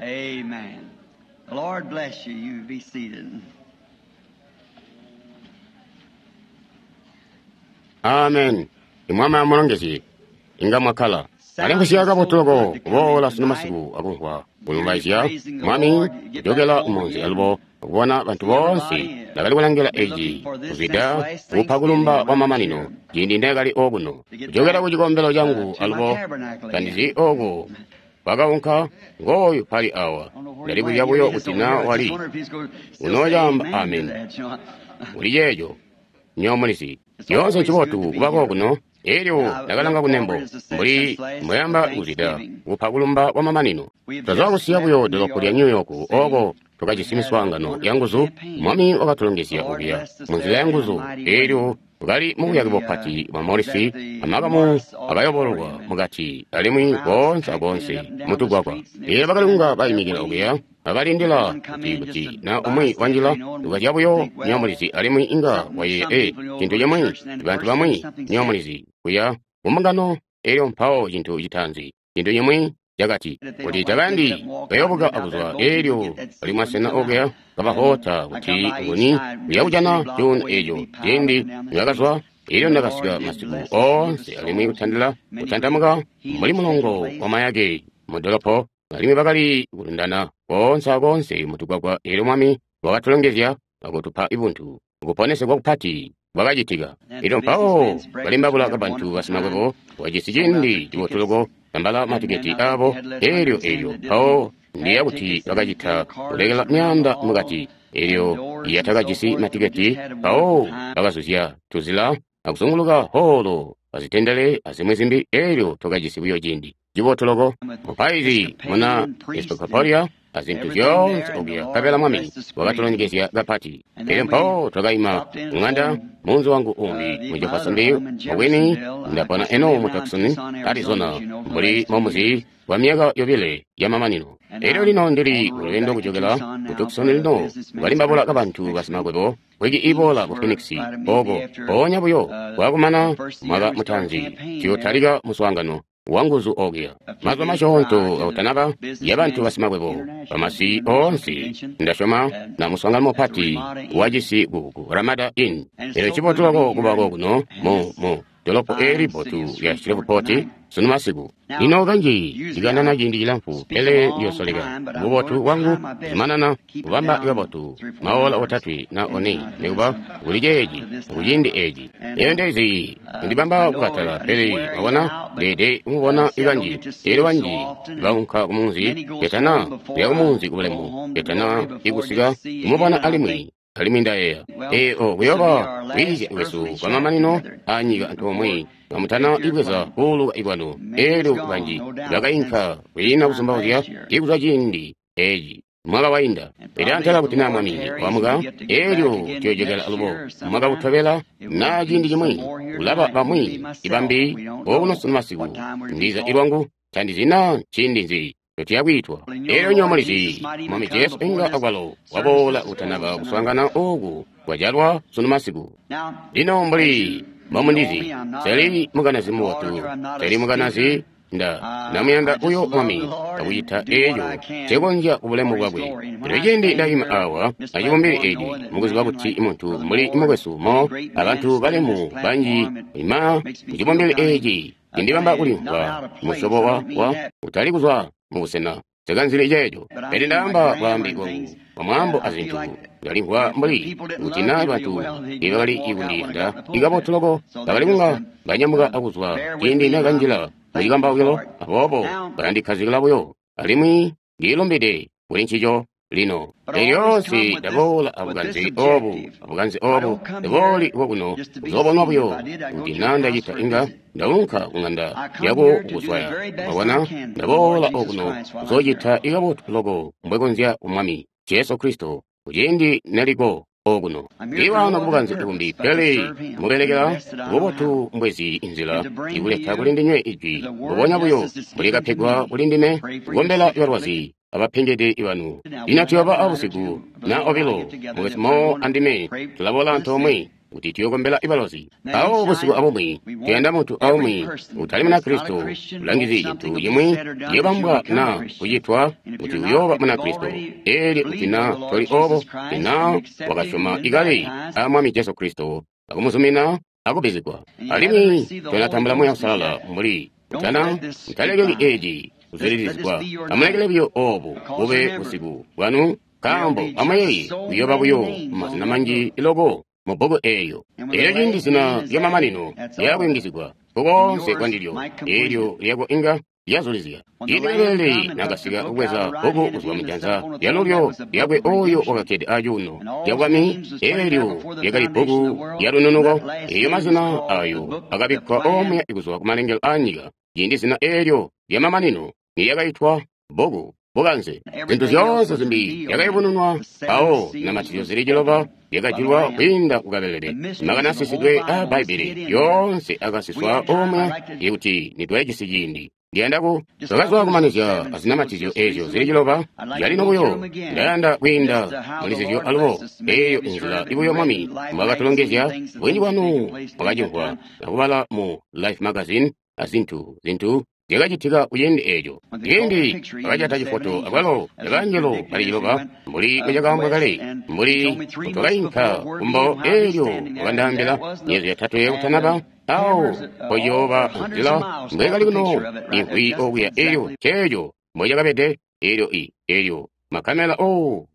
Amen. The Lord bless you. You be seated. Amen. Imwami amulongezye. Inga mwakkala. Alimvwisya kabotu loko kuboola sunu masiku akumvwa kulumbaizya Mwami kujokela kumunzi alubo kubona bantu boonse ndakali kulangila eci kuzwida kupa kulumba kwa mamanino ciindi ndakali okuno kujokela ku cikombelo cangu alubo tandizi oku kwakaunka ngooyu pali awa ndali kulya buyo kuti na wali unoocaamba amen kuli ceeco nyomulizi lyoonse ncibotu kuba kokuno elyo ndakalanga kunembo mbuli mbweyamba kuzwida kupa kulumba kwa mamanino. Twazwa kusiya buyo dolopo lya New York oko twakajisi miswaangano yanguzu. Mwami wakatulongezya okuya munzila yanguzu. Elyo twakali mubuyake bupati bwa Morris, amakamu akayobololwa mukati alimwi koonse akoonse mutugwagwa. Elyo bakali kunga baimikila okuya abalindila kuti na umwi wanjila tukazya buyo nyomulizi alimwi inga wayeeya cintu cimwi bantu bamwi nyomulizi kuya kumbungano. Elyo mpawo cintu citaanzi cintu cimwi cakati kuti takayandi kayobuka akuzwa. Elyo bali masena okuya kabahota kuti nguni uya kujana cuuno eco ciindi nibakazwa. Elyo ndakasika masiku oonse alimwi kutandila kutantamuka mbuli mulongo wamayake mudolopo, alimwi bakali kulundana koonse akoonse mutugwagwa. Elyo Mwami wakatulongezya akutupa ibuntu kuponesegwa kupati kwakacitika. Elyo mpawo balimbabula kabantu basimakwebo wajisi ciindi cibotu loko tambala matiketi abo. Elyo elyo mpawo ndiya kuti bakacita kulekela myaanda mukati. Elyo yatakajisi matiketi mpawo bakazuzya tuzila akuzunguluka holo azitendele azimwi zimbi. Elyo twakajisi buyo ciindi cibotu loko. Mupaizi muna Episcopalia azintu zyoonse okuya nkabela Mwami wakatulongezya kapati. Elyo mpawo twakaima kung'anda munzi wangu umbi mu Jeffersonville. Mubwini ndapona eno mu Tucson, Arizona mbuli momuzi kwa myaka yobile yamamanino. Elyo lino ndili kuluyendo kujokela ku Tucson lino kukalimbabula kabantu basimakwebo wiki iboola ku Phoenix oko mpoonya buyo kwakumana mwaka mutaanzi tuyotalika muswaangano wanguzu okuya. Mazuba masyoonto akutanaba yabantu basimakwebo bamasi oonse ndasyoma na muswaangano mupati wacisi ku Ramada Inn. Elyo cibotu loko kuba kokuno mu dolopo eli bbotu lya Shreveport sunu masiku. Lino kanji ndikanana ciindi cilamfu, pele ndiyosoleka bubotu bwangu kuzumanana kubamba kabotu maola otatwe na one nikuba kuli ceeci kuciindi eeci. Elyo ndezi ndibamba kukatala, pele mwabona ndeede kumubona ikanji. Elyo banji baunka kumunzi ketana kuya kumunzi kubulemu ketana ikusika kumubona alimwi. Alimwi ndayeeya eo kuyoba kwiizya kwesu kwa mamanino anyika antoomwe kamutana ibweza kuuluka ibwanu. Elyo banji bakainka kwiina kuzumbauzya ikuzwa ciindi eci mwaka wainda. Pele antela kuti na Mwami wamuka, elyo tuyojokela alubo mwaka utobela na ciindi cimwi kulaba bamwi ibambi okuno sunu masiku. Ndiza ilwangu tandizi na ciindi nzi tuyakwiitwa. Elyo nyomulizi Mwami Jesu inga akwalo waboola kutanaba kuswaangana oku kwajalwa sunu masiku. Lino mbuli mbomundizi seli mukanazi mubotu, seli mukanazi nda namuyanda uyo Mwami akucita eco ncekonzya kubulemu bwakwe. Elyo ciindi ndaima awa acibumbili eci mukuziba kuti muntu mbuli mukwesu mo abantu balemu banji ima mucibumbili eci cindibamba kulimvwa musyobo wa utali kuzwa mubusena sekanzili ceeco. Pele ndaamba bwaambi bwangu bwamwaambo azintu ndalimvwa mbuli kuti na bantu ibakali kundiyanda ikabotu loko bakali kunga banyamuka akuzwa ciindi nakanjila mucikambaukilo, aboobo balandikkazikila buyo alimwi ndilumbide kuli ncico lino. Elyoonse ndaboola abukanze obu ndabooli kokuno kuzoobonwa buyo kuti na ndacita inga ndaunka kung'anda yako kukuswaya. Mwabona ndaboola okuno kuzoocita ikabotu loko mbwekonzya ku Mwami Jesu Kristo kuciindi neliko okuno. Iwano kubukanze bumbi, pele mubelekela bubotu mbwezi inzila ikuleta kuli ndinywe ijwi mbubonya buyo mbulikapegwa kuli ndime kukombela balwazi abapengede ibanu. Lino tuyooba abusiku na obilo mukwesu Mo andime tulaboola antoomwe. kuti tuyokombela ibalozi. Mpawo busiku abumwi tuyanda muntu aumwi utali Munakristo ulangizi cintu cimwi ciyobambwa na kucitwa kuti uyooba Munakristo. Elyo kuti na toli obo, na wakasyoma ikale a Mwami Jesu Kristo akumuzumina akubbizigwa, alimwi tonatambula Muuya Uusalala mbuli kutana, mutalekeli eci kuzwidilizigwa. Amulekele buyo obu bube busiku bwanu, nkaambo amuyeeye kuyooba buyo mazina manji loko mu bbuku eeyo. Elyo ciindi zina lyamamanino lyakuyungizigwa kukoonse kwandilyo, eelyo lyako inga lyazulizya. Ciindi kabelele nakasika kubweza bbuku kuzwa mujanza lyalulyo lyakwe oyo wakakkede acuuno cabwami, eelyo lyakali bbuku lyalununuko. Eeyo mazina ayo akabikkwa omuya kuzwa kumalengelo aanyika. Ciindi zina eelyo lyamamanino nilyakaitwa bbuku bukanze, zintu zyoonse zimbi zyakayubununwa. Mpawo zinamatizyo zili ciloba zyakajulwa kwiinda kukabelele. Makani asisidwe aa Bbaibbele yoonse akasiswa omuya ikuti nitwajisi ciindi. Ndiyanda ku twakazwa kumanizya azinamatizyo eezyo zili ciloba zyalino buyo. Ndayanda kwiinda muli zizyo alubo. Eeyo nzila ibuyo Mwami mbwakatulongezya. Bunji bwanu mwakacimvwa akubala mu Life magazine azintu zintu zyakacitika kuciindi eeco. Ciindi bakajata cifoto akwalo cabangelo bali ciloba mbuli mbocakaambwa kale, mbuli mbutwakainka kumbo, eelyo wakandaambila myeezi yotatwe yakutanaba awo mpociyooba nzila mbwekali kuno imvwi okuya. Eelyo ceeco mbocakabede. Eelyo eelyo makamela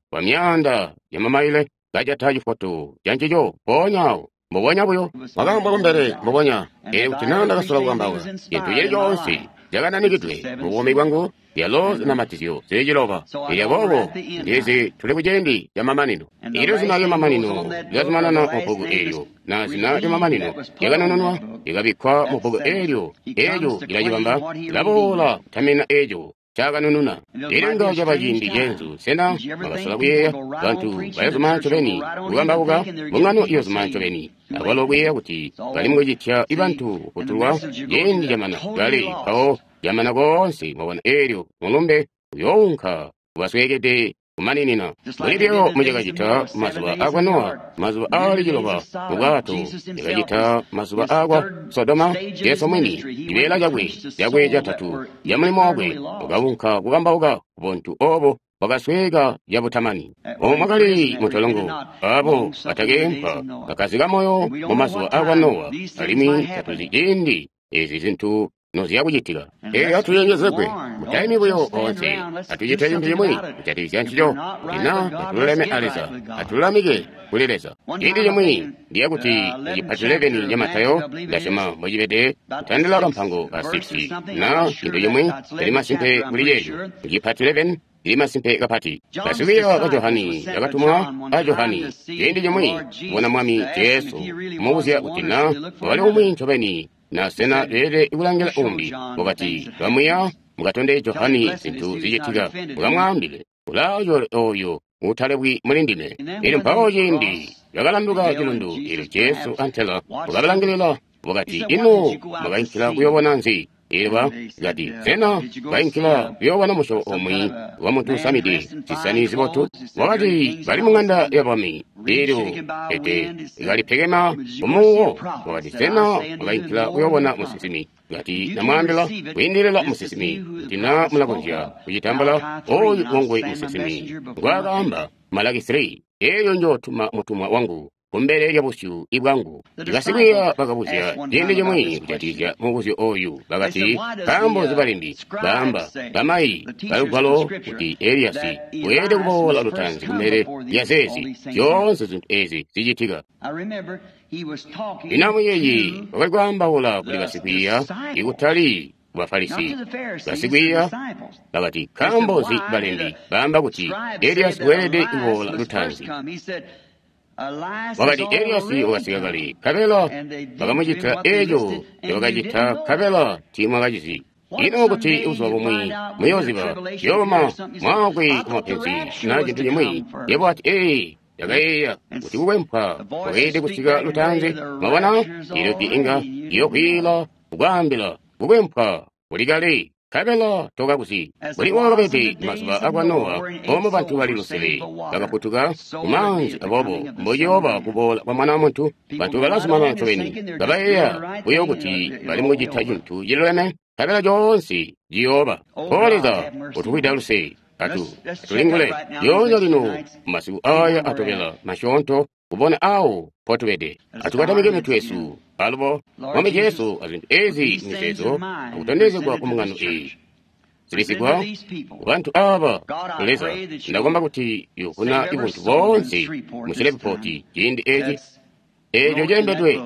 kwa myaanda yamamaile kajata cifoto cancico mpoonya awo. Mbubonya buyo wakaambwa kumbele mbubonya. Eelyo kuti naa ndakasola kukambaula cintu cili coonse cakananikidwe mu buumi bwangu, lyalo zinamatizyo zili ciloba. Elyo aboobo ndizi tuli kuciindi camamanino. Eelyo zina lyamamanino lyazumanana mu bbuku eelyo, na zina lyamamanino lyakanununwa likabikkwa mu bbuku eelyo, eelyo lilacibamba, lilaboola kutamina eeco cakanununa. Elyo inga caba ciindi ceenzu. Sena mwakasola kuyeeya bantu bayozuma ncobeni kukambauka, mbungano iyozuma ncobeni akwalo kuyeeya kuti bali mukucitya bantu kufutulwa? Ciindi camana kale, mpawo camana koonse. Mwabona, eelyo mulumbe uyounka kubasweekede kumaninina, mbuli buyo mucakacita mazuba akwa Nowa, mazuba aali ciloba mu bwato, yakacita mazuba akwa Sodoma. Jesu mwini, cibeela cakwe cakwe catatu ca mulimo wakwe, wakaunka kukambauka kubuntu obo bwakasweeka cabutamani. Omo mwakali muntolongo abo batakeempwa bakazika moyo mu mazuba akwa Nowa, alimwi tatuzi ciindi ezi zintu noziyakucitika. Eeyo atuyenjezegwe, mutaimi buyo oonse, atucite cintu cimwi kujatikizya ncico. Kuti naa tatululeme a Leza, atululamike kuli Leza. Ciindi cimwi ndiya kuti mucipati 11 ca Matayo, ndasyoma mbocibede, kutandila kampango ka 6 na cintu cimwi cili masimpe kuli ceeco. Mucipati 11 cili masimpe kapati. Basikwiiya ba Johani bakatumwa a Johani ciindi cimwi kubona Mwami Jesu, kumubuzya kuti naa wakali umwi ncobeni na sena beelede kulangila umbi. Wakati, bamwiya mukatonde Johani zintu zicitika, mukamwaambile ulaayo oyo utalebwi muli ndime. Elyo mpawo ciindi bakalanduka cilundu, elyo Jesu antela wakabalangilila, wakati, ino mwakainkila kuyoobona nzi? Elyo bakati, sena bainkila kuyoobona musyobo omwe wa muntu usamide zisani zibotu? Wakati, bali muŋanda ya bwami. Elyo ete kalipekema kumuwo. Wakati, sena mwakainkila kuyoobona musinsimi? Kati, namwaambila kwiindilila musinsimi, kuti naa mulakonzya kucitambula oyu wongwe musinsimi ngwaakaamba Malaki 3, eelyo njootuma mutumwa wangu kumbele lya busyu bwangu. Basikwiiya bakabuzya ciindi cimwi kujatikizya mubuzyo oyu, bakati, nkaambo nzi balembi baamba bamayi balugwalo kuti Eliyasi weelede kuboola lutaanzi kumbele lya zeezi zyoonse zintu ezi zicitika? Lino amuyeeye, wakali kwaambaula kuli basikwiiya, ikutali ku Bafarisi. Basikwiiya bakati, nkaambo nzi balembi baamba kuti Eliyasi weelede kuboola lutaanzi? Wakati, Eliyasi wakasika kale, nkabela bakamucitila eeco ncobakacita, nkabela tiimwakacizi. Ino kuti buzuba bumwi muyooziba ciyooma mwaakwe kumapenzi na cintu cimwi, yebo ati, ee, ndakayeeya kuti kukwempwa kwakeelede kusika lutaanzi. Mwabona, eelyo inga iyokwiila kukwaambila kukwempwa kuli kale. Nkabela tokakuzi. Mbuli wakabede mazuba akwa Nowa, omo bantu bali lusele bakafutuka kumaanzi, aboobo mbociyooba kuboola kwa Mwana wa Muntu. Bantu balazumanana ncobeni, kabayeeya buyo kuti bali mukucita cintu ciluleme, nkabela coonse ciyooba. O Leza, utufwida luse, atulingule lyoonya lino masiku aya atobela masyoonto kubona awo potubede. Atukatamike mitwe yesu alubo Mwami Jesu azintu ezi mizeezo akutondezegwa ku mbungano eyi zilisigwa kubantu aba. Leza, ndakomba kuti yuvuna ibuntu boonse musilebupoti ciindi eci eeco cilembedwe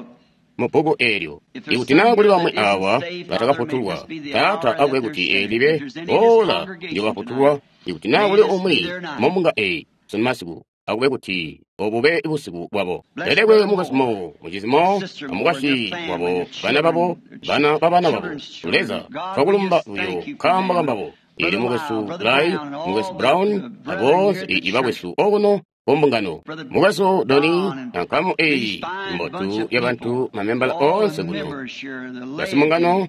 mu bbuku eelyo. Ikuti naa kuli bamwi awa batakafutulwa, Taata akube kuti eelibe ola ndyobafutulwa. Ikuti naa kuli umwi mumbunga eyi sunu masiku, akube kuti obube busiku bwabo. Lelekwe mukwesu Mo, mucizi Mo, amukwasyi wabo, bana babo, bana babana babo. Leza, twakulumba buyo nkaambo kambabo. Ili mukwesu Lai, mukwesu Brown, aboonse ibakwesu okuno kumbungano. Mukwesu Doni, ankamu eyi mbotu yabantu mamembala oonse kuno. Basimbungano,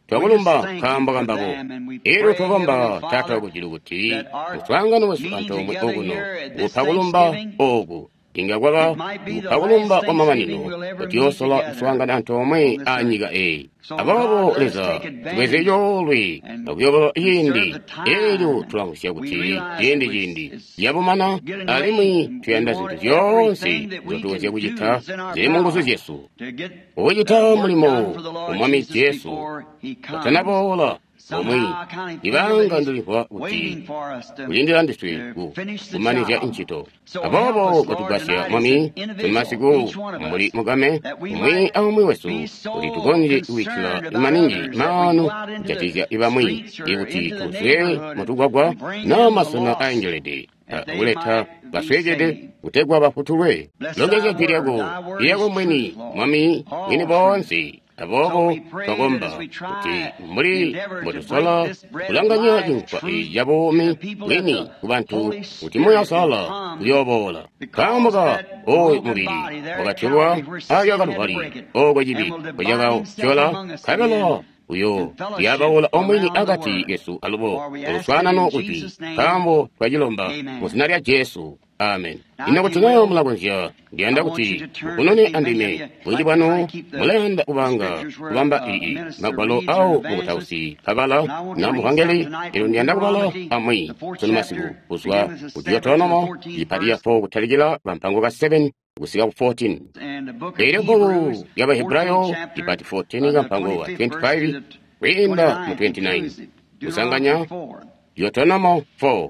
twakulumba nkaambo kambabo. Elyo twakomba Taata wakujulu kuti muswaangano wesu antoomwe okuno kupa kulumba oku inga kwaba kupa kulumba kwamamanino kutiyoosola kuswaangana antoomwe anyika eyi. Aboobo Leza, tubweze coolwe akuyobolola ciindi eelyo tulamvwisya kuti ciindi yabumana, alimwi tuyanda zintu zyoonse nzyotukonzya kucita zili munguzu zyesu kucita mulimo wa Mwami Jesu katanaboola. Omwe ibanga ndilimvwa kuti kulindila ndiswe kumanizya ncito. Aboobo kotugwasya Mwami sunu masiku mbuli mugame umwi aumwi wesu kuti tukonzye kubikkila maningi maanu kujatikizya ibamwi, ikuti tuzwe mutugwagwa naa masena aengelede kuleta basweekede kutegwa bafutulwe. Longezya jwi lyako lyako mwini, Mwami, mwini boonse. Aboobo twakomba kuti mbuli mbotusola kulanganya cinkwa eeci cabuumi bwini kubantu, kuti Muuya Uusalala uyooboola. Nkaambo ka ooyu mubili wakatyolwa aalya Kaluvali, ooko cibi mpocakatyola, nkabela uyo lyabaula omwini akati kesu alubo oluswaanano kujwi, nkaambo twacilomba mu zina lya Jesu. Amen. Ino kuti naa mulakonzya, ndiyanda kuti mukunone andime. Bunji bwanu mulayanda kubanga kubamba ii magwalo awo mukutausi kabala na muvangeli. Elyo ndiyanda kubala amwi sunu masiku kuzwa ku Deuteronomo ipati ya 4 kutalikila pampango ka 7 kusika ku 14. Elyo bbuku lya Bahebrayo ipati 14 kampango ka 25 kuyinda mu 29 kusanganya Deuteronomo 4.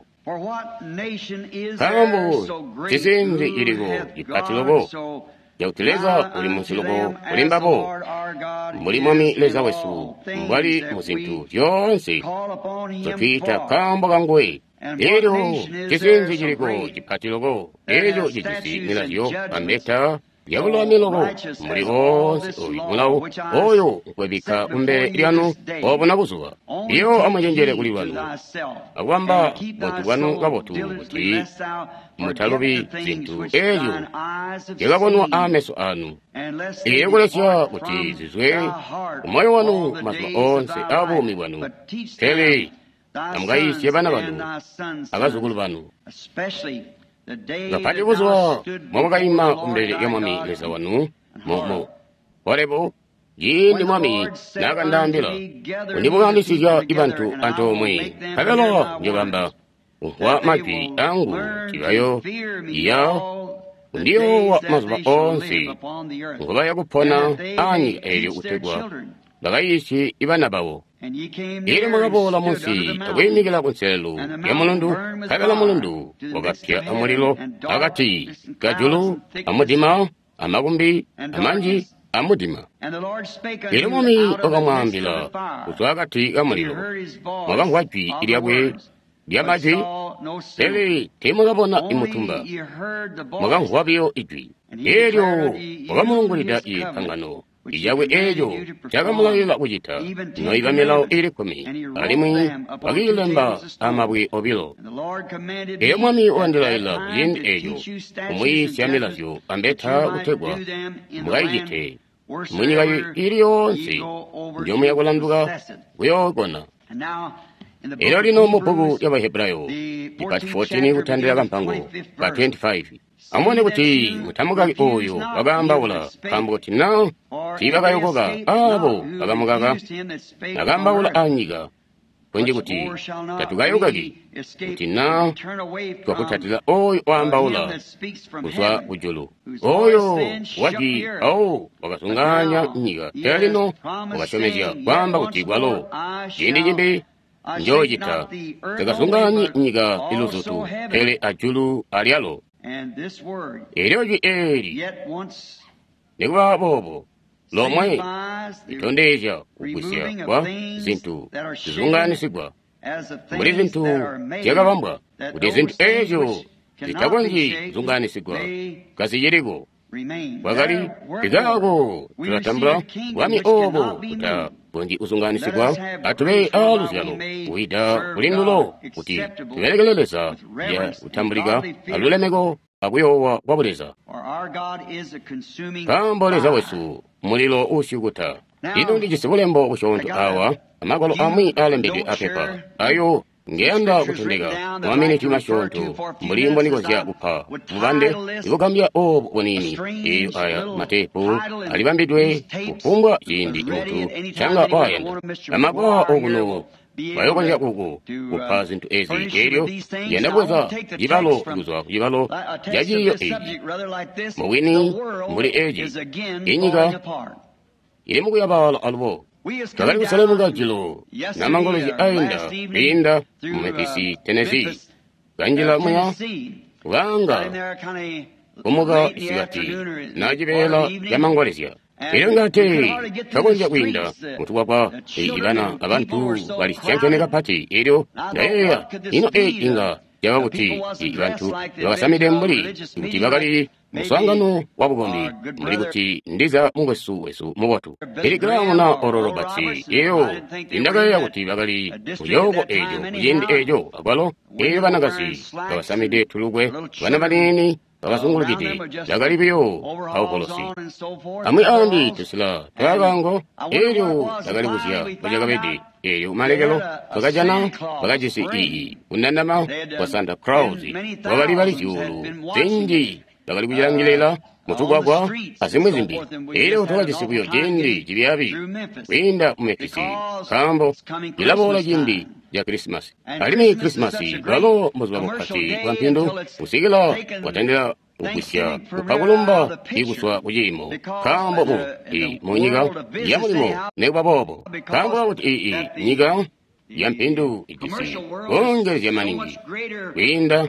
Nkaambo cisinzi ciliko cipati loko cakuti Leza uli munsi loko kuli mbabo, mbuli Mwami Leza wesu mbwali mu zintu zyoonse nzotwiita nkaambo kanguwe. Elyo cisinzi ciliko cipati loko eco cijisi milazyo ambeta lyabululami loko mbuli woonse oyu mulawo oyo nkwebikka kumbele lyanu obona buzuba. Iyo amucenjele kuli lwanu akubamba buntu bwanu kabotu kuti mutalubi zintu ezyo zyakabonwa aameso anu. Iyo kulesya kuti zizwe kumoyo wanu mazuba oonse aabuumi bwanu, pele amukaiisye bana banu abazukulu banu. Kapati buzuba mwamwakaima kumbele lya Mwami Leza wanu mu Horebu, ciindi Mwami naakandaambila kundibukandisizya ibantu antoomwe, nkabela njobamba kumvwa majwi angu tibayo iya kundiyoowa mazuba oonse ngobaya kupona anyika eelyo kutegwa bakayiisye ibana babo. Elyo mwakaboola munsi akwiimikila kunselelo lya mulundu, nkabela mulundu wakapya amulilo akati kajulu amudima amakumbi amanji amudima. Elyo Mwami wakamwaambila kuzwa akati kamulilo, mwakamvwa jwi lyakwe lya majwi, pele teemwakabona imutumba, mwakamvwa buyo ijwi. Elyo wakamulungulida ipangano icakwe eeco cakamulayila kucita, noiba milawo iili 10, alimwi wakiilemba amabwe obilo. Elyo Mwami wandilaila kuciindi eeco kumwiisya milazyo ambeta kutegwa mukayicite munyika ili yoonse njomuya kulanduka kuyookona. Elyo lino mu bbuku lya Bahebrayo, ipati 14 kutandila kampango ka 25. Amubone kuti mutamukaki oyo wakaambaula, nkaambo kuti na tiibakayokoka aabo bakamukaka nakaambaula anyika, kunji kuti tatukayokaki kuti na twakutatila oyo waambaula kuzwa kujulu, oyo wajwi awo wakazungaanya nyika. Pele lino wakasyomezya kwaamba kuti kwalo ciindi cimbi njoocita takazungaanyi nyika iluzutu, pele ajulu alyalo. Elyo jwi eeli nikuba boobo lomwe litondezya kugwisya kwa zintu zizungaanisigwa mbuli zintu zyakabambwa, kuti zintu eezyo zitakonzyi kuzungaanisigwa kaziciliko. Kwakali ikaako tulatambula bwami oobo butakonzyi kuzungaanisigwa, atube aaluzyalo kwiida kuli ndulo kuti tubelekele Leza lya kutambulika alulemeko akuyoowa kwa buleza. Nkaambo Leza wesu mulilo uusyukuta. Lino ndijisi bulembo busyoonto awa, amagwalo amwi aalembedwe apepa ayo ngeyanda kutondeka maminiti masyoonto mbuli mbonikonzya kupa bubande ibugambya oobu buniini. Eyo aya mateepu alibambidwe kufumbwa ciindi muntu canga wayanda. Bamagwa okuno bayokonzya kuku kupa zintu ezi. Elyo ndiyanda kubweza cibalo kuzwa kucibalo ca ciiyo eci mubwini mbuli eci, inyika ili mukuyabaala alubo. Twakali kuselemuka jilo namangolezya ainda kwiinda mu Memphis, Tennessee, kanjila muya kubanga kumuka isikati na cibeela ca mangolezya. Elyo ngate twakonzya kwiinda mutugwagwa ibana abantu bali syankene kapati. Elyo ndayeeya, ino eeci inga caba kuti bantu bakasamide mbuli kuti bakali muswaangano wa bukombi, mbuli kuti ndiza mukwesu wesu mubotu Billy Graham na Oral Roberts. Eyo indakayeeya kuti bakali kucooko eco kuciindi eco akwalo. Eyo banakazi bakasamide tulukwe, bana baniini bakazungulukide, bakali buyo aukolosi amwi ambi tusila twakaango. Elyo bakali kuzya mbocakabede. Elyo kumalekelo bakajana bakajisi iyi kunandama kwa Santa Claus, wakali bali zyuulu zinji bakali kucilangilila mutugwagwa azimwi zimbi. Elyo twakajisi buyo ciindi cibyaabi kwiinda mu Memphis, nkaambo cilaboola ciindi ca Krisimasi, alimwi Krisimasi bwalo mbuzuba bupati bwa mpindu kusikila bwatandila kugwisya kupa kulumba ikuzwa kuciimo, nkaambo mu munyika ya mulimo. Nikuba boobo, nkaambo kakuti iyi nyika ya mpindu ijisi kongelezya maningi kwiinda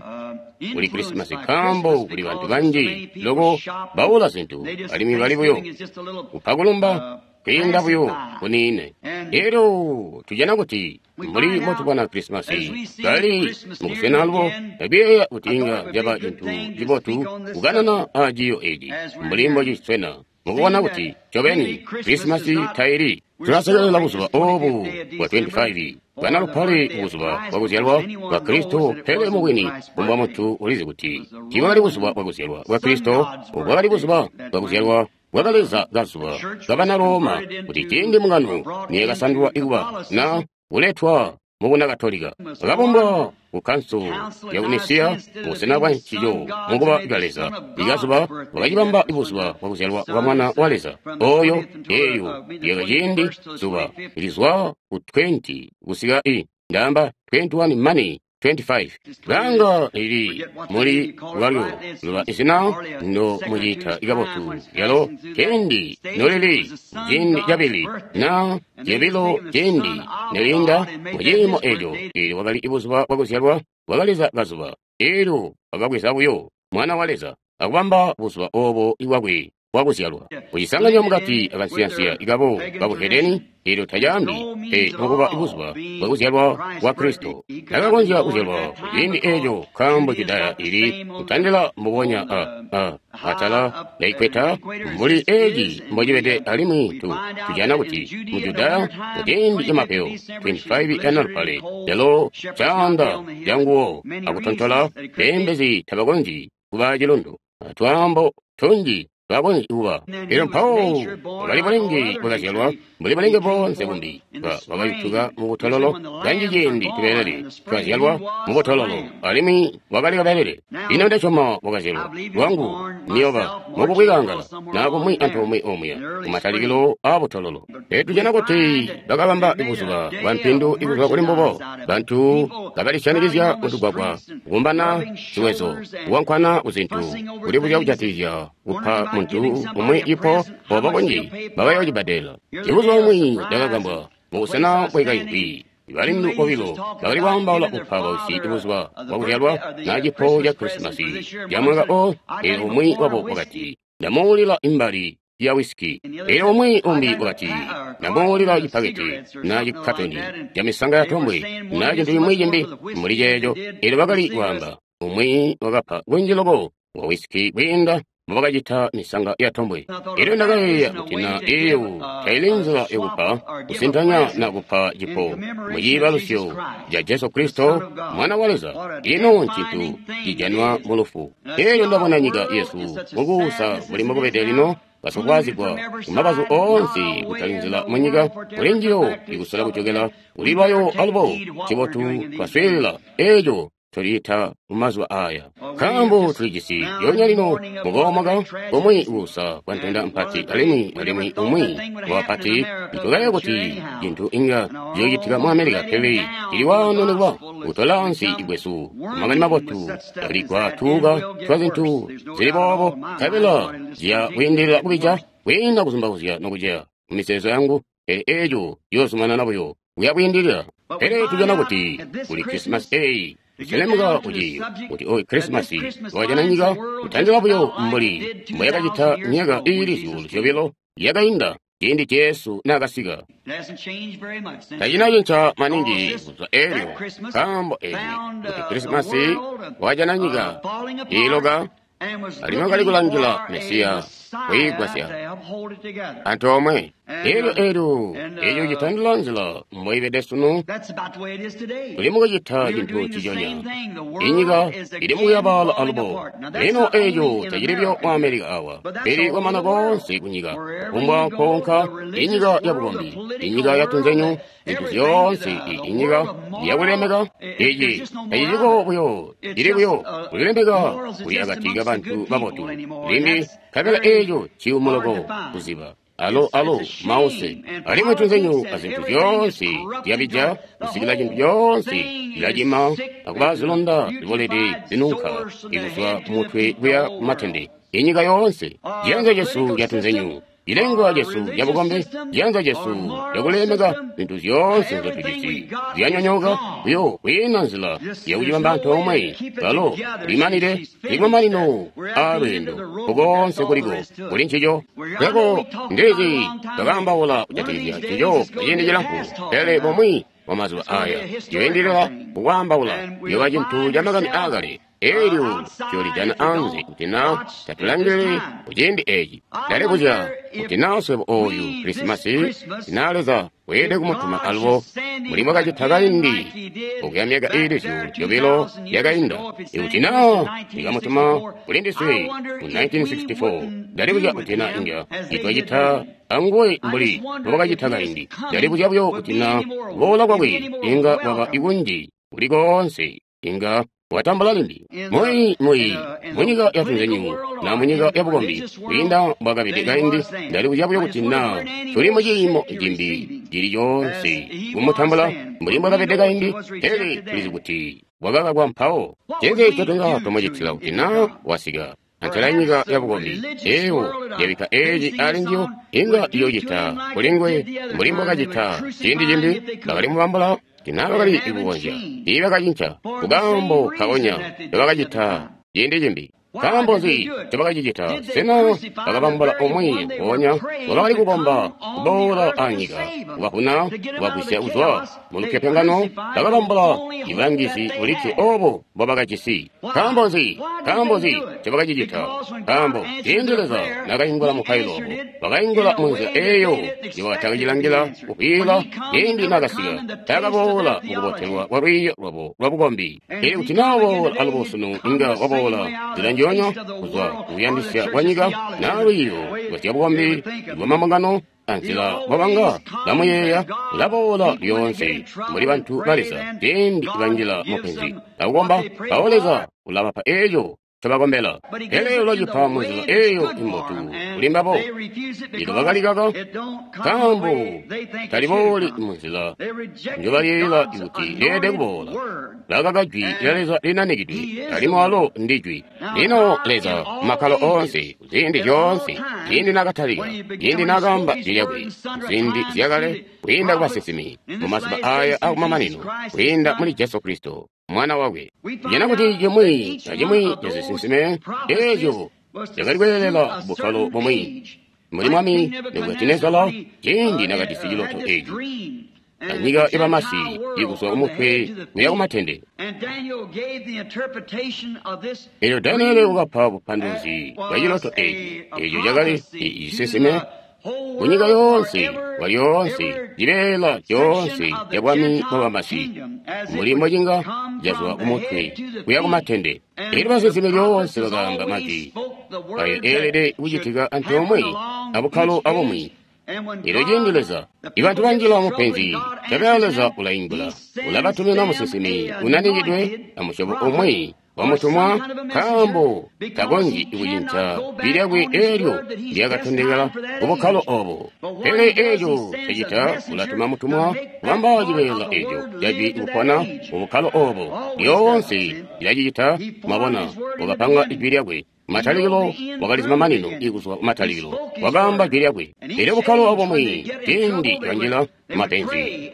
kuli Krisimasi, nkaambo kuli bantu banji loko baula zintu alimwi bali buyo kupa kulumba kwiinda buyo kuniine. Elyo tujana kuti mbuli mbotubona Krisimasi kali mubusena alubo, ndakuyeeya kuti inga caba cintu cibotu kukanana aciiyo eci mbuli mbociswena mukubona kuti ncobeni Krisimasi taili. Tulasekelela buzuba oobu bwa 25 bwana lupale, buzuba bwakuzyalwa bwa Kristo, pele mubwini kumbwa muntu ulizi kuti tiibwakali buzuba bwakuzyalwa bwa Kristo, bwakali buzuba bwakuzyalwa bwakaleza kazuba kabana Roma, kuti ciindi mbungano niyakasandulwa ikuba na kuletwa mu Bunakatolika, bakabumbwa ku kanso ya ku Nisiya mubusena bwa ncico mukuba kaleza ikazuba, bakacibamba buzuba bwakuzyalwa bwa mwana wa Leza oyo. Eyo yaka ciindi zuba lizwa ku 20 kusika i ndaamba 21 mani 25 langa lili muli lwalyo luba izina ndo muciita ikabotu lyalo ciindi nolili ciindi cabili na cebilo ciindi nelinda muciimo eco. Eelyo wakali ibuzuba bwakuzyalwa bwakaleza kazuba. Eelyo bakabweza buyo mwana wa Leza akubamba buzuba oobo ibwakwe bwakuzyalwa, kucisanganya mukati akansiyansiya ikabo kabuhedeni. Eelyo tacaambi pe mukuba ibuzuba bwakuzyalwa kwa Kristo. Takakonzya kuzyalwa kuciindi eeco, nkaambo Judaya ili kutandila mbubonya atala lya mbuli eeci mbocibede. Alimwi tujana kuti mu Judaya muciindi camapeyo 25 yanalupale lyalo caanda canguwo akutontola, beembezi tabakonzyi kuba cilundu. Twaambo tunji Taakonzyi kuba. Elyo mpawo wakali bulenge bwakazyalwa mbuli bulenge boonse bumbi. Wakayutuka mu butololo. Kanji ciindi tubelele twazyalwa mu butololo, alimwi wakali kabelele. Ino ndasyoma wakazyalwa lwangu niyoba mukubwikangala na kumwi antoomwe omuya kumatalikilo aa butololo. Tujana kuti bakabamba buzuba bwa mpindu ikuzwa kuli mbubo. Bantu kabalisyanikizya mutugwagwa, kukumbana ziwezo, kuwankwana kuzintu, kulibuzya kujatikizya kupa muntu umwi ipo obo kunji bakayocibadela. Ibuzuba bumwi ndakagambwa mubusena bwekaimbi. Balindu bobilo bakali kwaambaula kupa bausyi buzuba bwakuzyalwa na cipo ca Krisimasi ca mwaka o. Elyo umwi wabo wakati, ndamuulila imbali ya wisiki. Elyo umwi umbi wakati, ndamuulila cipaketi na cikatoni ca misanga ya tombwe na cintu cimwi cimbi mbuli ceeco. Elyo bakali kwaamba, umwi wakapa kunji loko wa wisiki kwiinda mbobakacita misanga ya tombwe. Elyo ndakayeeya kuti na eyo taili nzila yakupa kusintanya na kupa cipo mu ciibalusyo ca Jesu Kristo Mwana wa Leza. Ino ncintu cijanwa mu lufu. Elyo ndabona nyika yesu mukuusa mbuli mbokubede lino, basofwaazigwa kumabazu oonse, kutali nzila mu nyika kuli njiyo ikusola kujokela kuli lwayo alubo. Cibotu twaswiilila eeco tuliita mumazuba aya, nkaambo tulijisi lyonya lino mukoomoka kumwi kuusa kwa ntenda mpati, alimwi umwi wapati. Itukaye kuti cintu inga ciyocitika mu Amerika, pele cili waano nikuba kutola ansi ikwesu makani mabotu aligwa tuuka twa zintu zili boobo, nkabela ziya kwiindilila kubija kwiinda kuzumbauzya nokuceya mu mizeezo yangu, pele eeco ciyoozumanana buyo kuya kwiindilila. Pele tujana kuti kuli Krisimasi eyi kuselemuka kuti oyu Krisimasi wakajana nyika kutandila buyo mbuli mbwayakacita myaka iili 2,000 yakainda ciindi Jesu naakasika. Tacina cinca maningi kuzwa eelyo, nkaambo eeli kuti Krisimasi wakajana nyika iiloka, alimwi wakali kulangila Mesiya kwiigwasya antoomwe. Elyo eeco citandila nzila mboibede sunu. Tuli mukucita cintu ciconya. Inyika ili mukuyabaala alubo. Lino eeco tacili buyo mu Amerika awa, pele kwamana koonse kunyika, kufumbwa nkoonka, inyika yabukombi, inyika yatunzenyu, zintu zyoonse, inyika yakulilemeka. Ici taciciko buyo, cili buyo kulilemeka kuli akati kabantu babotu limbi, nkabela eeco ciyumu loko kuziba. Alo mause, alimwi tunzenyu azintu zyoonse zyabija kusikila cintu coonse cilacima akuba zilonda zibolede zinunka ikuzwa kumutwe kuya kumatende. Inyika yoonse, ciyanza cesu catunzenyu, cilengwa cesu cabukombe, ciyanza cesu cakulemeka, zintu zyoonse nzyotujisi zyanyonyooka buyo kwiina nzila yakucibamba antoomwe. Kalo limanile likumamanino aalweendo kukoonse kuliko kuli ncico. Peko ndizi twakaambaula kujatikizya ncico ciindi cilamfu, pele bumwi bwa mazuba aya ciyoindilila kukwaambaula, ciyoba cintu ca makani aakale. Elyo ciyolijana anze kuti na tatulangilili kuciindi eci. Ndalibuzya kuti na swebo oyu Krisimasi na Leza weelede kumutuma alubo mbuli mbwakacita kaindi okuya myaka iili 2,000 yakainda. Ikuti na ikamutuma kuli ndiswe mu 1964, ndalibuzya kuti na inga itwacita anguwe mbuli mbwakacita kaindi. Ndalibuzya buyo kuti na kuboola kwakwe inga kwaba ikunji kuli koonse inga watambula limbi munyika yatunzenyu na munyika yabukombi kwiinda mbwakabede kaindi. Ndalibuzya buyo kuti na tuli muciimo cimbi cili coonse kumutambula mbuli mbwakabede kaindi, pele tulizi kuti wakakakwa mpawo. Ncinzi ncotunga twamucitila kuti na wasika antela nyika yabukombi eyo yabikka eeci ali njiyo, inga iyocita kulinguwe mbuli mbwakacita ciindi cimbi. Bakali mubambula tina bakali kukonzya, tiibakacinca kukaambo kaonya ncobakacita ciindi cimbi. Nkaambo nzi ncobakacicita? Sena bakabambula umwi mpoonya ngobakali kukomba kuboola anyika kubavuna kubagwisya kuzwa mu lupyopyongano? Bakabambula ibulangizi bulikke oobo mbobakajisi. Nkaambo nzi? Nkaambo nzi ncobakacicita? Nkaambo ciindi Leza naakaingula mupailo wabo, wakaingula munzila eeyo njobakatakacilangila kukwiila. Ciindi naakasika, taakaboola mukubotelwa kwa lwiiyo lwabo lwabukombi. Pele kuti naaboola alubo sunu, inga waboola nzila njonya. ndyoonya kuzwa kuyandisya kwa nyika na lwiiyo lwazyabukombi lwa mambungano anzila bwabanga bamuyeeya ulaboola lyoonse mbuli bantu ba Leza ciindi banjila mupenzi akukomba mpawo Leza ulabapa eeco ncobakombela. Pele ulacipa munzila eeyo imbotu kuli mbabo. Lino bakalikaka nkaambo talibooli munzila njobayeeyela kuti lyeelede kuboola. Bakaka jwi lya Leza linanikidwe, alimwi walo ndi jwi. Lino Leza makkalo oonse, ziindi zyoonse, ciindi naakatalika, ciindi naakaamba jwi lyakwe, ziindi zyakale, kwiinda kubasinsimi, mumazuba aya akumamanino, kwiinda muli Jesu Kristo, Mwana wakwe. Tujana kuti cimwi acimwi cazisinsime eeco cakali kweelela bukkalo bumwi. Mbuli Mwami Nebukadinezara ciindi naakajisi ciloto eeci, anyika yabamasi ikuzwa kumutwe kuya kumatende. Eelyo Daniele wakapa bupanduluzi bwa ciloto eeci, eeco cakali cisinsime kunyika yoonse kwalyoonse cibeela coonse cabwami bwabamasi mbuli mbocinga cazwa kumutwe kuya kumatende. Eelyo basinsimi lyoonse bakaamba majwi ayo eelede kucitika antoomwe abukkalo abumwi. Eelyo ciindi Leza ibantu banjila mupenzi, tabela Leza ulaingula, ulabatumina musinsimi unanikidwe amusyobo umwi wamutumwa, nkaambo takonzyi kucinca jwi lyakwe eelyo lyakatondekela kubukkalo obo. Pele eeco cacita ulatuma mutumwa kubamba cibeela eeco cajwi kupona mubukkalo obo. Lyoonse lilacicita, mwabona, wakapanga ijwi lyakwe. Matalikilo wakalizi mamanino ikuzwa kumatalikilo, wakaamba jwi lyakwe. Elyo bukkalo obumwi ciindi banjila mapenzi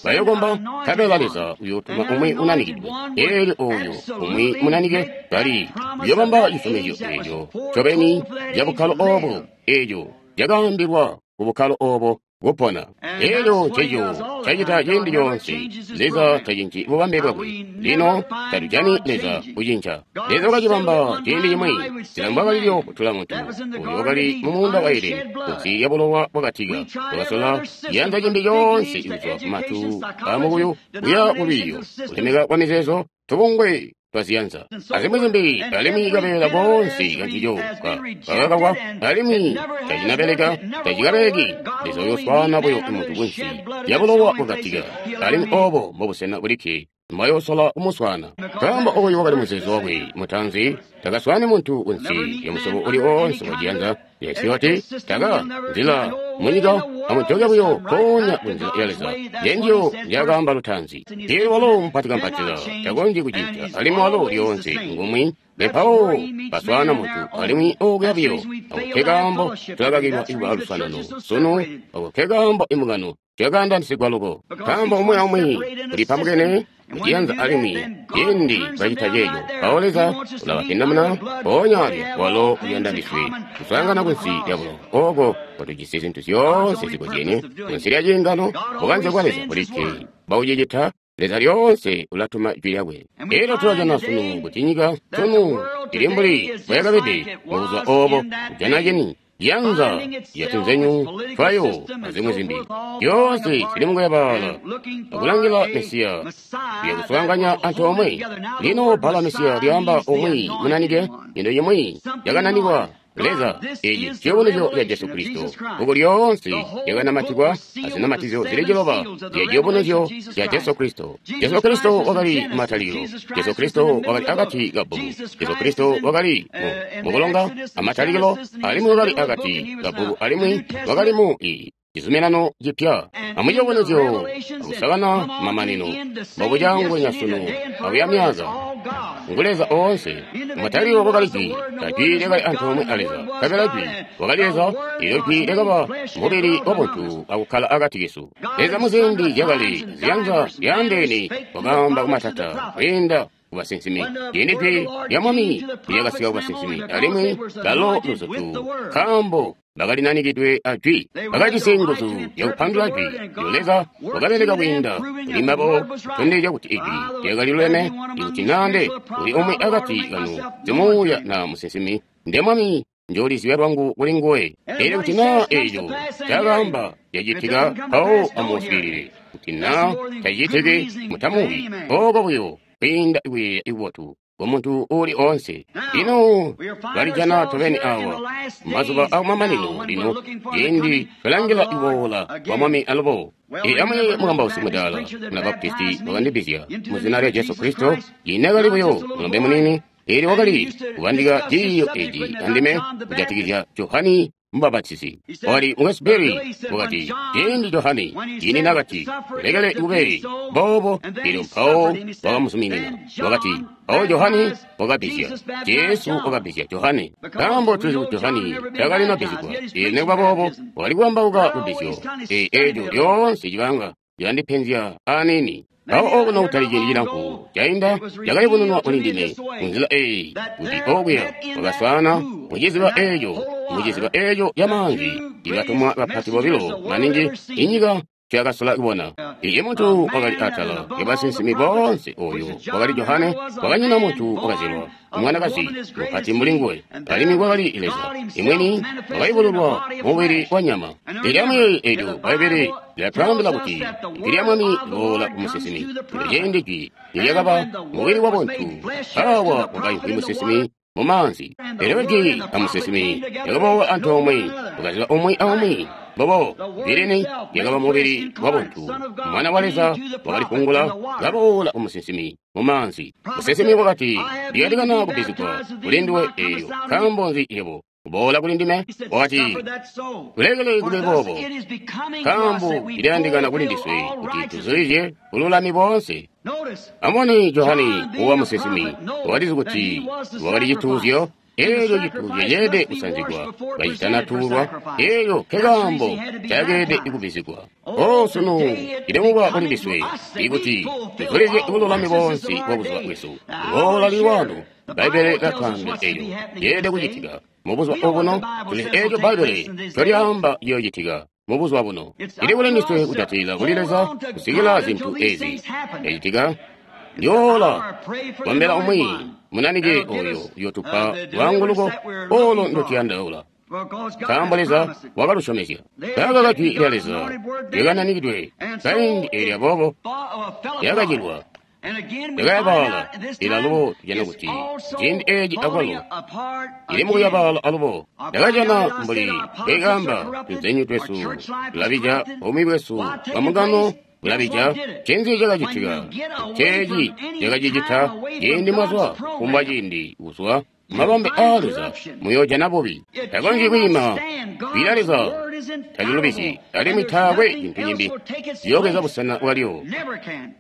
bayokomba, nkabela Leza uyootuma umwi unanikidwe. Eelyo ooyo umwi munanike kali uyoobamba cisyomezyo eeco ncobeni cabukkalo obo, eeco cakaambilwa kubukkalo obo kupona. Eelyo nceco cacita ciindi coonse. Leza tacinci bubambe bwakwe. Lino tatujani Leza kucinca. Leza wakacibamba ciindi cimwi nzila mbwakalilyo kutula muntu uyo wakali mumuunda wa Edeni kunsi ya bulowa bwakatika. Wakasola ciyanza cimbi coonse kuzwa kumatu amukuyu kuya kulwiiyo, kulemeka kwa mizeezo, tubungwe twaziyanza azimwi zimbi, alimwi kabeela koonse kancico kakakakwa, alimwi tacinabeleka, tacikabeleki. Leza uyoswaana buyo muntu kunsi ya bulowa bwakatika, alimwi obo mbobusena bulikke mwayosola kumuswaana. Nkaambo oyu wakali muzeezo wakwe mutaanzi, takaswaani muntu kunsi ya musyobo uli oonse waciyanza yasioti taka nzila munyika amujoke buyo mpoonya kunzila ya Leza yenjiyo ndyakaamba lutaanzi. Eelyo walo mupatikampatila takonzyi kucinca, alimwi walo lyoonse ngumwi. Mpawo baswaana muntu alimwi okuya buyo. Ako nkekaambo tulakakilwa ikuba aluswaanano sunu. Ako nkekaambo imbungano zyakaandanisigwa loko, nkaambo umwi aumwi ulipambukene muciyanza, alimwi ciindi bacita ceeco mpawo Leza ulabapindamuna mpoonya alya. Walo uyanda ndiswe kuswaangana kunsi lya bulowa ooko kwatujisi zintu zyoonse zikozyene kunsi lya ciingano. Bukanze bwa Leza bulikke baucicita. Leza lyoonse ulatuma jwi lyakwe. Eelyo tulajana sunu kuti nyika sunu ili mbuli mbwayakabede mubuzuba oobo, kujana cini yanza yatunzenyu twayo azimwi zimbi zyoonse zili mukuyabaala akulangila Mesiya uyakuswaanganya antoomwe. Lino bbala Mesiya lyaamba umwi munanike, into imwi yakananikwa Leza. Eeci ciyubunuzyo ca Jesu Kristo. Bbuku lyoonse lyakanamatikwa azinamatizyo zili ciloba zya ciyubunuzyo ca Jesu Kristo. Jesu Kristo wakali matalikilo. Jesu Kristo wakali akati kabbuku. Jesu Kristo wakali mukulonga amatalikilo, alimwi wakali akati kabbuku, alimwi wakali mu cizuminano cipya. Amuciyubunuzyo akusakana mamanino mbobucangwenya sunu akuya myaaka ngu Leza oonse. Matalikilo kwakali jwi, jwi lyakali antoomwe a Leza, nkabela jwi wakali Leza. Eelyo jwi lyakaba mubili wabuntu akukkala akati kesu. Leza muziindi zyakale ziyanza zyaandeene wakaamba kumatata kwiinda kubasinsimi. Ciindi jwi lya Mwami lyakasika kubasinsimi, alimwi balo luzutu, nkaambo bakalinanikidwe ajwi, bakajisi nguzu zyakupandula jwi. Lyo Leza wakabeleka kwiinda kuli mbabo kutondezya kuti ijwi lyakaliluleme. Ikuti nande uli umwi akati kanu simuuya na musinsimi, nde Mwami njoolizibya lwangu kuli nguwe. Eelyo kuti naa eeco cakaamba cacitika, mpawo amuswiilile. Kuti naa tacicitiki, mutamuwi. Ooko buyo kwiinda kuyeeya ikubotu. ku muntu uuli oonse. Lino twalijana tobeni awa mazuba akumamanino lino ciindi twalangila kuboola kwa Mwami alubo. Amwi mukambausi mudaala muna Baptisti wakandibbizya mu zina lya Jesu Kristo, ciindi buyo mulombe muniini, eelyo wakali kubandika ciiyo eeci andime kujatikizya Johani Mubapatizi. Wakati, Mukwesu Billy, wakati, ciindi Johani ciindi naakati, ulekele kube boobo, eelyo mpawo wakamuzuminina. Wakati, mpawo Johani wakabbizya, Jesu wakabbizya Johani. Nkaambo tulizi kuti Johani takalina bbizigwa, eelyo nikuba boobo wakali kuwambauka lubbizyo. Eeco lyoonse cibanga cilandipenzya aniini. Mpawo okuno kutali ciindi cilamfu cainda cakayubununwa kuli ndime munzila eeyi kuti okuya wakaswaana muciziba eeco muciziba eeco camaanzi ibatumwa bapati bobilo maningi inyika ncoyakasola kubona. Iye muntu wakali atala yabasinsimi boonse ooyo wakali Johane, wakanyina muntu wakazyalwa mwanakazi mupati mbuli nguwe, alimwi kwakali Leza imwini wakayubululwa mubili wa nyama. Eelyo amuyeeye eelyo Bbaibbele lilatwaambila kuti ijwi lya Mwami liboola ku musinsimi. Eelyo ciindi jwi nilyakaba mubili wa buntu, aawa wakaimvwi musinsimi mumaanzi. Eelyo jwi amusinsimi lyakaboola antoomwe, wakaziba umwi aumwi. Mbobo lilini lyakaba mubili wa buntu, Mwana wa Leza wakalifungula kaboola ku musinsimi mumaanzi. Musinsimi wakati, ndiyandikana kubbizigwa kuli nduwe eelyo nkaambo nzi yebo kuboola kuli ndime? Wakati, kulekele kube boobo, nkaambo ciliyandikana kuli ndiswe kuti tuzulizye bululami boonse. Amubone Johani uwa musinsimi wakalizi kuti wakali cituuzyo. Eelyo cituuzyo ceelede kusanzigwa kacitanatuulwa, eelyo nkekaambo cakeelede kubbizigwa. O sunu cilemuka kuli ndiswe ikuti tuzulizye bululami boonse bwa buzuba bwesu. Boola lili wano, Bbaibbele lilatwaambila eelyo ceelede kucitika mubuzuba obuno. Tulizi eeco Bbaibbele ncolyaamba ciyoocitika mubuzuba buno. Cili kuli ndiswe kujatilila kuli Leza kusikila zintu eezi zyacitika. Ndiyoola kombela umwi munanike ooyo uyootupa lwaanguluko oolo ndotuyandaula, nkaambo Leza wakalusyomezya. Kaka jwi lya Leza lyakananikidwe kaindi eelyo aboobo lyakacilwa lyakayabaala. Eelyo alubo tujana kuti ciindi eeci akwalo cili mukuyabaala alubo. Ndakajana mbuli mbwekaamba tunzenyu twesu tulabija, buumi bwesu bwamungano bulabija. Ncinzi cakacitika? Nceeci cakacicita ciindi mwazwa kufumbwa ciindi kuzwa mumabambe aa Leza muyoojana bubi. Takonzyi kwiima jwi lya Leza talilubizyi, alimwi taakwe cintu cimbi ciyoobweza busena bwalyo.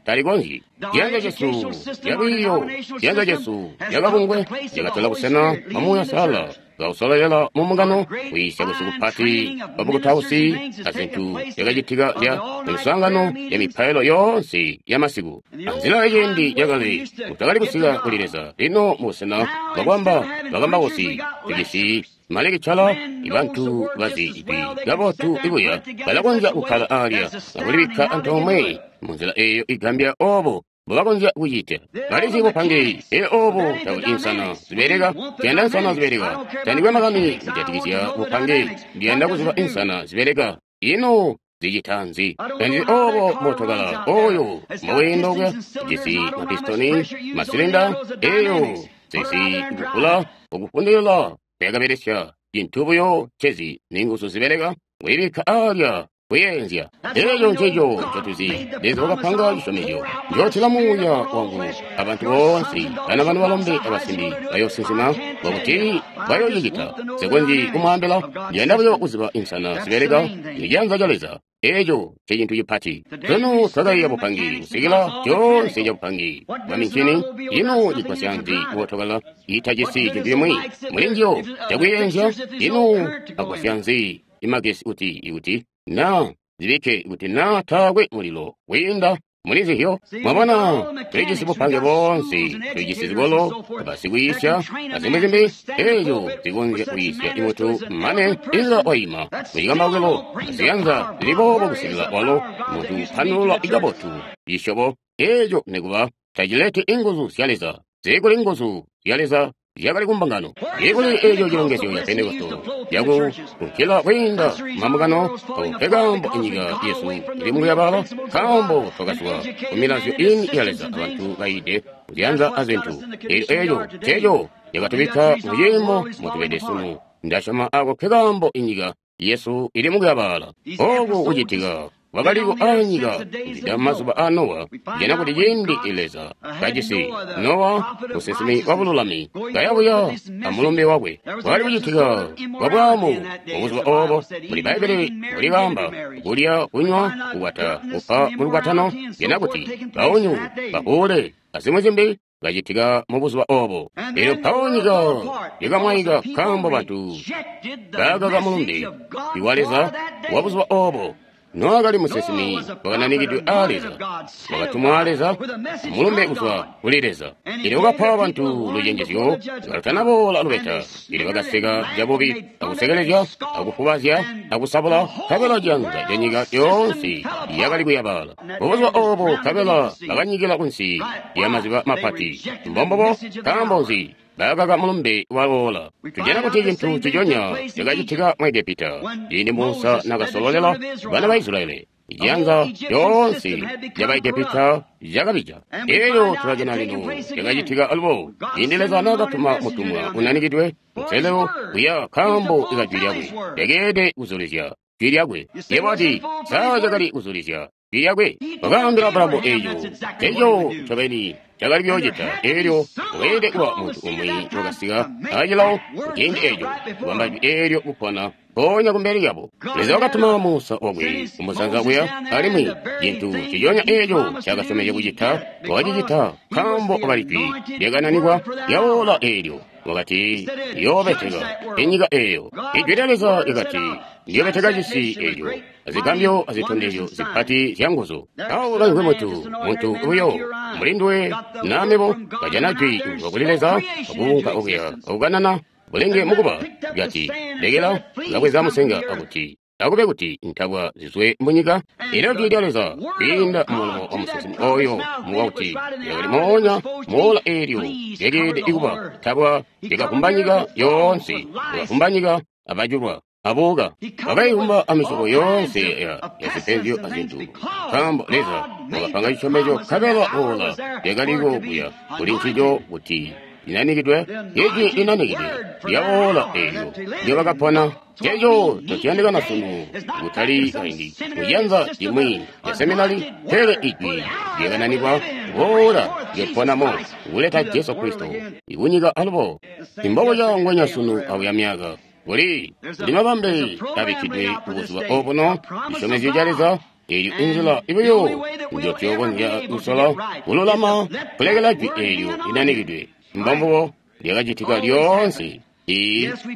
Talikonzyi. Ciyanza cesu calwiiyo, ciyanza cesu cakabungwe cakatola busena bwa Muuya Uusalala kausololela mumbungano, kwiisya kwesu kupati kwabukutausi azintu zyakacitika zya miswaangano ya mipailo yoonse yamasiku. Anzila yaciindi cakale mutakali kusika kuli Leza. Lino mubusena bwakwamba bakambausi tujisi malekicala, ibantu bazi ijwi kabotu ibuya balakonzya kukkala aalya akulibikka antoomwe munzila eeyo igambya oobo mbubakonzya kucita. Balizi bupange, elyo oobo tabuli insana zibeleka. Ndiyanda insana zibeleka. Tandikwe makani kujatikizya bupange, ndiyanda kuziba insana zibeleka. Ino zicita nzi? Tandizi oobo mootokala ooyo mboweenda okuya ujisi mapistoni, masilinda, eeyo zisi kukula okufundilila kuyakabelesya cintu buyo ncezi ninguzu zibeleka kuyibikka aalya kuyeenzya. Eeco nceco ncotuzi. Leza wakapanga cisyomezyo, njootila Muuya wangu abantu boonse, bana banu balombe abasimbi bayoosinsima, bwakuti bayoocicita. Nsikonzyi kumwaambila, ndiyanda buyo kuziba insana zibeleka iciyanza ca Leza. Eeco ncecintu cipati. Sunu twakaiya bupangi kusikila coonse cabupangi bwa mincini. Ino cigwasya nzi mootokala iitajisi cintu cimwi mulinjiyo cakuyenzya? Ino agwasya nzi imagesi kuti naa zibikke kuti naa taakwe mulilo wiinda muli zihyo? Mwabona, tulijisi bupange boonse, tulijisi zikolo, basikwiisya azimwi zimbi eeco zikonzya kwiisya imuntu mane inga waima mucikambaukilo aziyanza zili boobo kusikila walo muntu upandulula kabotu cisyobo eeco nikuba tacileti inguzu zya Leza. Zikuli nguzu zya Leza zyakali kumbungano. Zikuli eeco cilongezyo ca Pentekosto cakukunkila kwiinda mambungano. Nkaambo inyika yesu ili mukuyabala, nkaambo twakazwa kumilazyo ini ya Leza abantu baide kuziyanza azintu. Elyo eco nceco cakatubikka muciimo motubede sunu. Ndasyoma ako nkekaambo inyika yesu ili mukuyabaala. Oku kucitika kwakaliko anyika kuzwida mazuba a Nowa, jana kuti ciindi Leza kajisi Nowa musinsimi wa bululami kayabuya amulumbe wakwe, kwakali kucitika kwa bwaamu mubuzuba obo. Muli Bbaibbele mulikaamba kulya, kunywa, kukwata, kupa mulukwatano, jana kuti baunyu, bapuule, azimwi zimbi kacitika mubuzuba obo. Elyo mpawo nyika yakamwaika nkaambo bantu baakaka mulumbe wa Leza wa buzuba obo. Nowa kali musinsimi wakananikidwe aa Leza, wakatumwa aa Leza, mulumbe kuzwa kuli Leza. Elyo wakapa bantu lucenjezyo kalutanaboola lubeta. Elyo bakaseka cabubi, akusekelezya, akufubazya, akusabula, nkabela ciyanza ca nyika yoonse yakali kuyabaala. Mubuzuba obo nkabela bakanyikila kunsi lya maziba mapati. Mbombubo, nkaambo nzi? Bakaka mulumbe waloola. Tujana kuti cintu ciconya cakacitika mu Egepita ciindi Musa nakasololela bana ba Israeli. Ijanza yoonse yaba Egepita yakabija. Elyo tulajana lino cakacitika alubo ciindi Leza nakatuma mutumwa unanikidwe nselelo kuya nkaambo ikajwi lyakwe lyakeelede kuzulizya jwi lyakwe. Yebo ati saa cakali kuzulizya jwi lyakwe. Wakaambila Abulahamu eeco eco ncobeni cakali kuyoocita. Elyo weelede kuba muntu umwi wakasika acilawo kuciindi eeco kubamba jwi eelyo kupona mpoonya kumbele lyabo. Leza wakatuma Musa wakwe kumusanza kuya, alimwi cintu ciconya eeco ncaakasyomezya kucita wakacicita nkaambo wakali jwi lyakananikwa lyawoola eelyo. Wakati, ndiyoobeteka inyika eeyo. Ijwi lya Leza lyakati, ndiyoobeteka cisi eeco azigambyo azitondezyo zipati zyanguzu. Awo kaimvwi muntu uyo mulinduwe namebo kajana jwi kuzwa kuli Leza akuunka okuya akukanana bulenge mukuba lyati, lekela kabweza musenga akuti akube kuti ntabwa zizwe munyika. Elyo jwi lya Leza kwiinda mumulomo wa musinsimi oyo muwakuti lyakali moonya moola eelyo lyakeelede kuba ntabwa lyakavumba nyika yoonse, lyakavumba nyika abajulwa abuka bakayivumba amisyobo yoonse ya zipenzyo azintu, nkaambo Leza wakapanga cisyomezyo nkabela oola lyakaliko kuya kuli ncico kuti linanikidwe. Ijwi linanikidwe lyawoola eelyo ndyobakapona. Nceco ncociyandikana sunu, kutali kaindi kuciyanza cimwi ca seminari, pele ijwi lyakananikwa woola lyoponamo kuleta Jesu Kristo ikunyika alubo. Imbobo ngwenya sunu akuya myaka kuli mabambe abikkidwe kubuzuba obuno, cisyomezyo ca Leza. Eeyo inzila ibuyo njotuyokonzya kusola kululama kulekela jwi eelyo linanikidwe. Mbombubo lyakacitika lyoonse.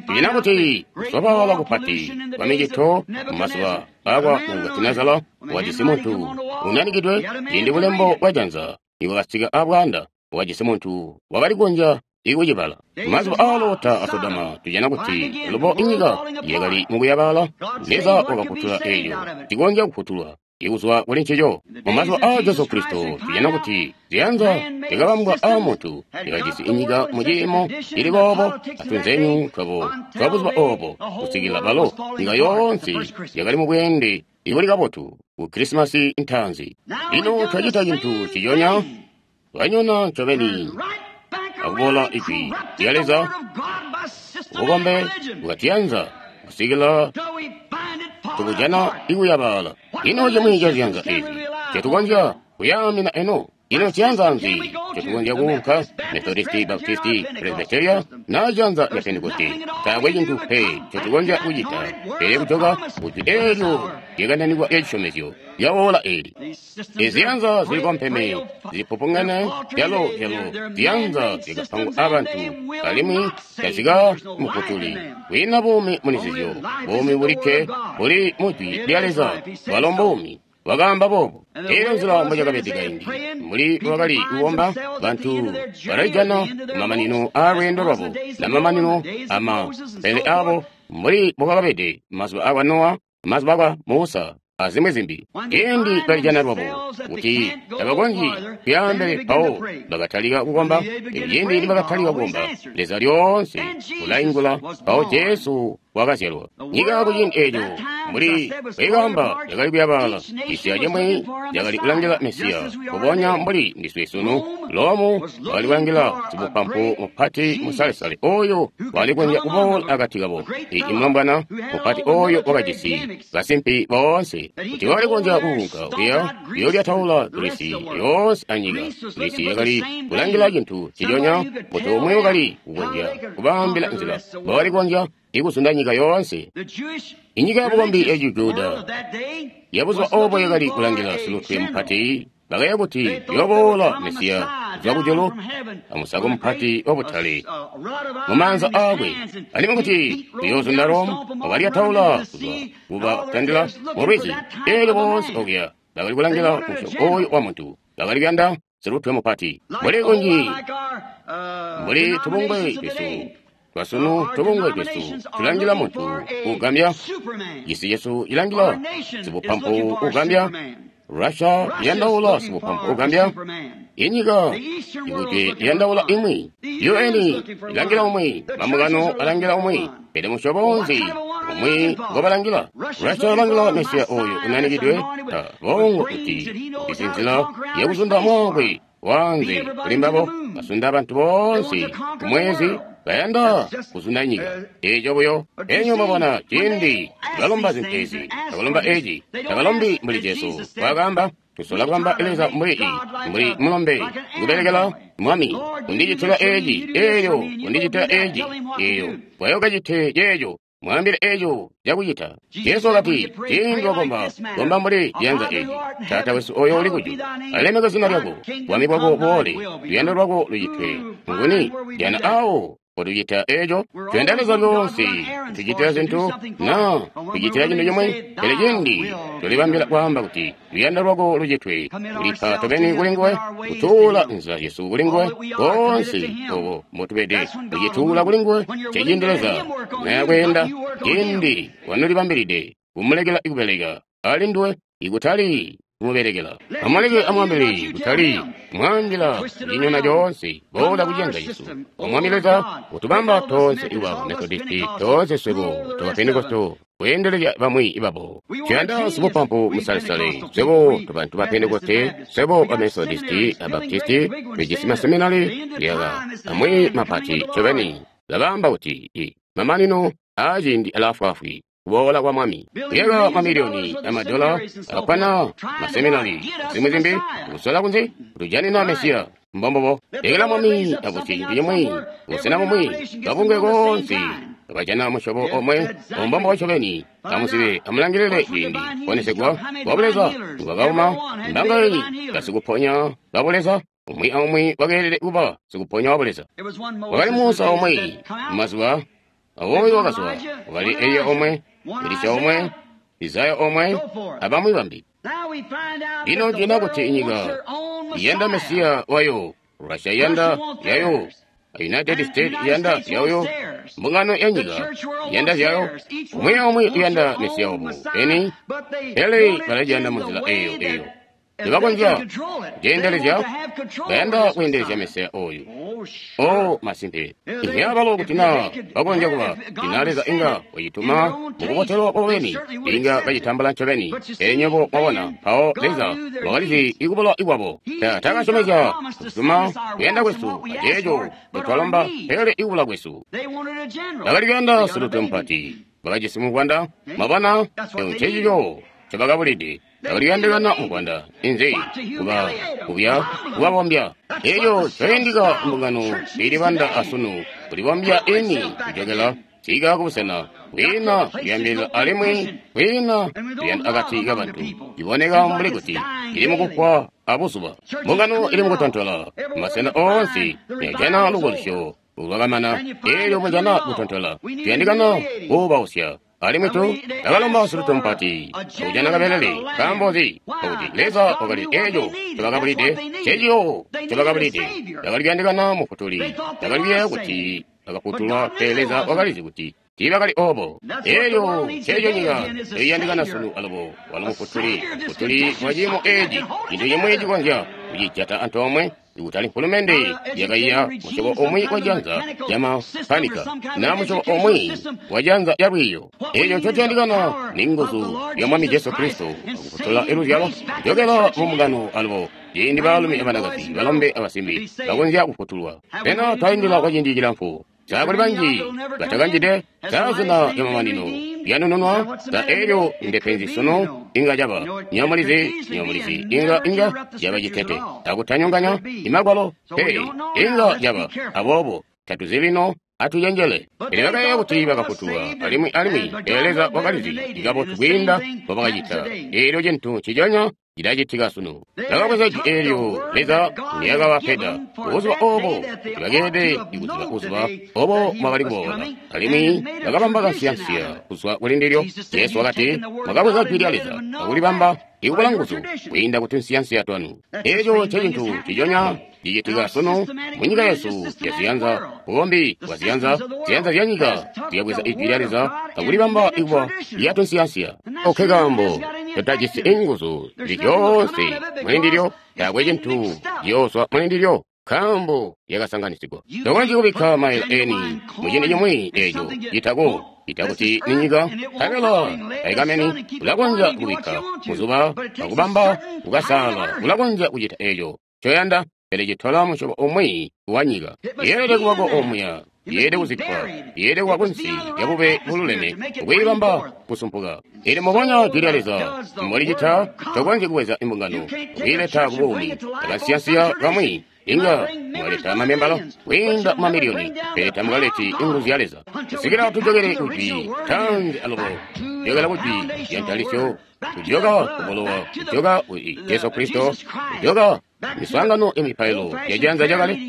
Tujana kuti kusobaala kupati kwa micito mumazuba akwa Nebukadinezara wajisi muntu unanikidwe ciindi bulembo bwa janza ibwakasika abwaanda wajisi muntu wakali kukonzya ikucibala. Mazuba aa Lota a Sodoma tujana kuti lubo inyika yakali mukuyabaala. Leza wakafutula eeco cikonzya kufutulwa ikuzwa kuli ncico. Mumazuba aa Jesu Kristo tujana kuti ziyanza zyakabambwa aamuntu zyakajisi inyika muciimo cili boobo atunzenyu twabo twa buzuba oobo kusikila balo nyika yoonse yakali mubweende ibuli kabotu ku Krisimasi ntaanzi. Lino twacita cintu ciconya, twanyona ncobeni akuboola ijwi lya Leza bukombe bwatiyanza kusikila tukujana ikuyabaala. Ino cimwi ca ziyanza ezi ncetukonzya kuyaamina eno? Ino ciyanza nzi ncetukonzya kuunka? Methodisti, Baptisti, Presbyteria na ciyanza ca Pentekoste? Taakwe cintu pe ncetukonzya kucita pele kujoka kujwi eelyo lyakananikwa lya cisyomezyo lyawoola eeli. Iziyanza zilikompeme zipupungene zyalo ziyanza zyakapangwa abantu alimwi tazika mufutuli. Kwiina buumi muli nzizyo, buumi bulikke buli mujwi lya Leza bwalo mbuumi. Wakaamba boobo. Eeyo nzila mbocakabede kaindi mbuli bwakali kukomba bantu balalijana kumamanino aalweendo lwabo namamanino amapele aabo mbuli mbwaakabede mazuba akwa Nowa, mazuba akwa Musa azimwi zimbi. Ciindi balijana lwabo kuti tabakonzyi kuyaambele mpawo bakatalika kukomba. Ciindi nibakatalika kukomba, Leza lyoonse ulaingula. Mpawo Jesu wakazyalwa. Nyika kuciindi eeco mbuli bwekaamba yakali kuyabaala, cisi acimwi cakali kulangila Mesiya, mbubonya mbuli ndiswe sunu. Lomu wakali kulangila sibupampu mupati musalesale ooyo wakali kukonzya kuboola akati kabo, i mulombwana mupati ooyo wakajisi basimpi boonse, kuti wakali kukonzya kuunka kuya kuyoolyataula Girisi yoonse anyika. Girisi yakali kulangila cintu nciconya, muntu umwi wakali kukonzya kubaambila nzila mbobakali kukonzya ikuzunda nyika yoonse. Inyika yabukombi ya Cijuda yabuzuba oobo yakali kulangila silutwe mupati, bakaya kuti yooboola Mesiya kuzwa kujulu amusako mupati wabutale mumaanza aakwe, alimwi kuti uyoozunda Rome, wakalyataula kuzwa kubatandila mulwizi. Eelyo boonse okuya bakali kulangila musyobo ooyu wa muntu, bakali kuyanda silutwe mupati. Mbuli kunji mbuli tubungwe twesu twasunu, tubungwe twesu tulangila muntu ugambya. Cisi cesu cilangila sibupampu ugambya. Russia iyandaula sibupampu ugambya. Inyika ikujwe iyandaula imwi. UN ilangila umwi, mambungano alangila umwi, pele musyobo nzi umwi ngobalangila? Russia alangila Mesiya ooyu unanikidwe, bongo kuti ujisi nzila yakuzunda mwaakwe wanze kuli mbabo, basunda bantu boonse kumwezi, bayanda kuzunda nyika. Eeco buyo. Enyo mwabona ciindi balomba zintu ezi, tabalomba eci, tabalombi mbuli Jesu wakaamba. Tusola kubamba Leza mbuli mbuli mulombe kubelekela Mwami, undicitila eci, eelyo undicitila eci, eeyo bwayokacite ceeco, mwaambile eeco cakucita. Jesu wakati, ciindi wakomba, komba mbuli ciyanza eci: Taata wesu ooyo uli kujulu, alemeke zina lyako, bwami bwako buboole, luyando lwako lucitwe. Nguni jana awo potucita eeco? Tuyanda Leza lyoonse tucitila zintu na tucitila cintu cimwe, pele ciindi tulibambila kwaamba kuti luyando lwako lucitwe, tulipa tobeni kuli nguwe, kutuula nzila zyesu kuli nguwe, boonse obo mbotubede tucituula kuli nguwe. Nceciindi Leza nayakweenda, ciindi wanolibambilide kumulekela kubeleka ali nduwe, ikutali kumubelekela. Amuleke amwambile, kutali mwaambila kucinyona coonse, boola kuciyanza cesu. O Mwami Leza, utubamba toonse iba Methodisti, toonse swebo toba Pentekosto, kweendelezya bamwi babo. Tuyanda sibupampu musalesale, swebo tobantu ba Pentekoste, swebo ba Methodisti a Baptisti, tujisi maseminari kuyaka amwi mapati ncobeni. Labaamba kuti mamanino aaciindi alaafwaafwi, kuboola kwa Mwami. Kuyaka mamiliyoni amadola akwana maseminari zimwi zimbi, kusola kunzi kutujanina Mesiya. Mbombobo lekela Mwami abusye cintu cimwi, busena bumwi, kabungwe koonse kabajana musyobo omwe, ombombo ncobeni. Amuzibe, amulangilile ciindi kuponesegwa kwa buleza nikwakauma mbangayi basikuponya ba buleza. Umwi aumwi wakeelede kuba sikuponya wa buleza. Wakali Musa omwe mumazuba awoyo wakazwa, wakali Eliya omwe, Elisha omwe, Isaya omwe, abamwi bambi. Lino njena kuti inyika iyanda Mesiya wayo, Russia iyanda yayo, United States iyanda yayo, mbungano ya nyika iyanda zyayo, umwi aumwi uyanda Mesiya wabo eni, pele balajanda munzila eyo eyo. Tebakonzya kuceendelezya, bayanda kweendelezya Mesiya oyu. O masimpe, inyabalo kuti naa bakonzya kuba ina Leza inga wacituma mukubotelwa kwabo beni, inga bacitambula ncobeni. Pele nywebo mwabona, mpawo Leza wakalizi ikubula ikwabo. Taakasyomezya kutuma kuyanda kwesu aceeco ncotwalomba, pele ikubula kwesu. Bakali kuyanda silutwe mupati, bakajisi muvwanda. Mwabona, eco ncecico ncobakabulide. Bakali kuyandikana muvwanda, inzi kuba kubya kubabombya. Eco cayandika mbungano ilibanda asunu, kulibombya ini kujokela sika kubusena kwiina kuyambilila alimwi kwiina kuyanda akati kabantu. Iboneka mbuli kuti ili mukufwa abuzuba. Mbungano ili mukutontola masena oonse, yajana lukolisyo lwakamana, eelyo mujana kutontola. Tuyandikana kuubausya. Alimwi tu takalomba silutwe mupati akujana kabelele. Nkaambo nzi? Pakuti Leza wakali eeco ncobakabulide, nceciyo ncobakabulide. Bakali kuyandikana mufutuli, bakali kuyeeya kuti bakafutulwa, pele Leza wakalizi kuti tiibakali oobo. Eelyo nceeco nyika iyandikana sunu alubo, walo mufutuli, mufutuli wa ciimo eeci, cintu cimwi cikonzya kucijata antoomwe. Kutali mfulumende yakaiya musyobo umwi wa janza lya mapanika na musyobo umwi wa janza lya lwiiyo. Eco ncotuyandikana ni nguzu ya Mwami Jesu Kristo akufutula iluzyalo kujokela mu mbungano alubo ciindi baalumi abanakazi, balombe abasimbi bakonzya kufutulwa. Pena twaindila kwa ciindi cilamfu. Sa kuli banji batakanjide sa zina lya mamanino lyanununwa sa elyo ndepenzi sunu inga caba nyomulizi inga caba citete akutanyonganya imagwalo pe inga caba. Aboobo tatuzi lino, atucenjele. Pele bakayeeya kuti bakafutulwa alimwi pele Leza wakalizi kabotu kwiinda mbobakacita. Eelyo cintu nciconya cilacitika sunu. Bakabweza jwi eelyo Leza ndyakabapeda buzuba oobo kuti bakeelede kuziba buzuba obo mwakali kuboola, alimwi bakabamba kansiyansiya kuzwa kuli ndilyo. Jesu wakati, mwakabweza jwi lya Leza akulibamba ikubula nguzu kwiinda ku tunsiyansiya twanu. Eeco ncecintu nciconya cicitika sunu munyika yesu yaziyanza, bukombi bwaziyanza, ziyanza zya nyika zyabweza ijwi lya Leza akulibamba ikuba lya tunsiyansiya. Oke kaambo totajisi inguzu zilyoonse muli ndilyo, taakwe cintu ciyooswa muli ndilyo, nkaambo lyakasanganisigwa. Tokonzyi kubikka maila eni muciindi cimwi eeco citako itakuti ni nyika nkabela taikameni. Ulakonzya kubikka muzuba akubamba kukasaala, ulakonzya kucita eeco ncoyanda, pele citola musyobo umwi wa nyika. Yeelede kubako omuya, yeelede kuzikkwa, yeelede kuba kunsi lya bube bululeme kwiibamba kusumpuka. Ili mubonya jwi lya Leza mbolicita, tokonzyi kubweza imbungano kwiileta kubuumi. Akansiyansiya kamwi inga mwaleta mamembala kwiinda mamiliyoni, pele tamukaleti inguzu ya Leza. Kusikila tujokele kujwi tanzi alubo, kujokela kujwi lya ntalisyo, kujoka kubulowa, kujoka kuli Jesu Kristo, kujoka miswaangano ya mipailo ya janza lyakale,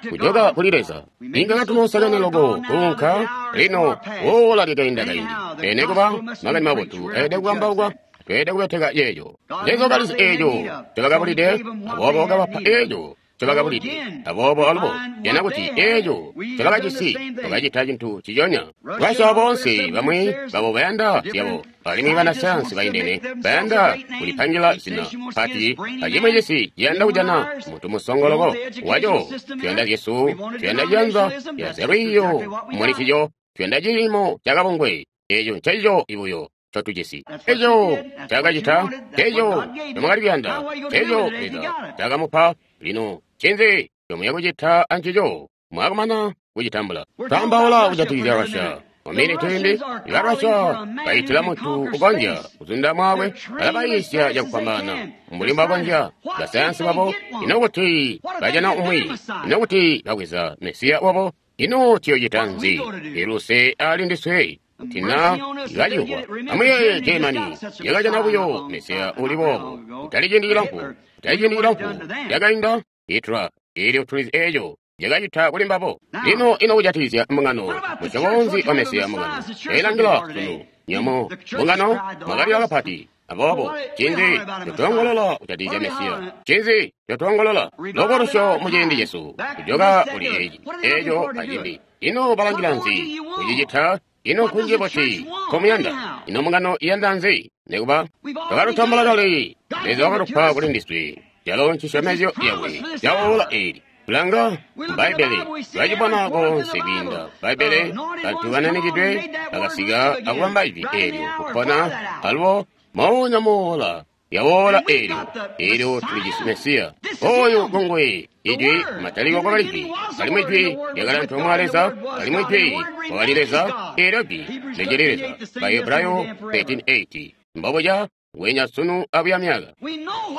kujoka kuli Leza. Inga katunosakene loko kuunka lino ola lyakainda kaindi, pele kuba makani mabotu ayede kukambaukwa. Tweelede kubeteka yeeyo. Leza wakalizi eeco ncobakabulide, aboobo wakabapa eeco ncobakabulide. Aboobo alubo jana kuti eeco ncobakajisi bakacita cintu ciconya. Russia boonse bamwi babo bayanda zyabo, alimwi banasayansi baindene bayanda kulipangila zina pati, acimwi cisi ciyanda kujana muntu musongo loko waco. Tuyanda zyesu, tuyanda ciyanza ya zyalwiiyo muli cico, tuyanda ciimo cakabungwe. Eeco ncencico ibuyo cotujisi. Eco cakacita, eco nomwakali kuyanda, eco Leza cakamupa. Lino ncinzi comuya kucita ancico mwakumana kucitambula? Twaambaula kujatikizya Russia. Muminiti imbi, iba Russia baitila muntu ukonzya kuzunda mwakwe, balabayiisya cakufwambaana mbuli mbakonzya basayansi babo. Ino kuti bajana umwi, ino kuti babweza Mesiya wabo, ino tuyocita nzi? Iluse ali ndiswe tina ikacihwa. Amuyeeye Germany yakajana buyo Mesiya uli boobo kutali ciindi cilamfu, kutali ciindi cilamfu yakainda Hitler. Eelyo tulizi eeco yakacita kuli mbabo. Lino ino kujatikizya mbungano, musyobo wa Mesiya mbungano yailangila sunu nyomo mbungano mwakalila kapati. Aboobo ncinzi cotwongolola kujatikizya Mesiya? Ncinzi cotwongolola lokolusyo muciindi cesu kujoka kuli eci eeco acimbi? Ino balangila nzi kucicita? Ino nkunji buti nkomuyanda? Ino mbungano iyanda nzi? Nikuba twakalutambula kale, Leza wakatupa kuli ndiswe calo ncisyomezyo yakwe caola eeli. Tulanga Bbaibbele, twacibona koonse kwiinda Bbaibbele. Bantu bananikidwe bakasika akubamba ijwi eelyo kupona alubo moonya moola yawoola eelyo. Eelyo tulijisi Mesiya oyu ngongwe ijwi. Mataliko kwakali jwi, alimwi jwi lyakali antoomwe a Leza, alimwi jwi wakali Leza. Eelyo jwi licili Leza. Bahebrayo 13:8 mbobuca ngwenya sunu abuya myaka.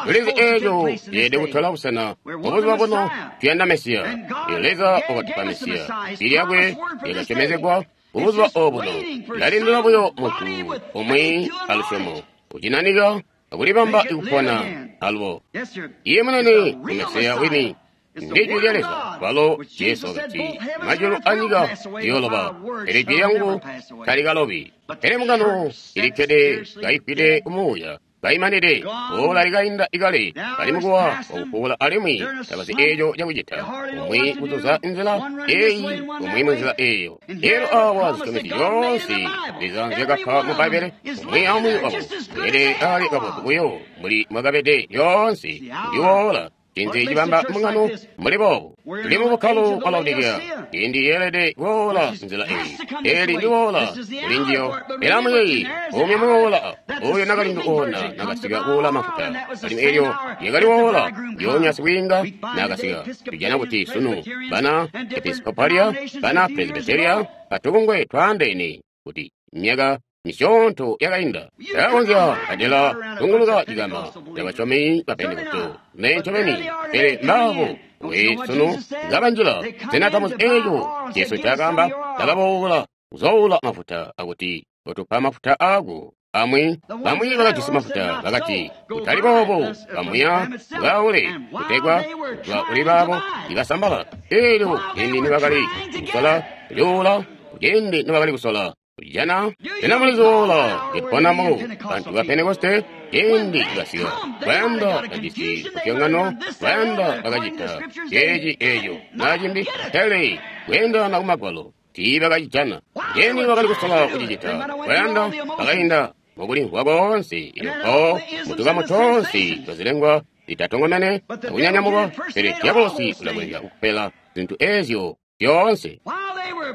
Tulizi eeco yeelede kutola busena mubuzuba buno. Tuyanda Mesiya. Eelyo Leza wakatupa Mesiya. Jwi lyakwe lyakasyomezegwa mubuzuba obuno. Lalindila buyo muntu umwi alusyomo kucinanika akulibamba ikupona alubo. Iye munene ni Mesiya wini, ndi jwi lya Leza. Walo Jesu wakati, majulu anyika ziyooloba, pele jwi lyangu talikalobi. Pele mbungano ilikkede kaifwide kumuuya, kaimanide ola likainda ikale, bali mukuwa wakufuula alimwi tabazi eeco cakucita. Umwi kuzuza nzila eeyi, umwi munzila eeyo. Eelyo awa zisyomezyo zyoonse Leza nzyakapa mu Bbaibbele, umwi aumwi wabo weelede ali kabotu buyo mbuli mwakabede lyoonse. Ndiwoola. Ncinzi cibamba mbungano mbuli boobu? Tuli mu bukkalo bwa Laodikeya. Ciindi yeelede kuboola nzila eyi. Eli ndi woola kuli njiyo. Pele amuyeeye, umwi muwoola, oyo nakalindu oona nakasika kuula mafuta. Alimwi elyo lyakali woola, ndyoonya sibwiinga nakasika. Tujana kuti sunu bana Episcopalia, bana Presbyteria, batubungwe twaandeene kuti myaka misyoonto yakainda yakonzya kadela tunguluka cikama cabasyomi ba Pentekoste ne ncobeni, pele mbaabo we sunu ngabanjila. Sena tamuzi eeco Jesu ncaakaamba? Bakaboola kuzoowula mafuta akuti utupa mafuta aako. Amwi bamwi bakajisi mafuta bakati kutali boobo, bamuya mukaule kutegwa kuzwa kuli baabo ibasambala. Eelyo ciindi nibakali kusola kulyuula, kuciindi nibakali kusola kujana, sena mulizi woola liponamo bantu ba Pentekoste ciindi basika bayanda bajisi lupyongano, bayanda bakacita ceeci eeco naa cimbi, pele kweendelana ku Magwalo tiibakacijana. Ciindi bakali kusola kucicita, bayanda bakainda mukulimvwa koonse, elyo mpawo mutukamu toonse twazilengwa zitatongomene akunyanyamukwa, pele dyabulosi ulakonzya kupela zintu eezyo zyoonse.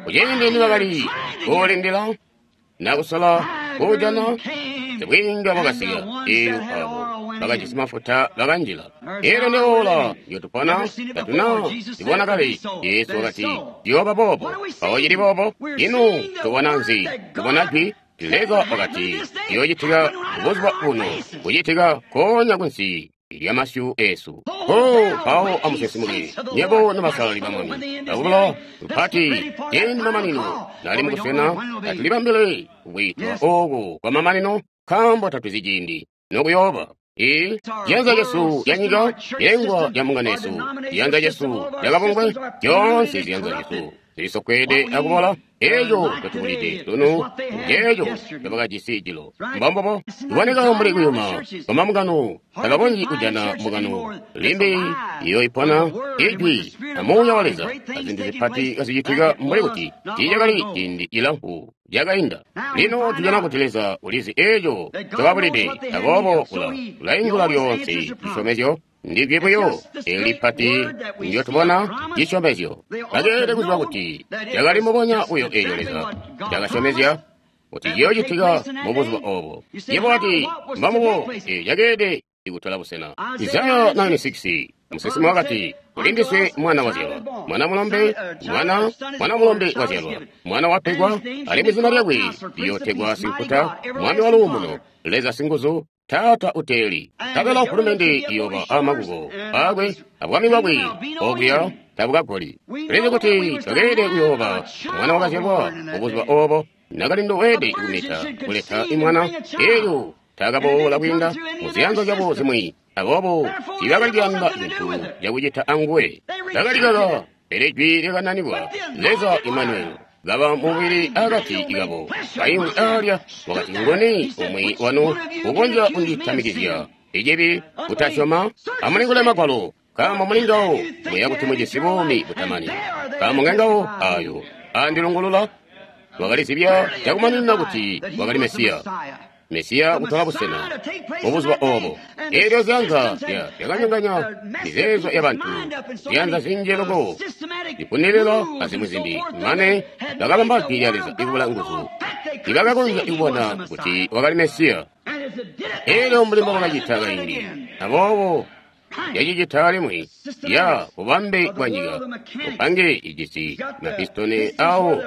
Kuciindi nibakali kuulindila na kusola kuujana, sibwiinga bwakasika, eelyo abo bakajisi mafuta bakanjila. Eelyo ndi oora ndyo tupona, tatuna libona kale. Jesu wakati ciyooba boobo. Mpawo cili boobo. Ino tubona nzi? Tubona jwi. Leza wakati ciyoocitika buzuba buno, kucitika konya kunsi lya masyu esu. Oh, mpawo amusinsimuke nyebo nobasalali ba Mwami, akubula lupati ciindi mamanino nali mukusena. Atulibambile kwiitwa oku kwa mamanino, nkaambo tatuzi ciindi nokuyooba. Ee, ciyanza cesu ca nyika, cilengwa ca mbungano yesu, ciyanza cesu ca kabungwe, zyoonse ziyanza zyesu zilisofweede akubola. Eeco ncotubulide sunu nceeco ncobakajisi jilo. Mbombubo kuboneka mbuli kuyuma kwa mbungano, tabakonzyi kujana mbungano limbi iyoipona ijwi na Muuya wa Leza azintu zipati kazicitika mbuli kuti tiicakali ciindi cilamfu cakainda. Lino tujana kuti Leza ulizi eeco ncobabulide, aboobo ulaingula lyoonse cisyomezyo. Ndijwi buyo eli lipati ndyotubona cisyomezyo. Bakeelede kuziba kuti cakali mubonya buyo eelyo Leza cakasyomezya kuti ciyoocitika mubuzuba oobo. Yebo wati, mbambubo, eeyo cakeelede kutola busena. Isaya 96, musinsimi wakati, kuli ndiswe mwana wazyalwa, mwana mulombe, mwana mulombe wazyalwa, mwana wapegwa, alimwi zina lyakwe liyootegwa Sinkuta, Mwami wa Luumuno, Leza Singuzu, Taata uteeli. Nkabela fulumende iyooba amakuko aakwe abwami bwakwe okuya tabukagoli. Tulizi kuti twakeelede kuyooba mwana wakazyalwa mubuzuba oobo, nakalindu weelede kumita kuleta imwana, eelyo taakaboola kwiinda muziyanza zyabo zimwi, aboobo tiibakali kuyanda cintu cakucita anguwe. Bakalikaka, pele jwi lyakananikwa, Leza Imanueli kaba mubili akati kabo. Kaimwi alya wakati, nguni umwi wanu ukonzya kunditamikizya icibi kutasyoma? Amulingule Magwalo, nkaambo muli ngawo muya kuti mujisi buumi butamani, nkaambo ngengawo ayo andilungulula. Wakalizibya cakumaninina kuti wakali Mesiya. Mesiya kutola busena mubuzuba oobo. Eelyo ziyanza zyakanyonganya mizeezo yabantu, ziyanza zinji loko zipunilila azimwi zimbi, mane bakabamba jwi lya Leza ikubula nguzu. Tiibakakonzya kubona kuti wakali Mesiya. Eelyo mbuli mbobakacita kaindi, aboobo yacicita alimwi ya bubambe bwa nyika, bupange ijisi mapistoni awo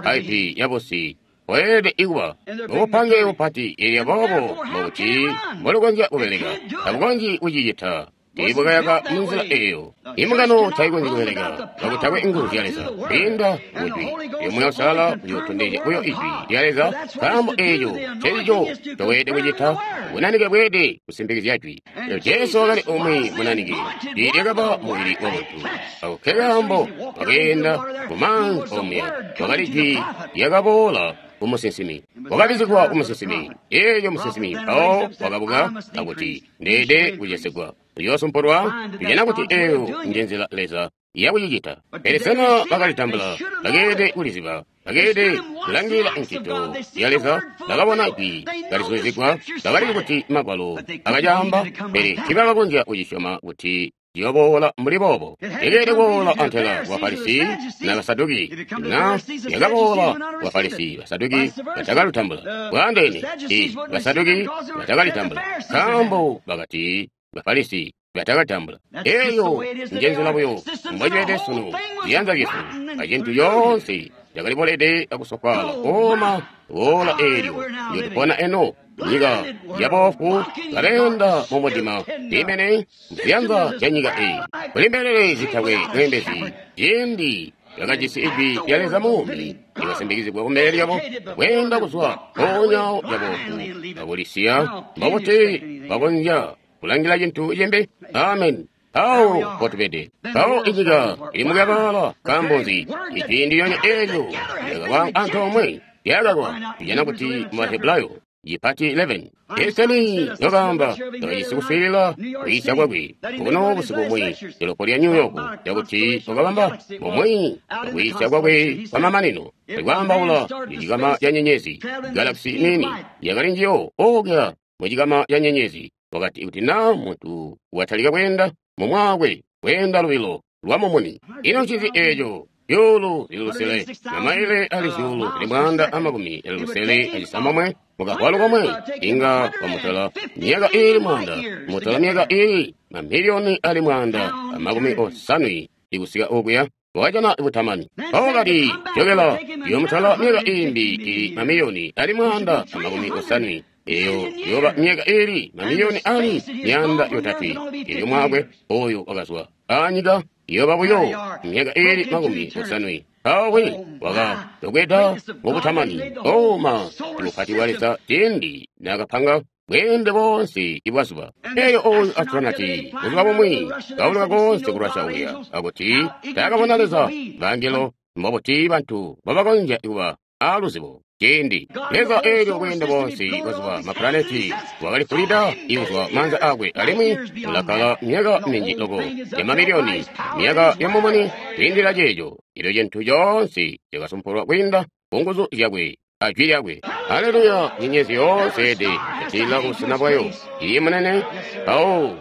paipi yabusi weelede ikuba mubupange bupati. Eelyo boobo mbokuti mbolukonzya kubeleka, tabukonzyi kucicita. Tiibwakayaka munzila eeyo. Imbungano taikonzyi kubeleka kakutakwe nguzu zya Leza kwiinda kujwi. Elyo Muuya Uusalala uyootondezya buyo ijwi lya Leza, nkaambo eeco ncencico ncoweelede kucita. Bunanike bweelede kusimpikizya jwi. Elyo Jesu wakali umwi munanike, jwi lyakaba mubili wamuntu. Ako nkekaambo wakeenda mumaanzi omuya, wakali jwi lyakaboola kumusinsimi, wakabizigwa kumusinsimi. Eelyo musinsimi mpawo wakabuka akuti, ndeede kucesegwa, uyoosumpulwa. Tujana kuti eeyo njenzila Leza yakucicita. Pele sena bakalitambula? Bakeelede kuliziba, bakeelede kulangilila ncito ya Leza, bakabona jwi kalizulizigwa, bakalizi kuti Magwalo akacaamba, pele tiibakakonzya kucisyoma kuti ciyoboola mbuli boobo. Yakeelede kuboola antela ku Bafarisi na Basaduki. Na yakaboola ku Bafarisi, Basaduki batakalutambula. Bwaandeene, i Basaduki batakalitambula, nkaambo bakati Bafarisi batakatambula. Eyo njenzila buyo mbocibede sunu. Ziyanza zyesu acintu coonse cakalibolede akusofwaala kooma boola eelyo ndyo tupona eno nyika yaboofu baleenda mumudima imene mziyanza zya nyika eyi kuli mbelele zitakwe mweembezi. Ciindi yakajisi ijwi lya Leza muumi lyakasimbikizigwa kumbele lyabo kweenda kuzwa mpoonya yaboofu akulisiya, mbobuti bakonzya kulangila cintu cimbi? Amen. Awo potubede mpawo inyika ili mukuyabaala. Nkaambo nzi? Ijwi ndilyonya eelyo lyakaba antoomwe lyakakwa. Tujana kuti mu Bahebrayo yipati 11 eseni yokaamba yakajisi kuswiilila kwiisya kwakwe kuno busiku bumwi dolopo lya New York, yakuti wakabamba bumwi kwiisya kwakwe kwamamanino ikwaambaula icikama ca nyenyezi galaxy nini yakali njiyo okya mucikama ca nyenyezi. Wakati kuti na muntu watalika kweenda mumwaakwe kweenda lubilo lwa mumuni, ino ncinzi eeco? Zyuulu zili lusele na maile ali zyuulu zili 169 mukavwalu komwe, inga wamutola myaka iili 100, mutola myaka iili mamiliyoni ali 150 ikusika okuya wakajana butamani. Mpawo kati jokela yomutola myaka iimbi ili mamiliyoni ali 150, eyo yoba myaka iili mamiliyoni ali 300. Elyo mwakwe oyo wakazwa anyika yoba buyo myaka iili 70. Mpawo wakatokweda mubutamani. Oma mupati wa Leza ciindi nakapanga bweende bonse ibwazuba. Eyo oyu astronati buzuba bumwi kauluka konse ku Russia uya akuti taakabona Leza bangelo. Mbobuti bantu babakonzya kuba aluzibo ciindi Leza eelyo bweende bonse bwazuba mapulaneti wakalifulida ikuzwa maanza akwe, alimwi ulakkala myaka minji loko ya mamiliyoni myaka ya mumuni kwiindila ceeco. Elyo cintu coonse cakasumpulwa kwiinda ku nguzu zyakwe ajwi lyakwe. Haleluya! Nyenyezi yoonse ede yatilila kubusena bwayo. Iye munene mpawo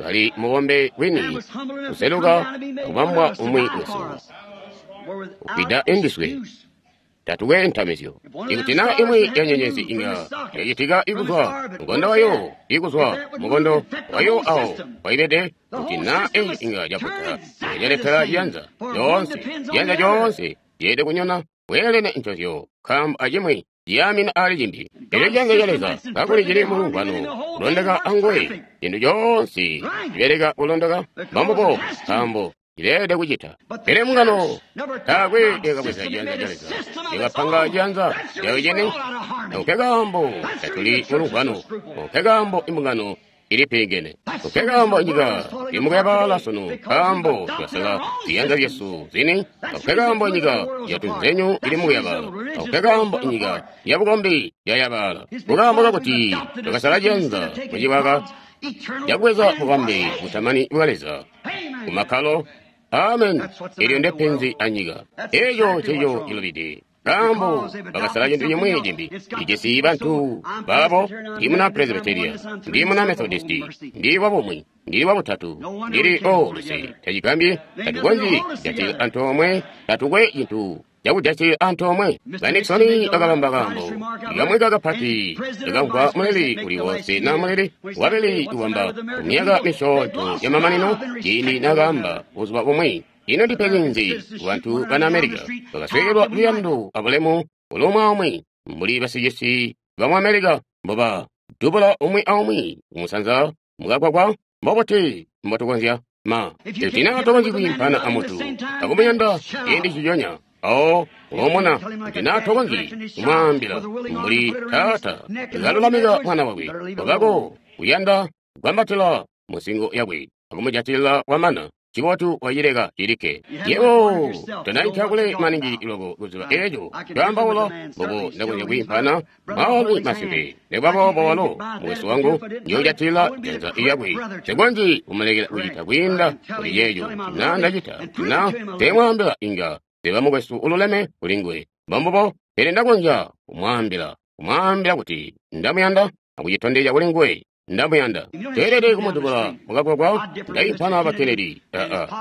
kali mubombe wini kuseluka kubambwa umwi wesu kufida indiswe tatukwe ntamizyo. Ikuti na imwi ya nyenyezi inga yacitika ikuzwa mukondo wayo, ikuzwa mukondo wayo awo waibede, kuti na eyi inga yaputa yaletela ciyanza coonse, ciyanza coonse yeede kunyona weelene ncozyo, nkaambo acimwi ciyaamina ali cimbi. Elyo ciyanza ca Leza kakuli cili mulumvwano kulondeka anguwe, cintu coonse cibeleka kulondoka mbambubo, nkaambo cileelede kucita. Pele mbungano taakwe yakabweza ciyanza ca Leza, yakapanga ciyanza cayo cene. Nkekaambo tatuli mulumvwano, nkekaambo imbungano ilipingene, nkekaambo inyika ili mukuyabaala sunu, nkaambo twasala ziyanza zyesu zini. Nkekaambo inyika yatunzenyu ili mukuyabaala, nkekaambo inyika yabukombi yayabaala, kukaambo kakuti twakasala ciyanza mucibaka cakubweza bubambe butamani bwa Leza kumakkalo. Amen. Elyo ndepenzi anyika. Eco nceco cilubide. Nkaambo bakasala cintu cimwi cimbi. Ijisi bantu babo. Ndi muna Presbyteria, ndi muna Methodisti, ndi wabumwi, ndili wabutatu, ndili o luse. Tacigambyi tatukonzyi kujatilila antoomwe, tatukwe cintu cakujatilila antoomwe. Ba Nixon bakabamba kaambo kamweka kapati kakamvwa muleli uli wonse na muleli wabili kuwamba kumyaka misyoonto yamamanino ciindi nakaamba buzuba bumwi. Ino ndipenzi nzi kubantu bana Amerika? Bakasweekelwa luyando abulemu ulumwi aumwi mbuli basicisi bamu Amerika mboba dubula umwi aumwi kumusanza mukagwagwa. Mbobuti mbotukonzya ma ikuti na tokonzyi kwiimpana amuntu akumuyanda ciindi ciconya awo ulomona, kuti na tokonzyi kumwaambila mbuli taata kalulamika mwana wakwe wakako kuyanda kwambatila musingo yakwe akumujatilila wamana. Cibotu wacileka cilikke. Yebo tonaita kule maningi loko kuziba eco twaambaula mbobo ndakonzya kwiimpana mwaalumi masimpe. Nikuba boobo walo mukwesu wangu njoojatila janza lyakwe. Nsikonzyi kumulekela kucita kwiinda kuli ceeco na ndacita na teemwaambila inga teba mukwesu ululeme kuli nguwe. Mbombubo, pele ndakonzya kumwaambila kuti ndamuyanda akucitondezya kuli nguwe. Ndamuyanda. Teelede kumudubula mukagwagwa ndaimpana ba Kennedy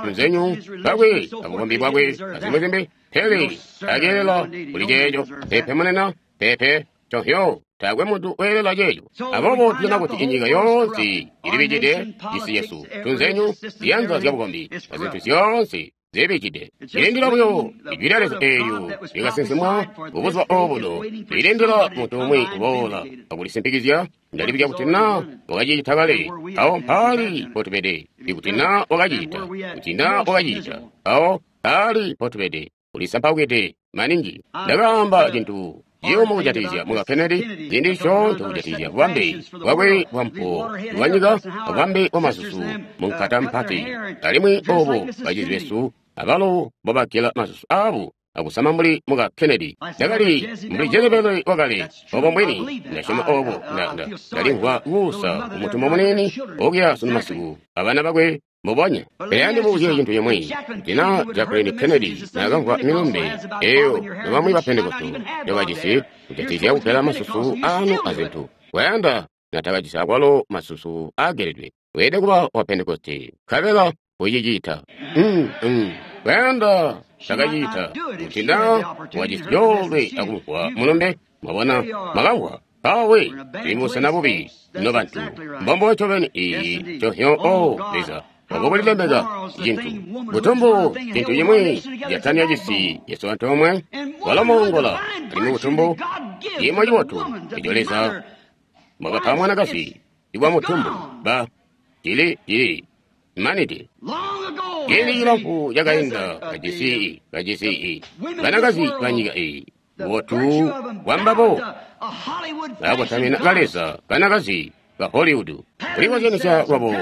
tunzenyu bakwe abukombi bwakwe azimwi zimbi, pele takeelela kuli ceeco. Peepe munena, peepe tohyo, taakwe muntu weelela ceeco. Aboobo tujana kuti inyika yoonse ilibijide, cisi cesu, tunzenyu, ziyanza zyabukombi azintu zyoonse zibijide. Ilindila buyo ijwi lya Leza eelyo lyakasinsimwa kubuzuba obuno, lilindila muntu umwi kuboola akulisimpikizya. Ndalibuzya kuti na wakacicita kale, awo mpaali mpotubede. Ikuti na wakacicita, kuti na wakacicita, awo mpaali mpotubede. Ulisampaukide maningi. Ndakaamba cintu ciyumu kujatikizya muka Kennedy, ciindi coonse kujatikizya bubambe bwakwe bwampuwo bwanyika, bubambe bwamasusu munkata mpati, alimwi obo bacizi besu abalo mbobagela masusu aabo akusama mbuli muka Kennedy. Ndakali mbuli Jezebeli wakale, obo mbwini, ndasyoma obo. Ndalimvwa kuusa kumutumwa muniini okuya sunu masiku abana bakwe mbubonya. Pele andibuzye cintu cimwi, kuti na Jacqueline Kennedy naakamvwa milumbe eyo nobamwi ba Pentekoste njobajisi kujatikizya kugela masusu aanu azintu, wayanda natakajisi akwalo masusu aageledwe, weelede kuba wa Pentekoste nkabela kucicita. Wayanda takacita kuti na wajisi coolwe akumvwa mulumbe. Mwabona, mwakamvwa awe tuli mubusena bubi nobantu. Mbombo ncobeni iyi cohyo. O Leza, obo kulilemeka cintu butumbu, cintu cimwi jatania cisi yesu antoomwe walo moongola alimwi butumbu ciimo cibotu eco Leza mwakapa mwanakazi ibwa mutumbu ba cili cili manide. Ciindi cilamfu cakainda kajisi banakazi banyika iyi bubotu bwambabo bakotamina kaleza banakazi ba Hollywood, kulikozyanisya lwabo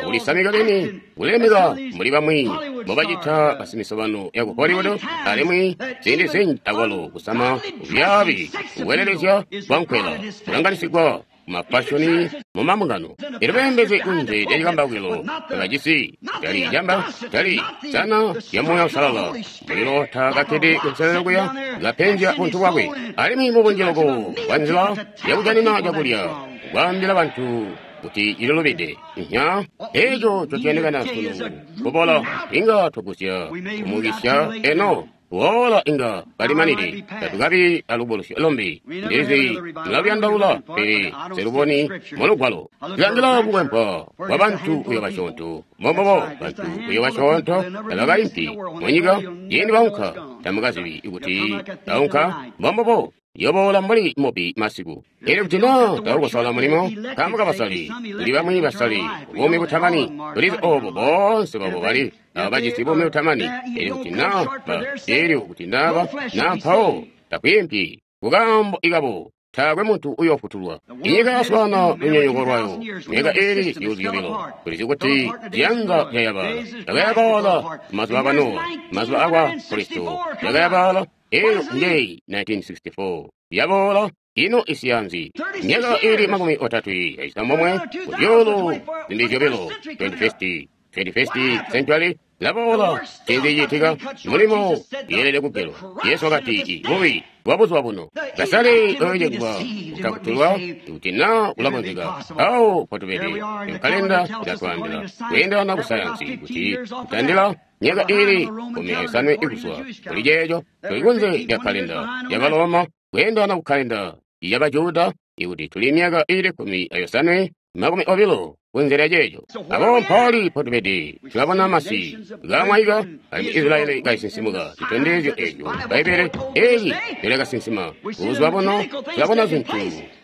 akulisamika beni, kulemeka mbuli bamwi mbobacita basimisobano yaku Hollywood, alimwi ziindi zinji akwalo kusama kubyaabi kukwelelezya kwankwela kulanganisigwa mumafashoni mumambungano. Elyo beembezi kunze lya cikambawukilo bakajisi tali camba tali sana lya Muuya Uusalala, mulilo taakakkede kunselelo kuya kapenzya buntu bwakwe, alimwi mubunji loko bwa nzila yakujanina cakulya kwaambila bantu kuti ililubide. Nya eco cotuyandikana sunu kubola inga twagusya kumukisya eno woola inga balimanide, tatukabi alubulusyo lumbi. Ndizi mulaluyandaula, pele seluboni mulugwalo. Tulangila kukwempwa kwa bantu uyo basyoonto. Mbombobo bantu uyo basyoonto tabakaimpi munyika ciindi baunka, tamukazibi kuti baunka. Mbombobo yoboola mbuli mubi masiku. Elyo kuti na taukosala mulimo nkaambo kabasali, tuli bamwi basali buumi butamani. Tulizi obo boonse babo bali abajisi buumi butamani. Elyo kuti na ba, elyo kuti naba na mpawo takwiimpi kukaambo ikabo, taakwe muntu uyoofutulwa. Inyika yaswaana lunyonyooko lwayo myaka iili zyuulu zyobilo. Tulizi kuti ziyanza zyayabala yakayabaala mazuba akwa Nowa, mazuba akwa Kristo yakayabaala. Eyo njeyi 1964 yaboola ino isiyanzi myaka iili 39 kuzyuulu zimbi zyobilo 21st century laboola. Cinzi ciitika? Mulimo yeelede kugelwa. Yesu wakati bubi bwa buzuba buno basale oocegwa kutakutulwa kuti na kulakonzeka. Awo potubede kalenda ilatwaambila kweendelana ku sayansi kuti kutandila myaka iili 15 ikuzwa kuli ceeco tuli kunze lya kalenda ya Baloma, kweendelana ku kalenda ya Bajuda ikuti tuli myaka iili 15 20 kunze lya ceeco. Abo mpaali potubede. Tulabona masi kamwaika alimwi Israeli kaisinsimuka citondezyo eco Bbaibbele eeli lyakasinsima buzuba buno. Tulabona zintu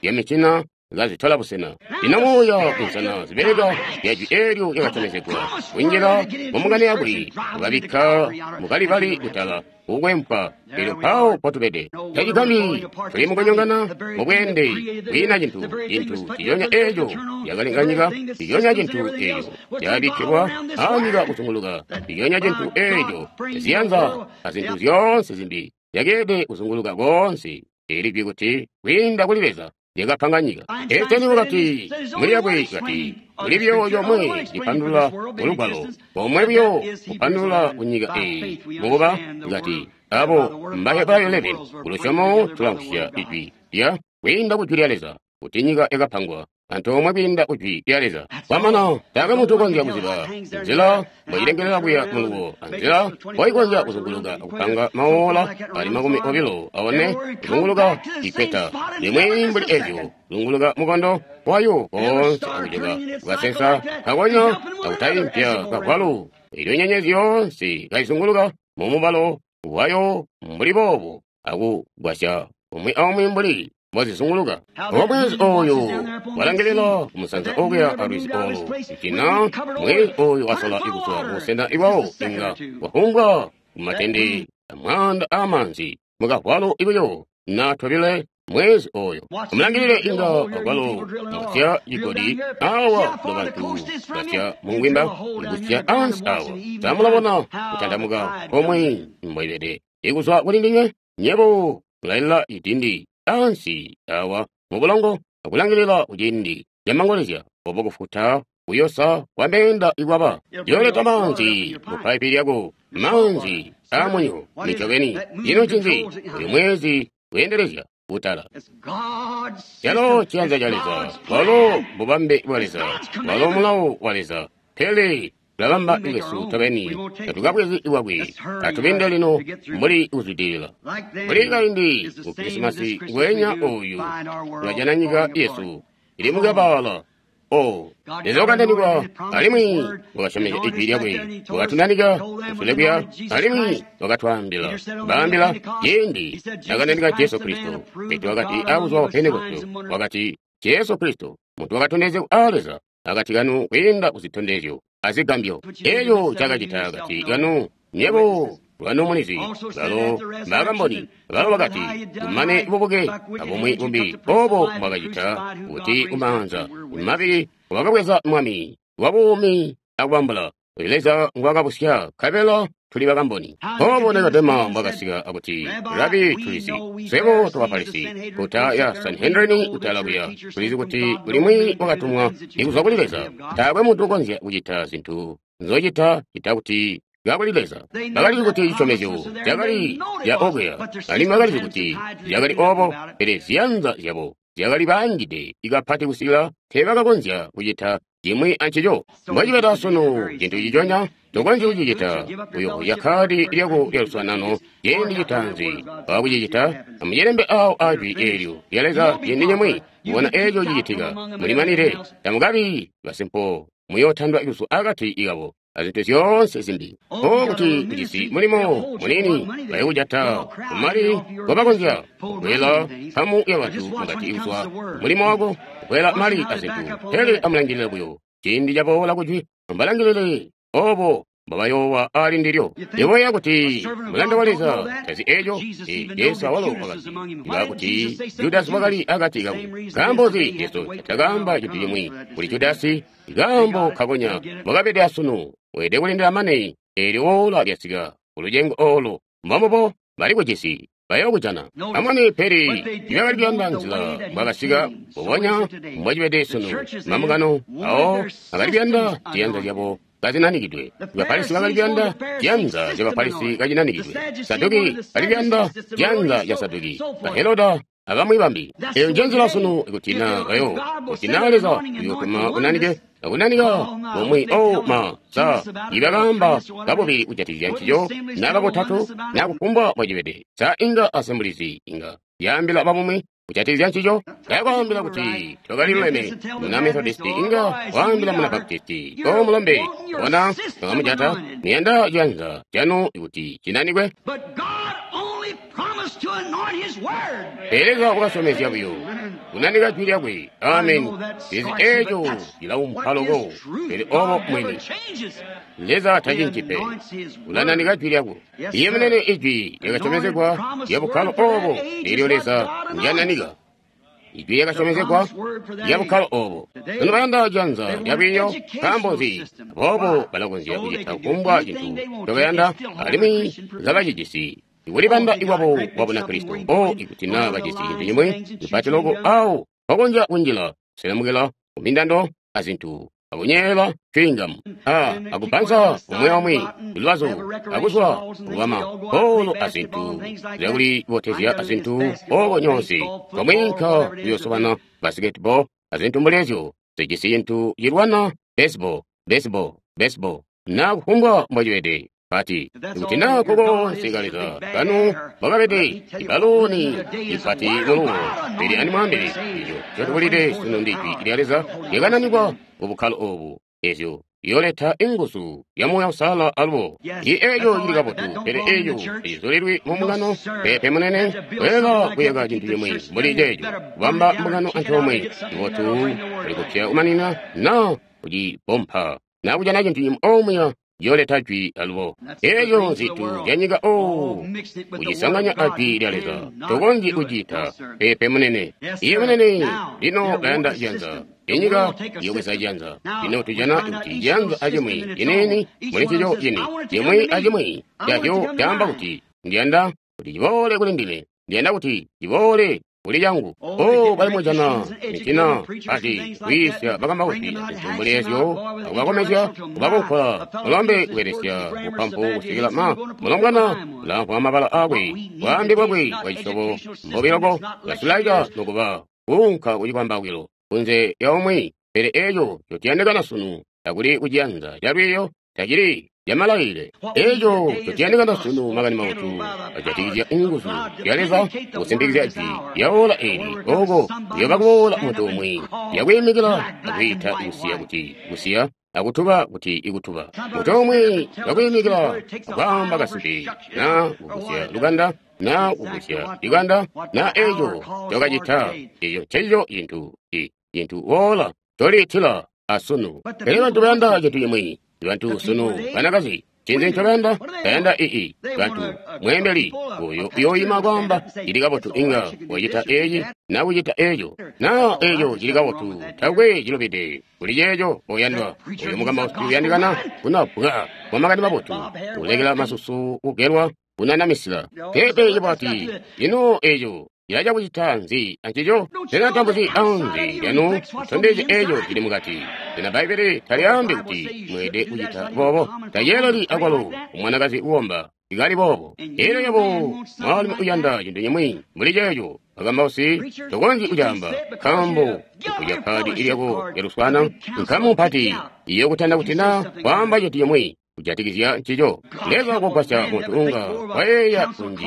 zyamicina kazitola busena. Lino muuya insana zibeleka yajwi eelyo lyakasyomezegwa kunjila mumungano yakwe kukabikka mukalibali kutala kukwempa. Elyo mpawo potubede tacigambyi tuli mukunyongana mubweende kwiina cintu cintu ciyonya eeco yakalenga nyika ciyonya cintu eeco cakabikkilwa anyika kuzunguluka ciyonya cintu eeco ziyanza azintu zyoonse zimbi zyakeede kuzunguluka koonse. Eli jwi kuti kwiinda kuli Leza lyakapanga nyika. Einstein wakati muli yakwe kati kuli buyo yomwe lipandulula mulugwalo omwe buyo kupandulula kunyika eeyi mukuba kati abo Mbahebrayo 11 kulusyomo tulamvwisya ijwi lya kwiinda kujwi lya Leza kuti nyika yakapangwa antoomwe kwiinda kujwi lya Leza. Kwamana taakwe muntu ukonzya kuziba nzila mboilengelela kuya muluwo anzila mboikonzya kuzunguluka akupanga maola ali 24 kuzunguluka ikweta limwi mbuli ezyo kuzunguluka mukondo wayo koonse akujoka kukasensa kakonya akutaimpya kavwalu. Elyo nyenyezi yoonse kaizunguluka mumubalo wayo mbuli boobo akugwasya umwi aumwi mbuli mbozizunguluka. Omwezi oyu walangilila kumusanza okuya alwizi olu icina mwezi oyu wasola ikuzwa kubusena iwawo inga wahumbwa kumatende amwaanda amanzi mukavwalu ibuyo na tobile mwezi oyo. Amulangilile inga akwalo musya cigodi awa lobantu basya mungwimba ikusya ansi awa. Samulabona kutandamuka komwe mboibede ikuzwa kuli ndinywe nyebo mulalila idindi ansi awa mubulongo akulangilila kuciindi camangolezya obo kufuta kuyosa kwambeenda ikwaba yooleta manzi mupaipi lyako manzi amunyo nicobeni. Ino ncinzi uyu mwezi weendelezya kutala calo ciyanza ca Leza, walo bubambe bwa Leza, walo mulawo wa Leza. Pele tulabamba lwesu tobeni tatukabwezi iwakwe. Atubinde lino mbuli kuzwidilila mbuli kaindi ku Krisimasi ngwenya oyu tulajana nyika yesu ili mukabaala. O Leza wakandanikwa alimwi wakasyomezya ijwi lyakwe, wakatunanika kusule kuya alimwi wakatwaambila baambila ciindi nakandanika Jesu Kristo. Petro wakati abuzuba bwa Pentekoste wakati Jesu Kristo muntu wakatondezegwa a Leza akati kanu kwiinda kuzitondezyo azigambyo eeco cakacita akati kanu nyebo lwanu mulizi. Balo bakamboni balo bakati kumane bubuke abumwi bumbi obo bwakacita kuti kumaanza mabili wakabweza mwami wabuumi akubambula uyu Leza ngwakabusya nkabela tuli bakamboni. Obo Nikodema mbwakasika akuti Rabi, tulizi swebo tobafarisi kuta ya Sanhedrini kutala kuya tulizi kuti ulimwi wakatumwa ikuzwa kuli Leza. Taakwe muntu ukonzya kucita zintu nzocita cita kuti kakuli Leza. Bakalizi kuti cisyomezyo cakali ca okuya alimwi bakalizi kuti zyakali obo, pele ziyanza zyabo zyakali baangide ikapati kusikila teebakakonzya kucita cimwi ancico. Mbocibeda sunu cintu ciconya tokonzyi kucicita. Uyohoya kkaadi lyako lya luswaanano ciindi citaanzi wakucicita amucilembe awo ajwi eelyo lya Leza ciindi cimwi kubona eeco cicitika. Mulimanire tamukabi basimpo muyootandwa kuzwa akati kabo azintu zyoonse zimbi. O kuti ujisi mulimo munini bayokujata kumali ngobakonzya kukwela nkamu yabantu mukati kuzwa mulimo wako kukwela mali azintu. Pele amulangilile buyo ciindi caboola kujwi ambalangilile obo mbabayoowa ali ndilyo. Ndiboya kuti mulanda wa Leza tazi eeco. Jesu awalo wakati ngakuti Judasi wakali akati kabo. Nkaambo nzi Jesu takaamba cintu cimwi kuli Judasi? Nkaambo kakonya mwakabede asunu weelede kulindila mane eelyo woola lyasika kulucengo oolo mbombubo bali kujisi bayookujana. Amwene pele ibakali kuyanda nzila mbwakasika mbubonya mbwacibede sunu mamukano awo akali kuyanda ziyanza zyabo kazinanikidwe. Bafarisi bakali kuyanda ziyanza zya Bafarisi kazinanikidwe. Saduki bakali kuyanda ziyanza zya Saduki. Baheroda abamwi bambi. Eyo njenzila sunu ikuti na bayo kuti na Leza uyotuma unanike akunanika bomwe o ma sa ibakamba kabubili kujatikizya ncico na kabutatu na kufumbwa bwacibede. Sa inga asembulizi inga yaambila babumwi kujatikizya ncico yakwaambila kuti twakali luleme muna Methodisti inga waambila muna Baptisti o mulombe bona mwakamujata muyanda ciyanza canu kuti cinanikwe. But God only Pele Leza wakasyomezya buyo kunanika jwi lyakwe. Ameni. Izi eeco cilaumpa loko, pele obo mwini. Leza tacinci pe, ulananika jwi lyakwe. Iye munene ijwi lyakasyomezegwa lya bukkalo obo, elyo Leza ndyananika. Ijwi lyakasyomezegwa lya bukkalo obo. Sunu bayanda janza lyalwiiyo, nkaambo nzi? Aboobo balakonzya kucita kufumbwa cintu ncobayanda, alimwi kabacijisi. Ikulibanda ikwabo kwa Bunakristo, o ikuti naa bajisi cintu cimwi cipati loko awo bakonzya kunjila kuselemukila kumindando azintu akunyeela chewing-gum akubanza umwi aumwi lubazu akuzwa kubama polo azintu zyakulibotezya azintu oko nyonse komwiinka kuyosobana basketball azintu mbuli ezyo zijisi cintu cilwana baseball baseball baseball na kufumbwa mbocibede. Pati ikuti naa kokonse ka Leza kanu bwakabede ibaluni ipati muluwo, pele andimwaambile eco ncotubulide sunu ndi jwi lya Leza lyakananikwa kubukkalo obu, ezyo liyoleta inguzu ya Muuya Uusalala alubo. I eco cili kabotu, pele eco tacizulilwi mu mbungano. Peepe munene, weelela kuyaka cintu cimwi mbuli ceeco, kubamba mbungano antoomwe, cibotu kuli kupya kumanina naa kucibompa naa kujana cintu cimwi omuya yoleta jwi alubo. Eeyo nzintu zyanyika o kucisanganya ajwi lya Leza, tokonzyi kucita. Peepe munene. Iye munene, lino bayanda janza. Inyika iyobweza janza. Lino tujana kuti janza acimwi ciniini muli ncico cini, cimwi acimwi cazyo caamba kuti ndiyanda kuti ciboole kuli ndime, ndiyanda kuti ciboole kuli cangu. O balimujana mitina ati kwiisya bakambausi azintu mbuli ezyo, akubakomezya, kubakonkola mulombe kubelesya bupampu kusikila ma mulombwana ulamvwa mabala aakwe, bwaambe bwakwe bwa cisyobo mbubi loko, ulasulaika nokuba kuunka kucikwambawilo kunze lya umwi. Pele eeco ncotuyandikana sunu takuli kuciyanza calwiiyo, tacili lyamalaile. Eeco ncotuyandikana sunu makani mabotu ajatikizya inguzu zya Leza kusimpikizya jwi lya ola eeli, oko kuyoba kuboola muntu umwi lyakwiimikila akwiita kusiya kuti kusiya, akutuba kuti ikutuba. Muntu umwi yakwiimikila akwaamba kasimpe, naa kugusya lukanda, naa kugusya likanda, naa eeco ncokacita, eeco ncencico cintu cintu woola ncoliitila asunu. Pele bantu bayanda cintu cimwi. Bantu sunu banakazi ncinzi ncobayanda? Bayanda ii bantu mweembeli oyo uyoima kwaamba cili kabotu, inga wacita eci na kucita eco, na eco cili kabotu, takwe cilubide kuli ceeco. Oyandwa oyo mukambausi uyandikana kunabwa kwa makani mabotu, kulekela masusu kugelwa, kunanamisila pepe cibwati. Ino eco cilaca kucita nzi ancico? Sena tambuzi anze lyanu kutondezya eco cili mukati? Sena Bbaibbele talyaambi kuti mweelede kucita boobo? Taceeleli akwalo umwanakazi kukomba ikali boobo. Elyo yebo mwaalumi uyanda cintu cimwi mbuli ceeco, bakambausi, tokonzyi kucaamba, nkaambo kuja kkaadi lyako lyaluswaana, nkamu mpati iyokutanda kuti naa kwaamba cintu cimwi kujatikizya ncico. Leza kugwasya muntu unga wayeeya kunji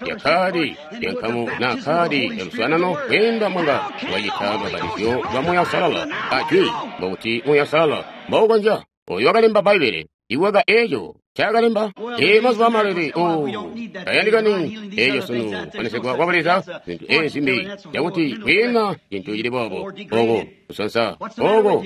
lya kkaadi lya nkamu na kkaadi lya luswaanano kwiinda mwanga wacita lubbapatizyo lwa Muuya Uusalala ajwi, mbokuti Muuya Uusalala mboukonzya. Oyo wakalemba Bbaibbele iwaka eeco ncaakalemba. Ee, mazuba amalele o tayandikani eeco sunu, kuponesegwa kwa Buleza, zintu eezi zimbi, cakuti kwiina cintu cili boobo, oko kusonsa, oko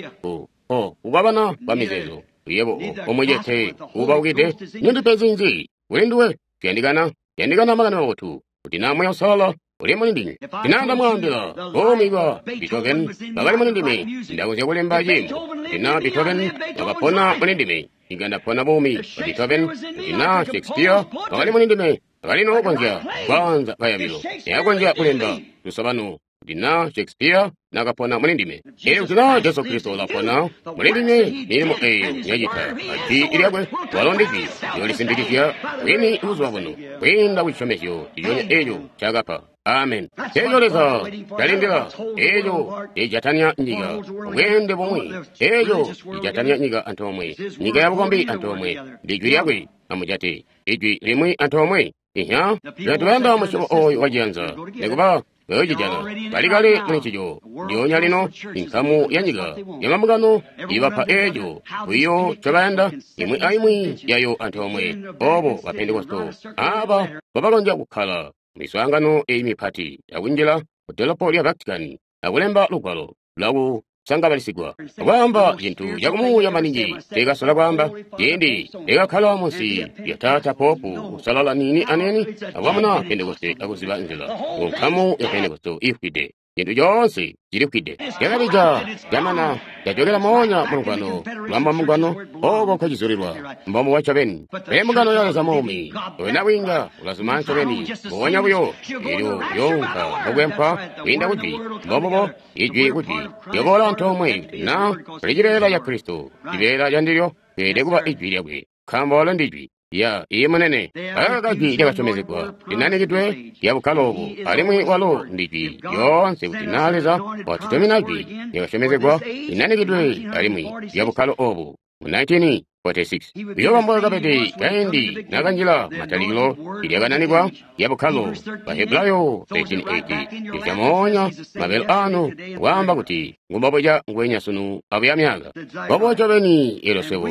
kukwabana kwa mizeezo. Yebo omucete uubaukide, nindipe nzi kuli nduwe? Tuyandikana, yandikana makani mabotu kuti naa Muuya Uusalala uli muli ndinywe. Tinanda mwaambila buumi bwa Beethoven bakali muli ndime, ndakonzya kulemba ciimbo. Kuti naa Beethoven wakapona muli ndime, inga ndapona buumi bwa Beethoven. Kuti naa Shakespeare wakali muli ndime, akali nookonzya kwaanza kayabilo, neakonzya kulemba lusobano. Kuti naa Shakespeare nakapona muli ndime, elyo kuti naa Jesu Kristo ulapona muli ndinywe, milimo eyo nyacita ajwi lyakwe, walo ndijwi lyolisimpikizya bwini buzuba buno kwiinda kucisyomezyo ciconya eco ncaakapa. Amen. Eco Leza calindila, eco cijatanya nyika bweende bumwi, eco cijatanya nyika antoomwe, nyika ya bukombi antoomwe, ndijwi lyakwe. Amujate ijwi limwi antoomwe. Ihya, bantu bayanda musyobo oyu waciyanza, nikuba bayocijana. Bali kale muli ncico. Ndyoonya lino, inkamu ya nyika ya mambungano ibapa eeco buyo ncobayanda, imwi aimwi yayo antoomwe. Obo ba Pentekoste aba mbobakonzya kukkala miswaangano eyi mipati akunjila ku dolopo lya Vatican akulemba lugwalo lwakusangabalisigwa akwaamba cintu cakumuuya maningi teekasola kwaamba ciindi ekakkala munsi lya taata popu kusalala niini aniini akwamuna Pentekoste akuziba nzila ku nkamu ya Pentekoste ifwide. Cintu coonse cilifwide. Cakabija camana cajokela moonya mulugwano lwamba mungano oko nkocizulilwa mbombo ncobeni. Pele mbungano ya Leza muumi oyo nabwiinga ulazuma ncobeni mbubonya buyo eelyo younka mukwempwa kwiinda kujwi mbombubo ijwi kujwi lyoboola antoomwe kuti na kuli cibeela ca Kristo cibeela ca ndilyo kweelede kuba ijwi lyakwe nkaambo walo ndijwi. Ya iye munene akaka jwi lyakasyomezegwa linanikidwe lya bukkalo obu alimwi walo ndijwi lyoonse kuti na Leza watutumina jwi lyakasyomezegwa linanikidwe alimwi lya bukkalo obu mu 1946 uyoba mbwakabede kaindi nakanjila matalikilo ilyakananikwa lya bukkalo Bahebrayo 13:8 lyamonya mabelo anu kwaamba kuti ngumbobuca ngwenya sunu abuya myaka bobo ncobeni elo swebo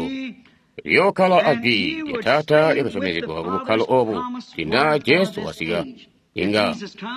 lyokkala ajwi lya Taata lyakasyomezegwa ku bukkalo obu kuti Jesu wasika inga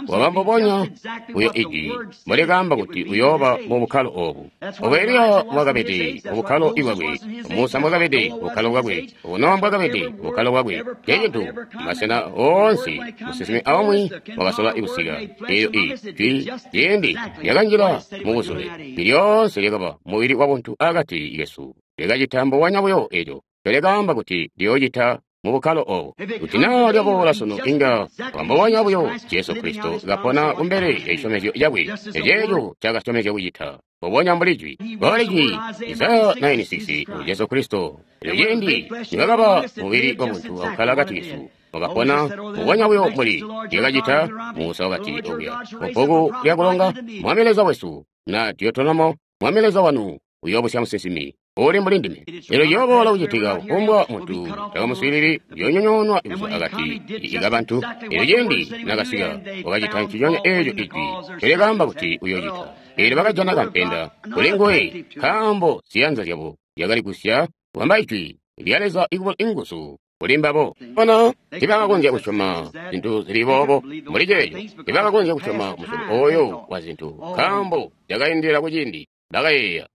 waba mbubonya buyo ijwi mbolikaamba kuti uyooba mu bukkalo obu. Obo Eliya mbwakabede mu bukkalo bwakwe, Musa mbwakabede mu bukkalo bwakwe, obo Nowa mbwakabede mu bukkalo bwakwe. Ncecintu masena oonse musinsimi aumwi wakasola kusika. Eelyo ijwi ciindi lyakanjila mu buzule, lyoonse lyakaba mubili wabuntu akati kesu. Lyakacita mbubonya buyo eco lyakaamba kuti liyoocita mu bukkalo obu. Kuti naa lyaboola sunu inga wambubonya buyo Jesu Kristo kapona kumbele ya cisyomezyo cakwe eceeco cakasyomezya kucita mbubonya mbuli jwi. Mboli jwi Isaya 9:6 ngu Jesu Kristo. Elyo ciindi nibakaba mubili wabuntu akukkala akati kesu wakapona mbubonya buyo mbuli lyakacita Musa wakati okuya mubbuku lyakulonga Mwami Leza wesu na Deuteronomo Mwami Leza wanu uyoobusya musinsimi uli mbuli ndime. Elyo ciyoboola kucitika kufumbwa muntu takamuswiilili uyoonyonyoonwa kuzwa akati kabantu. Elyo ciindi nakasika wakacita nciconya eeco ijwi ncolyakaamba kuti uyoocita. Eelyo bakajana kampenda kuli nguwe nkaambo ziyanza zyabo zyakali kusya kubamba ijwi lya Leza ikubula inguzu kuli mbabo. Bona tibakakonzya kusyoma zintu zili boobo mbuli ceeco, tibakakonzya kusyoma musyobo oyo wa zintu nkaambo zyakaindilila kuciindi bakayeeya.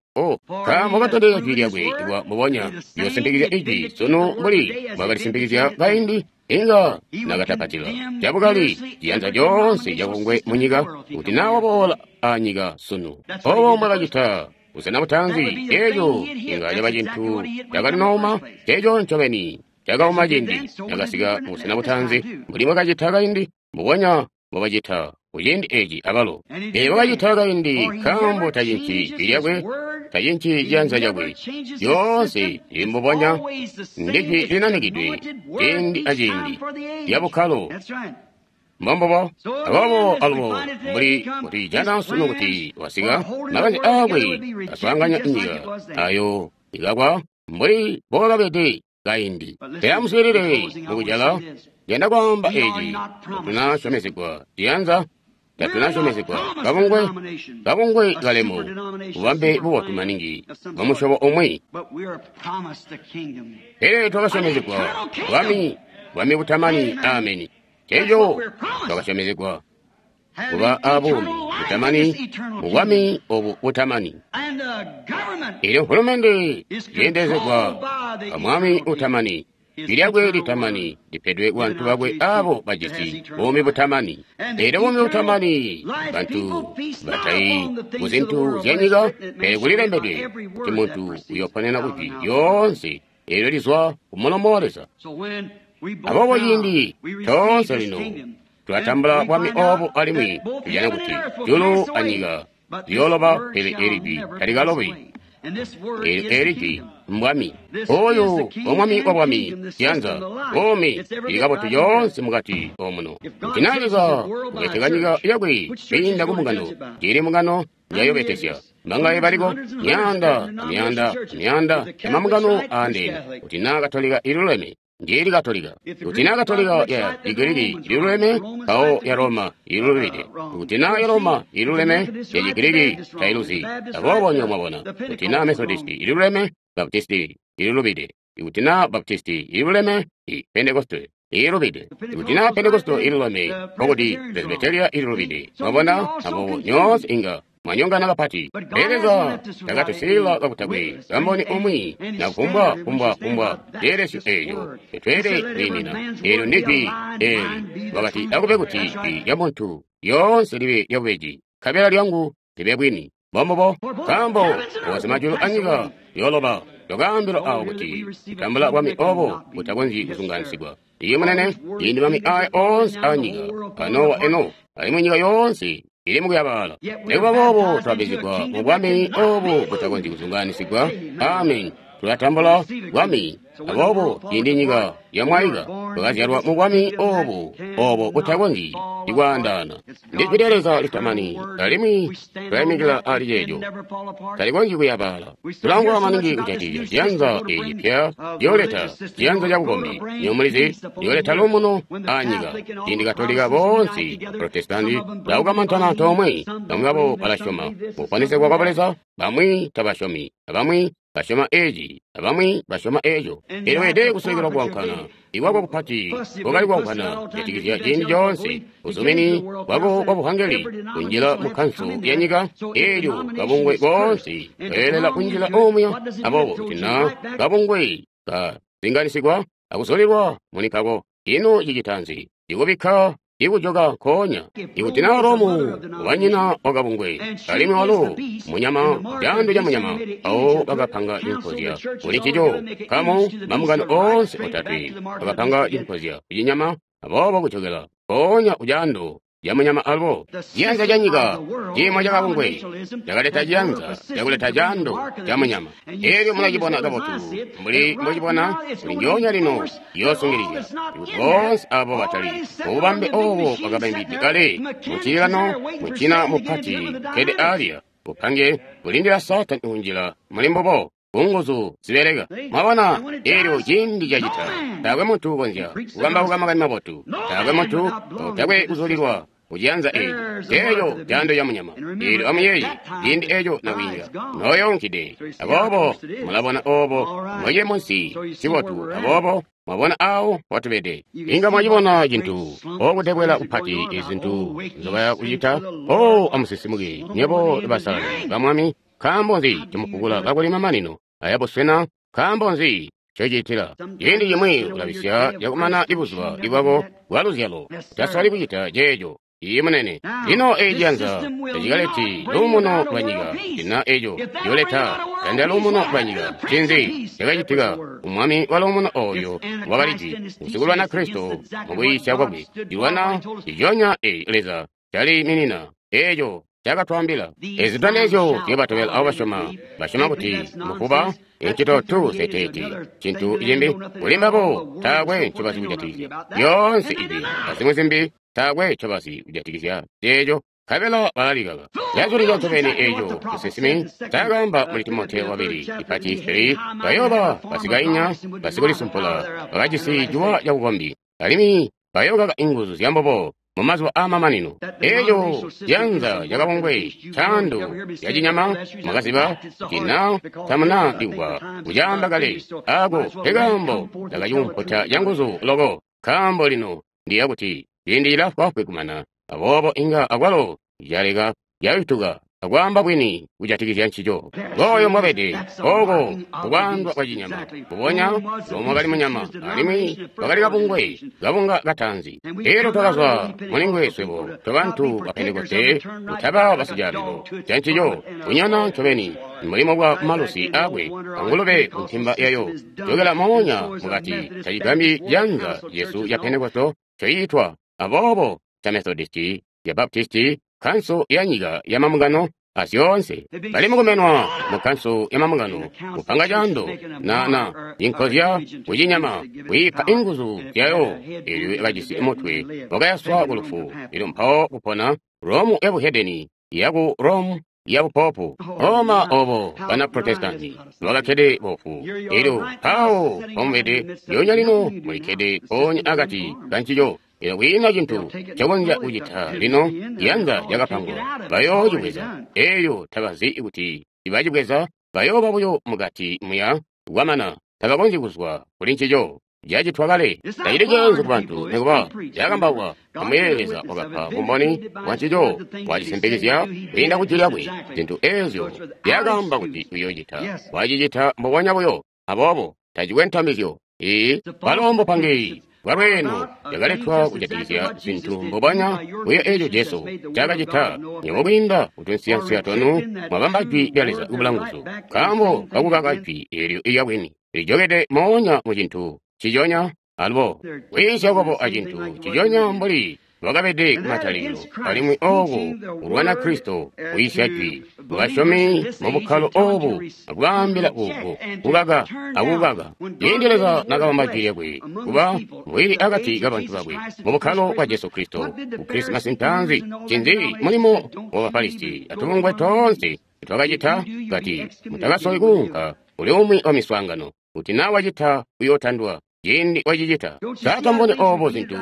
Nkaambo katondezya jwi lyakwe kuba mbubonya liyoosimpikizya ijwi sunu mbuli mbwakalisimpikizya kaindi inga nakatapatila cabukali ciyanza coonse cakungwe munyika kuti naa waboola anyika sunu. Obo mbwakacita busena butaanzi eeco inga caba cintu cakalinooma ceeco ncobeni cakauma ciindi cakasika mubusena butaanzi mbuli bwakacita kaindi mbubonya mbobacita kuciindi eci abalo. Ee wakacita kaindi nkaambo tacinci jwi lyakwe, tacinci ciyanza cakwe, lyoonse lili mbubonya ndijwi linanikidwe ciindi aciindi lya bukkalo. Mbombubo aboobo alubo mbuli kuti jana sunu kuti wasika makanze aakwe aswaanganya nyika ayo ikakwa mbuli mbowakabede kaindi. Pele amuswiilile mukujala yanda kwaamba eci tatunasyomezegwa ciyanza, tatunasyomezegwa kabungwe, kabungwe kalemu bubambe bubotu maningi bwamusyobo umwi. Pele twakasyomezegwa bwami, bwami butamani. Ameni. Ceeco twakasyomezegwa kuba abuumi butamani mubwami obu butamani. Elyo mfulumende yeendelezegwa amwami utamani. Jwi lyakwe litamani lipedwe kubantu bakwe abo bajisi buumi butamani. Elyo buumi butamani bantu batayi kuzintu zya nyika, pele kulilembedwe kuti muntu uyoponena kujwi lyoonse eelyo lizwa kumulomo wa Leza. Aboobo ciindi toonse lino tulatambula bwami obu alimwi tujana kuti julu anyika ziyooloba, pele eli jwi talikalobi. Eli jwi mbwami oyu omwami wa bwami ciyanza buumi ili kabotu yoonse mukati omuno. Kuti naa Leza ubeteka nyika yakwe kwiinda ku mbungano, njili mbungano njayobetesya mbangaye baliko myaanda amyaanda amyaanda yamambungano aandeene kuti naa Katolika iluleme. Njili Katolika. Kuti na Katolika ya Chigiriki iluleme, mpawo ya Roma ilulubide. Kuti na ya Roma iluleme, ya Chigiriki tailuzi. Aboobo nyo mwabona. Kuti na Methodisti iluleme, Baptisti ilulubide. Kuti na Baptisti iluleme, i Pentekoste ilubide. Kuti na Pentekoste iluleme, nkokuti Presbyteria ilulubide. Mwabona, aboobo nyoonse inga mwanyongana kapati. Leza takatusiila kakutakwe kamboni umwi na kufumbwa kumbwa kumbwa ceelesyo eeco tetweele kwiimina. Eelyo ndi jwi eeli wakati akube kuti jwi lya muntu lyoonse libe lyabubeji, nkabela lyangu libe bwini. Mbombubo, nkaambo woonse majulu anyika yooloba twakaambilwa awo kuti kutambula bwami obo butakonzyi kuzungaanisigwa. Iye munene, ciindi mami aya oonse anyika panowa eno, alimwi nyika yoonse ili mukuyabaala. Nikuba boobo twabizigwa mu bwami obu butakonzyi kuzungaanisigwa. Amen. Tulatambula bwami. Aboobo ciindi nyika yamwaika, twakazyalwa mu bwami obu obo butakonzyi ikwaandaana. Ndi jwi lya Leza litamani, alimwi tulaimikila ali ceeco. Talikonzyi kuyabaala. Tulangwa maningi kujatikizya ciyanza eeci pya yooleta ciyanza ca bukombi. Nyo mulizi, yooleta luumuno anyika. Ciindi Katolika boonse Protestanti baukamantana antoomwe, bamwi babo balasyoma mukuponesegwa kwa Buleza, bamwi tabasyomi, abamwi basyoma eeci, abamwi basyoma eeco. Eelyo weelede kusekelwa kuwankana. Iwako kupati kwakali kuwankana kujatikizya ciindi coonse uzumini bwako bwa buhangeli kunjila mu kanso ya nyika. Eelyo kabungwe koonse keelela kunjila omuya. Aboobo kuti na kabungwe kazinganisigwa akusolelwa muli kako, ino cicita nzi? Ikubikka ikujoka nkoonya. Ikuti na Romu wanyina wakabungwe, alimwi walo munyama, caando ca munyama, awo bakapanga cinkozya kuli ncico. Kamo mamungano oonse otatwe bakapanga cinkozya kucinyama, aboobo kujokela nkoonya kucaando ca munyama alubo. Ciyanza ca nyika, ciimo ca kabungwe, cakaleta ciyanza cakuleta caando ca munyama. Eelyo mulacibona kabotu, mbuli mbocibona kuli njoonya lino yoosungilizya. Ikuti boonse abo batali mububambe obo bwakabambidwe kale mucililano mucina mupati kede alya bupange bulindila Saatani kunjila muli mbubo kunguzu zibeleka. Mwabona, eelyo ciindi cacita, taakwe muntu ukonzya kukambauka makani mabotu, taakwe muntu utakwe kuzulilwa kuciyanza eeci, eeco caando ca munyama. Eelyo amuyeeye, ciindi eeco nakwiinga nooyoonkide. Aboobo mulabona oobo mbocili munsi cibotu, aboobo mwabona awo watubede. Inga mwacibona cintu okutebwela kupati izintu nzobaya kucita. O amusisimuke nyebo basalali ba Mwami. Nkaambo nzi cimufukula kakuli mamanino ayabuswena? Nkaambo nzi ncocitila? Ciindi cimwi ulabisya cakumana ibuzuba ibwako bwa luzyalo. Utasali kucita ceeco. Iye munene. Lino eeci ciyanza tacikaleti luumuno lwa nyika. Cina eeco ciyooleta tanda luumuno lwa nyika. Ncinzi cakacitika? Umwami wa luumuno ooyo wakali jwi, usikulwana Kristo mukuyiisya kwakwe. Cilwana nciconya eeci Leza caliiminina. Eeco cakatwaambila. Ezi zitondezyo ziyobatobela abo basyoma. Basyoma kuti mufuba incito tu seteeti cintu cimbi. Kuli mbabo taakwe ncobazi kujatikizya zyoonse ibi azimwi zimbi, taakwe ncobazi kujatikizya ceeco, nkabela balalikaka. Cazulika ncobeni eeco musinsimi ncaakaamba muli Timoteyo wabili ipati 3, bayooba basikainya, basikulisumpula, bakajisi ciwa cabukombi, alimwi bayookaka inguzu zyambubo mumazuba aamamanino. Eeco ciyanza cakabungwe caando ya cinyama mwakaziba cina tamuna ndikwa kucaamba kale. Ako nkekaambo ndakaciumputa canguzu loko, nkaambo lino ndiya kuti ciindi cilafwaafwi kumana. Aboobo inga akwalo caleka yayutuka akwaamba bwini kujatikizya ncico. Ngooyo mbwabede, ooko kukwaandwa kwa cinyama. Mbubonya lomwe kali munyama, alimwi wakali kabungwe, kabunga kataanzi. Eelyo twakazwa mulingwe swebo tobantu ba Pentekoste, kutaba basicaabilo ca ncico, kunyana ncobeni mulimo bwa malusi aakwe angulube ku ntimba yayo. Jokela moonya mukati, tacigambyi ciyanza cesu ca Pentekoste coitwa aboobo ca Methodisti, ya Baptisti, kanso ya nyika ya mamungano azyoonse. Bali mukumenwa mu kanso ya mamungano, kupanga caando na inkozya kucinyama, kuipa inguzu zyayo. Eelyo yakajisi mutwe wakayaswa ku lufu, elyo mpawo kupona Romu ya buhedeni yaku Rome. ya bupopu. Oma obo bana Protestanti bakakkede bofu. Elyo mpawo pomubede lyoonya lino mulikkede mpoonya akati kancico. Elyo kwiina cintu cakonzya kucita lino yanza lyakapangwa. Bayoocibweza. Elyo tabazi kuti ibacibweza bayooba buyo mukati muya kwamana tabakonzyi kuzwa kuli ncico. Cacitwa kale. Tacili ceenzu ku bantu nikuba cakambauka. Amuyeeye Leza wakapa bumboni bwa ncico, wacisimpikizya kwiinda ku jwi lyakwe. Zintu eezyo zyakaamba kuti uyoocita, wacicita mbubonya buyo. Aboobo tacikwe ntamizyo. Ee, bwalo mbupangi bwalweeno lyakaletwa kujatikizya zintu mbubonya buyo eeco Jesu ncaakacita. Nywebo kwiinda kutunsiyansiya twanu mwabamba jwi lya Leza kubula nguzu, nkaambo kakukaka jwi eelyo ilya bwini lijokede moonya mu cintu ciconya alubo kwiisya kwabo acintu ciconya mbuli lwakabede kumatalikilo, alimwi ooku kulwana Kristo kwiisya jwi basyomi mu bukkalo oobu akubaambila uku kukaka akukaka. Ciindi Leza nakabamba jwi lyakwe kuba mbwili akati kabantu bakwe mu bukkalo bwa Jesu Kristo ku Krisimasi ntaanzi, ncinzi mulimo wa Bafarisi atubungwe toonse twakacita kati mutakasoli kuunka kuli umwi wa miswaangano kuti naa wacita uyootandwa. Ciindi wacicita saatambone oobo zintu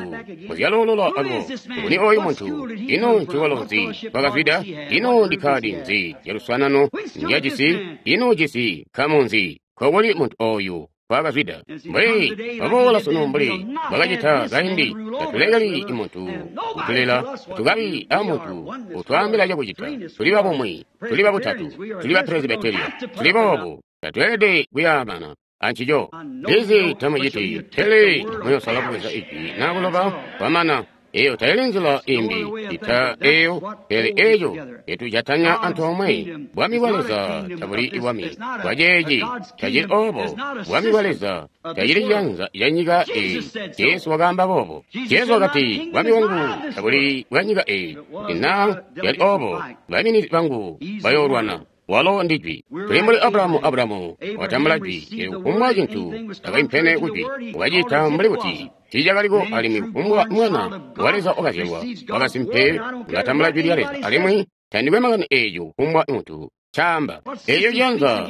muzyaloolola alubo. Nguni ooyu muntu? Ino ncikolo nzi twakazwida? Ino ndikkaadi nzi yaluswaanano njajisi? Ino jisi nkamu nzi? Nkokuli muntu ooyu twakazwida? Mbuli baboola sunu mbuli bakacita kaindi, tatulekeli muntu kutulela, tukabi amuntu utwaambila cakucita. Tuli babumwi, tuli babutatu, tuli ba Presbyteria, tuli boobu. Tatweelede kuyaamana ancico. Ndizi tamuciti, pele muyosala kubweza ijwi naa kuloba kwamana. Eyo tayili nzila imbi ita eyo, pele eyo yatujatanya antoomwe. Bwami bwa Leza tabuli bwami bwa ceeci, tacili oobo. Bwami bwa Leza tacili ciyanza ca nyika eyi. Jesu wakaamba boobo. Jesu wakati, bwami bwangu tabuli bwa nyika eyi. Kuti naa yali oobo, baiminizi bangu bayoolwana. Walo ndi jwi. Tuli mbuli Abrahamu. Abrahamu wakatambula jwi. Elyo kufumbwa cintu cakaimpene ku jwi wakacita mbuli kuti tiicakaliko, alimwi kufumbwa mwana wa Leza wakazyalwa wakasimpe ulatambula jwi lya Leza, alimwi tandikwe makani eeco kufumbwa muntu ncaamba. Eeco ciyanza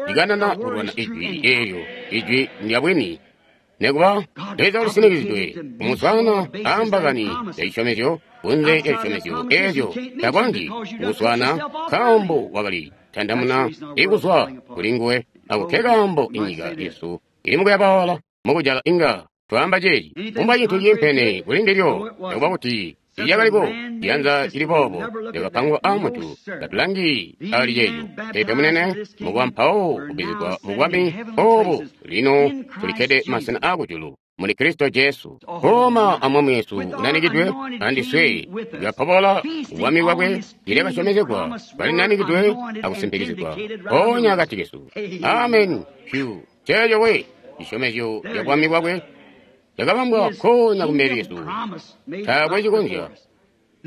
cikanana kulwana ijwi eelyo. Ijwi ndya bwini. Nikuba Leza ulisinikizidwe kumuswaana aambakani ya cisyomezyo kunze lya cisyomezyo eezyo takonzyi kukuswaana nkaambo wakali tandamuna ikuzwa kuli nguwe. Ako ke kaambo inyika yesu ili mukuyabaala mukujala. Inga twaamba ceeci kumba cintu ciimpene kuli ndilyo, nikuba kuti tiicakaliko ciyanza cili boobo lyakapangwa aamuntu. Tatulangi ali ceeco. Peepe munene, mukuba mpawo kubizigwa mu bwami oobu lino tulikkede masena aakujulu muli Kristo Jesu. Koma amwami wesu unanikidwe andiswe tuyapobola bwami bwakwe ilekasyomezegwa balinanikidwe akusimpikizigwa mpoonya akati kesu. Amen. Pyu ceeco we cisyomezyo ca bwami bwakwe cakabambwa nkoonya kumbele lyesu. Taakwe cikonzya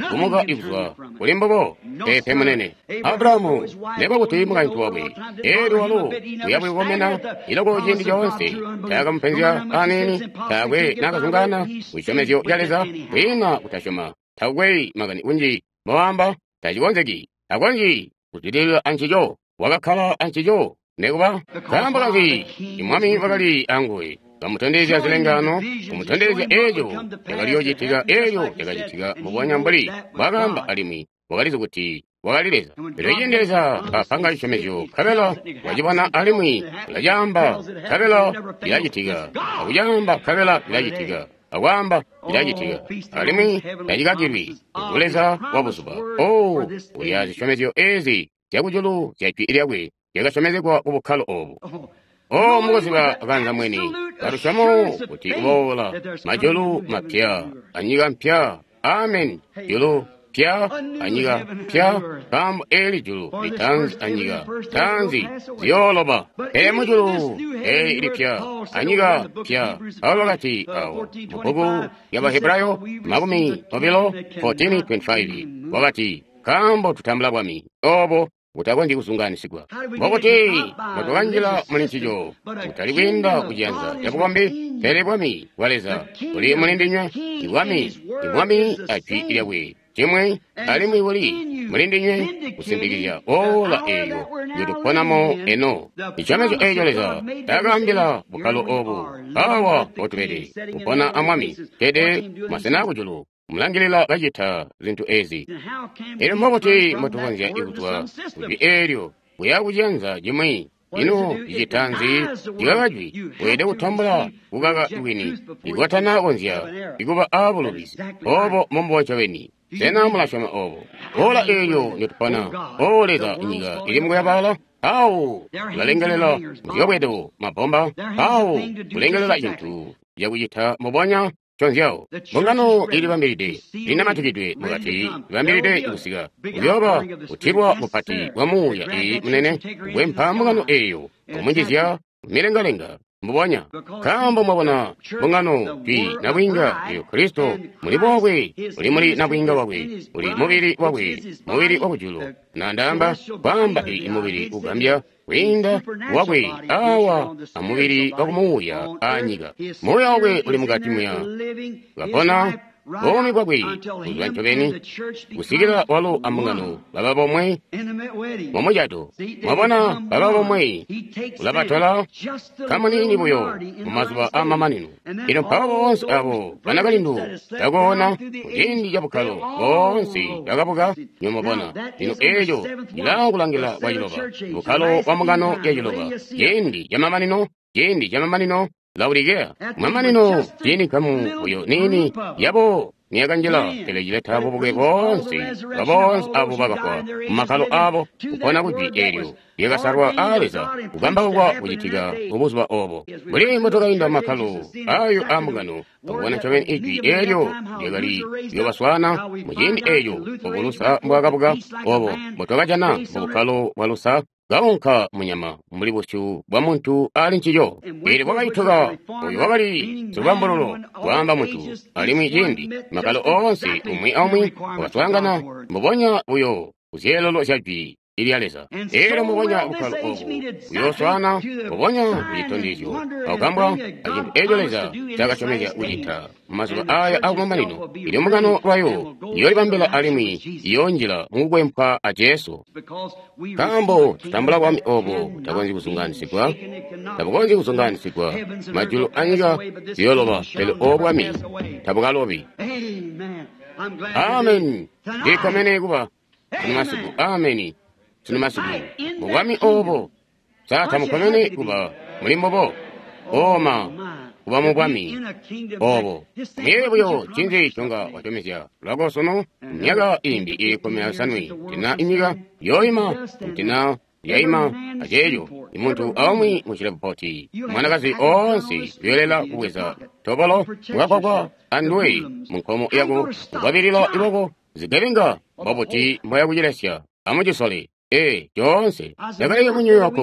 kumuka ikuzwa kuli mbubo. Peepe munene. Abrahamu nekuba kuti mukaintu wakwe eelyo walo uyabukomena iloko ciindi coonse taakamupenzya aniini, taakwe naakazungaana kucisyomezyo ca Leza kwiina kutasyoma. Takwe makani kunji mbowaamba tacikonzeki, takonzyi kuzwidilila ancico. Wakakkala ancico nekuba nkaambo kazi imwami wakali anguwe kamutondezya zilengaano, kumutondezya eeco cakaliyoocitika, eeco cakacitika mbubonya mbuli mbwaakaamba, alimwi wakalizi kuti wakali Leza. Pele ciindi Leza apanga cisyomezyo, nkabela wacibona alimwi ulacaamba, nkabela cilacitika, akucaamba, nkabela cilacitika, akwaamba cilacitika, alimwi tacikakilwi. Ngu Leza wa buzuba. Oh, ulya zisyomezyo eezi zyakujulu zya jwi lyakwe zyakasyomezegwa ku bukkalo oobu. Oh, mukuziba kanza mwini kalusyomo kuti kuboola majulu mapya anyika mpya. Amen. Julu pya anyika pya, nkaambo eli julu litaanzi anyika taanzi ziyooloba. Pele mujulu eli lipya anyika pya. Paulo wakati awo mubbuku lya Bahebrayo 20:25 wakati, nkaambo tutambula bwami obo butakonzyi kuzungaanisigwa, mbokuti mwatukanjila muli ncico, kutali kwiinda kuciyanza ca bukombi, pele bwami bwa Leza buli muli ndinywe. Ibwami, ibwami ajwi lyakwe cimwi, alimwi buli muli ndinywe kusimpikizya ola eeyo njotuponamo eno. Isyomezyo eeco Leza taakaambila bukkalo obu, awa mpotubede, kupona a Mwami, kkede masena akujulu, mulangilila kacita zintu ezi. Elyo mbobuti mbotukonzya kuzwa kujwi eelyo kuya kuciyanza cimwi? Ino cicita nzi? Cikaka jwi. Weelede kutambula kukaka bwini ikotana konzya ikuba aabulubizi. Obo mbombubo ncobeni. Sena mulasyoma obo? Ola eelyo ndotupona, O Leza, inyika ili mukuyabaala. Awo ulalengelela muziyobwedo mabomba, awo kulengelela cintu cakucita mbubonya nconzyo. Mbungano ilibambilide, linamatikidwe mukati, libambilide kusika. Kuyooba kutilwa kupati kwa Muuya iyi munene kukwempa mbungano eeyo, kumunjizya milengalenga mbubonya. Nkaambo mwabona mbungano jwi nabwiinga eyo Kristo muli bwakwe, uli muli nabwiinga wakwe, uli mubili wakwe, mubili wakujulu. Na ndaamba kwaamba iyi mubili ugambya kwiinda wakwe awa amubili wakumuuya anyika. Muuya wakwe uli mukati muya kapona buumi bwakwe kuzwa ncobeni kusikila walo ambungano baba bomwe mumucato. Mwabona baba bomwe ulabatola kamuniini buyo mumazuba aamamanino. Ino mpawo boonse abo banakalindu bakoona kuciindi cabukkalo boonse bakabuka nyomubona. Lino eeco cilaakulangila kwa ciloba, bukkalo bwa mbungano ya ciloba, ciindi camamanino, ciindi camamanino Laodikea. Mamanino ciindi nkamu buyo niini yabo niyakanjila, pele cileta bubuke boonse baboonse abo bakafwa mumakkalo abo kupona kujwi eelyo lyakasalwa aa Leza kukambaukwa kucitika mubuzuba obo. Mbuli mbotwakainda makkalo ayo aambungano, twakubona ncobeni ijwi eelyo lyakali kuyoobaswaana muciindi eeco obo Lusa mbwaakabuka, obo mbotwakajana mubukkalo bwa Lusa kaunka munyama mbuli busyu bwa muntu ali ncico. Eelyo kwakaituka oyo wakali silubambululo kwaamba muntu, alimwi ciindi makkalo oonse umwi aumwi wakaswaangana mbubonya buyo kuzyeelelo zya jwi lya Leza. Eelyo mbubonya bukkalo obu buyooswaana mbubonya kucitondezyo akukambwa acintu eeco Leza ncaakasyomezya kucita mumazuba aya akumamanino. Ilyo mbungano lwayo iyoolibambila alimwi iyoonjila mukukwempwa a Jesu. Nkaambo tutambula bwami obo butakonzyi kuzungaanisigwa, tabukonzyi kuzungaanisigwa. Majulu anyika ziyooloba, pele obo bwami tabukalobi. Ameni. Ndikkomene kuba sunu masiku. Ameni. Sunu masiku mubwami obo. Sa tamukkomene kuba muli mbubo? Oma kuba mubwami obo. Muyeeye buyo ncinzi conga wasyomezya lwako sunu myaka imbi ili 15 tina inyika yooima tina yaima aceeco. Imuntu aumwi mucilebupoti mwanakazi oonse uyolela kubweza tobolo mukakwakwa anduwe munkomo yako kukwabilila iboko zigebenga. Mbobuti mboya kucilesya? Amucisole. Ee, coonse ndakaleka mu New York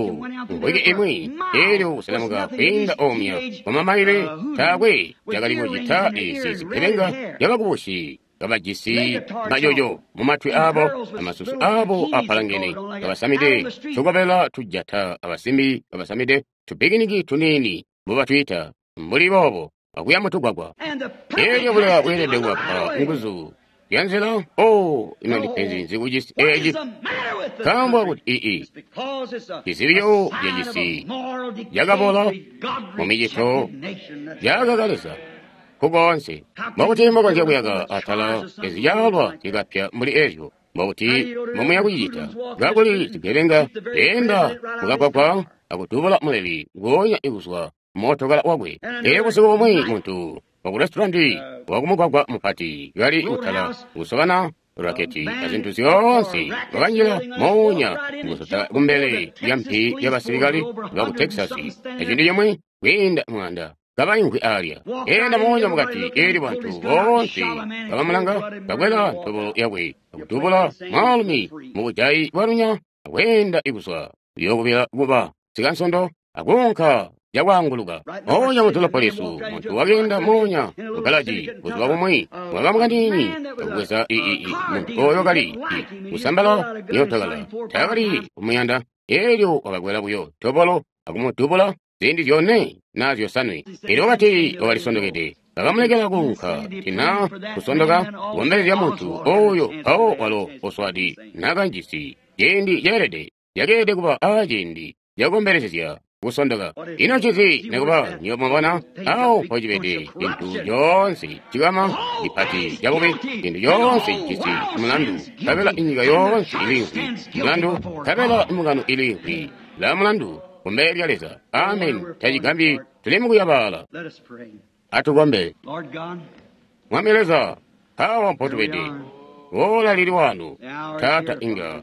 mvwiki imwi, eelyo kuselemuka kwiinda omya kwamamaile taakwe cakali kucita ezi zigebenga zyabakubusi kabajisi majojo mumatwi abo amasusu abo apalangene, kabasamide tukobela tujata abasimbi kabasamide tupikiniki tuniini mbobatwiita mbuli boobo akuya mutugwagwa. Eelyo buleya bweelede kubapa nguzu yanzila. Oh, ino ndipenzi nzi kucisi eeci? Nkaambo kuti ii cizibyo cacisi cakabola mumicito yakaka Leza kukoonse. Mbokuti mbokonzya kuyaka atala ezizyalwa zikapya mbuli ezyo? Mbokuti mbomuya kucicita kakuli zigebenga zeenda mukagwagwa akudubula muleli nguonya ikuzwa mootokala wakwe? Eelyo busiku bumwi muntu wakurestaurant wakumugwagwa mupati kali kutala kusobana raketi azintu zyoonse wakanjila moonya mukusota kumbele lya mpi y'abasilikali baku Texas acintu cimwi kwiinda mwanda kabaimvwi alya. Enda moonya mukati eelyo bantu boonse kabamulanga kakwela ntobolo yakwe akudubula mwaalumi mubujayi bwalunya akweenda ikuzwa kuyookubila kuba sikansondo akuunka cakwaanguluka. Moonya mudolopo muntu wakeenda moonya mugalaji buzuba bumwi mwakamukaniini akubweza muntu oyo kali kusambala yootokala taakali kumuyanda. Eelyo wakakwela buyo tobolo akumudubula ziindi zyone naa zyosanwe. Eelyo wakati wakalisondokede. Bakamulekela kuunka tina kusondoka kukombelezya muntu oyo mpawo walo Oswald nakanjisi ciindi ceelede cakeelede kuba aaciindi cakukombelezya kusondoka. Ino ncinzi nikuba nywebo mwabona awo mpocibede cintu coonse cikama cipati cabubi, cintu coonse cijisi mulandu, nkabela inyika yoonse iliimvwi mulandu, nkabela imbungano iliimvwi la mulandu kumbele lya Leza. Amen. Tacigambyi tuli mukuyabaala. Atukombe. Mwami Leza, awa mpotubede boola lili wano Taata inga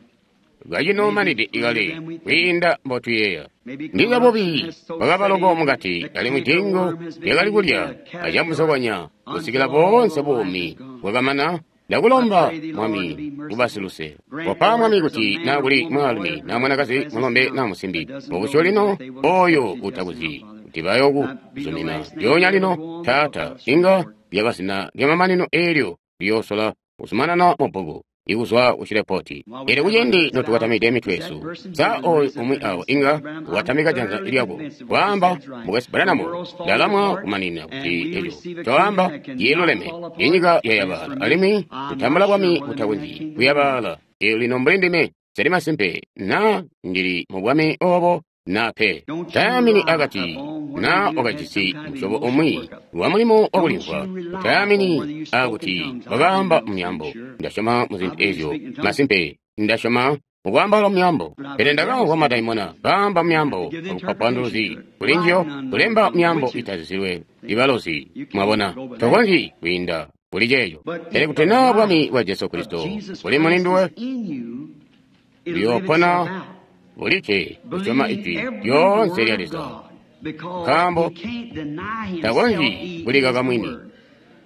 kacinomanide ikale kwiinda mbotuyeeya. Ndiza bubi bwakabaloko mukati alimwi dingo lyakali kulya acamusokonya kusikila boonse buumi bwakamana. Ndakulomba Mwami ubasiluse. Kopa Mwami kuti naa kuli mwaalumi naa mwanakazi, mulombe naa musimbi mukusyo lino oyo utakuzi kuti bayokuzumina lyoonya lino Taata inga lyaba zina lyamamanino eelyo liyoosola kuzumanana mubbuku ikuzwa kucilepoti. Elyo kuciindi notukatamide mitwe yesu, sa oyu umwi awo inga watamika janza lyako kwaamba, Mukwesu Branham, ndalamwa kumanina kuti eco coamba ciluleme. Inyika yayabaala alimwi kutambula bwami butakonzyi kuyabaala. Elyo lino mbuli ndime seli masimpe naa ndili mu bwami obo naa pe. Tayamini akati naa wakajisi musyobo umwi wa mulimo wakulimvwa. Tayamini akuti wakaamba mumyaambo. Ndasyoma mu zintu ezyo masimpe. Ndasyoma mukwaambaula mumyaambo, pele ndakamvwa madaimona kaamba mumyaambo akupa bupanduluzi kuli njiyo, kulemba myaambo itazizilwe ibalozi. Mwabona, tokonzyi kwiinda kuli ceeco. Pele kuti naa bwami bwa Jesu Kristo buli muli nduwe, buyoopona bulikke kusyoma ijwi lyoonse lya Leza, nkaambo takonzyi kulikaka mwini.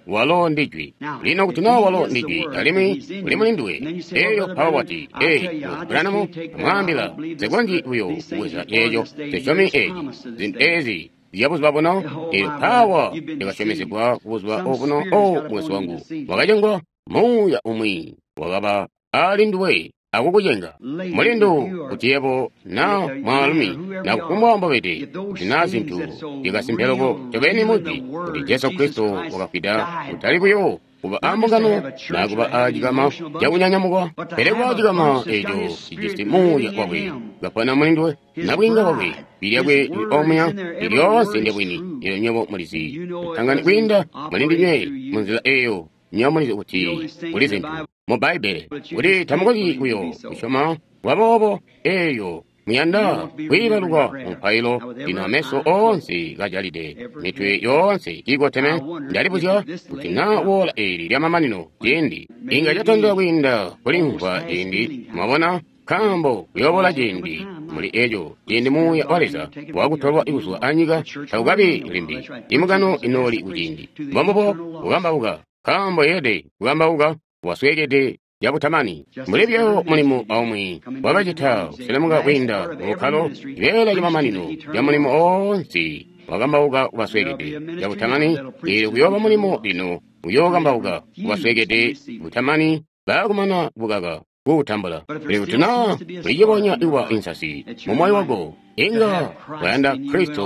Walo ndi Jwi. Lino kuti naa walo ndi Jwi alimwi uli muli nduwe, eyo mpawo wati, Ee, Branham amwaambila, nsikonzyi buyo kubweza ceeco, nsisyomi eeci, zintu ezi zya buzuba buno. Elyo mpawa lyakasyomezegwa kubuzuba obuno. O mukwesu wangu, wakacengwa muuya umwi wakaba ali nduwe akukucenga mulindu, kuti yebo na mwaalumi na kufumbwa mbobede, kuti naa zintu zyakasimpe loko ncobeni mujwi kuti Jesu Kristo wakafwida kutali buyo kuba ambungano naa kuba aacikama cakunyanyamukwa, pele kuba acikama eeco cijisi muuya wakwe kapona mulinduwe, nabwiinga bwakwe, jwi lyakwe lili omuya, lyoonse ndyabwini. Elyo nywebo mulizi tangani kwiinda mulindinywe munzila eyo, nywebo mulizi kuti kuli zintu mu Bbaibbele kuti tamukonzyi buyo kusyoma bwaboobo. Eyo muyanda kwiibaluka mupailo lino, ameso oonse kajalide, mitwe yoonse kiikoteme. Ndalibuzya kuti naa woola eeli lyamamanino ciindi inga catandila kwiinda kulimvwa ciindi, mwabona, nkaambo kuyoobola ciindi muli eco ciindi muuya wa Leza wakutolwa kuzwa anyika takukabi limbi. Imbungano inooli kuciindi mbombubo kukambauka, nkaambo yeelede kukambauka wasweekede cabutamani. Mbuli buyo mulimo aumwi wakacita kuselemuka kwiinda mubukkalo, cibeela camamanino ca mulimo oonse wakambauka kubasweekede cabutamani. Eelyo kuyooba mulimo lino uyookambauka kubasweekede butamani baakumana bukaka kuutambula. Pele kuti naa ulicibonya kuba insasi mumoyo wako, inga wayanda Kristo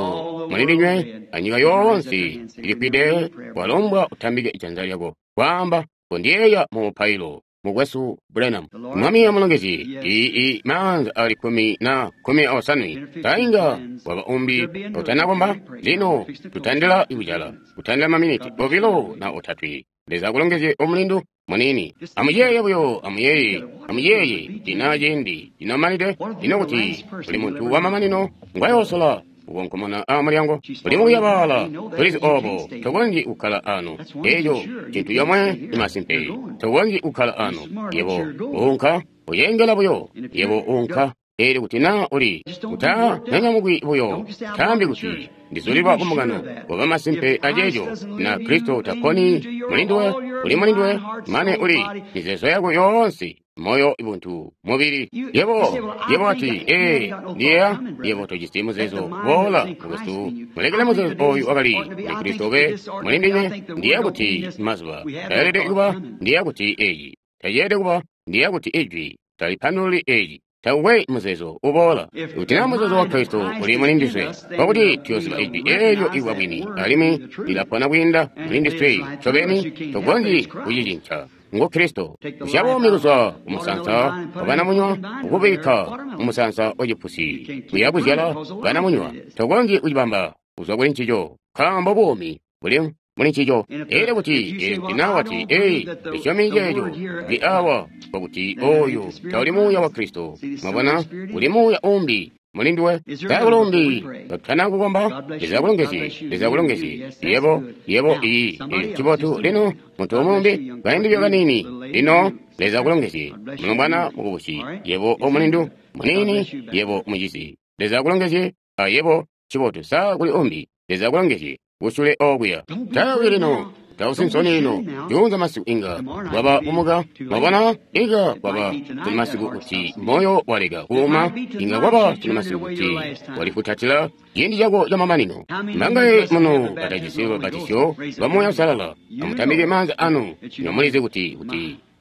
mulindinywe anyika yoonse ilifwide, walombwa utambike janza lyako kwaamba, Kondiyeeya mu mupailo, Mukwesu Branham. Mwami amulongezye. Ii maanza ali 18 na 18 tainga waba umbi utanakomba. Lino tutandila kucala, kutandila maminiti 2 na 3. Leza akulongezye omulindu muniini. Amuyeeye buyo, amuyeeye, amuyeeye tina ciindi cinomanide lino kuti uli muntu wamamanino ngwayoosola kukonkomona amulyango. Uli mukuyabaala, tulizi obo, tokonzyi kukkala ano. Eco cintu comwe imasimpe, tokonzyi kukkala ano. Yebo uunka uyengela buyo, yebo uunka. Eelyo kuti naa uli utanyanyamukwi buyo, taambi kuti ndizulilwa kumbungano, waba masimpe aceeco na Kristo taponi mulinduwe, uli mulinduwe mane uli mizeezo yako yoonse, moyo, buntu, mubili. Yebo wati, Ee, ndiyeeya yebo tojisi muzeezo. Boola mukwesu, mulekele muzeezo oyu wakali muli Kristo ube mulindinywe. Ndiyeeya kuti mazuba tayeelede kuba, ndiyeeya kuti eeci taceelede kuba, ndiyeeya kuti ijwi talipandululi eeci. Takukwe muzeezo uboola. Kuti naa muzeezo wa Kristo uli muli ndiswe, nkokuti tuyooziba ijwi eelyo ikuba bwini, alimwi lilapona kwiinda muli ndiswe. Ncobeni tokonzyi kucicinca. Ngu Kristo. Kusya buumi kuzwa kumusansa wa banamunywa ukubikka mumusansa wa cipusi kuya kuzyala banamunywa. Tokonzyi kucibamba kuzwa kuli ncico, nkaambo buumi buli muli ncico. Elyo kuti naa wati, ee, ndisyomi ceeco ndi awa, nkokuti oyo tauli muuya wa Kristo. Mwabona, uli muuya umbi muli nduwe. Taakuli umbi katutana kukomba. Leza akulongezye, Leza akulongezye. Yebo, yebo, iyi, ncibotu. Lino muntu umwi kaindi buyo kaniini. Lino Leza akulongezye, mulombwana mukubusi, yebo omulindu muniini, yebo mucizi. Leza akulongezye, ayebo, ncibotu. Sa kuli umbi? Leza akulongezye kusule okuya. Tawi lino, tausi nsoni lino. Juunza masiku inga kwaba kumuka. Mwabona, inga kwaba tuli masiku kuti moyo waleka kuuma. Inga kwaba tuli masiku kuti walifutatila ciindi cako camamanino. Mbangaye muno batajisi lubatisyo lwa Muuya Uusalala? Amutambike maanza anu. Nomulizi kuti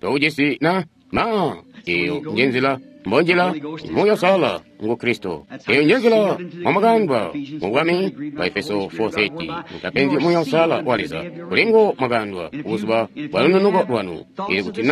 toujisi na ma. Eyo njenzila mbonjila Muuya Uusalala ngu Kristo. Eyo njenzila mwamwakandwa mu bwami bwa Efeso 4:30. Mutapenzi Muuya Uusalala wa Leza kulingo mwakandwa buzuba bwa lununuko lwanu. Ili kuti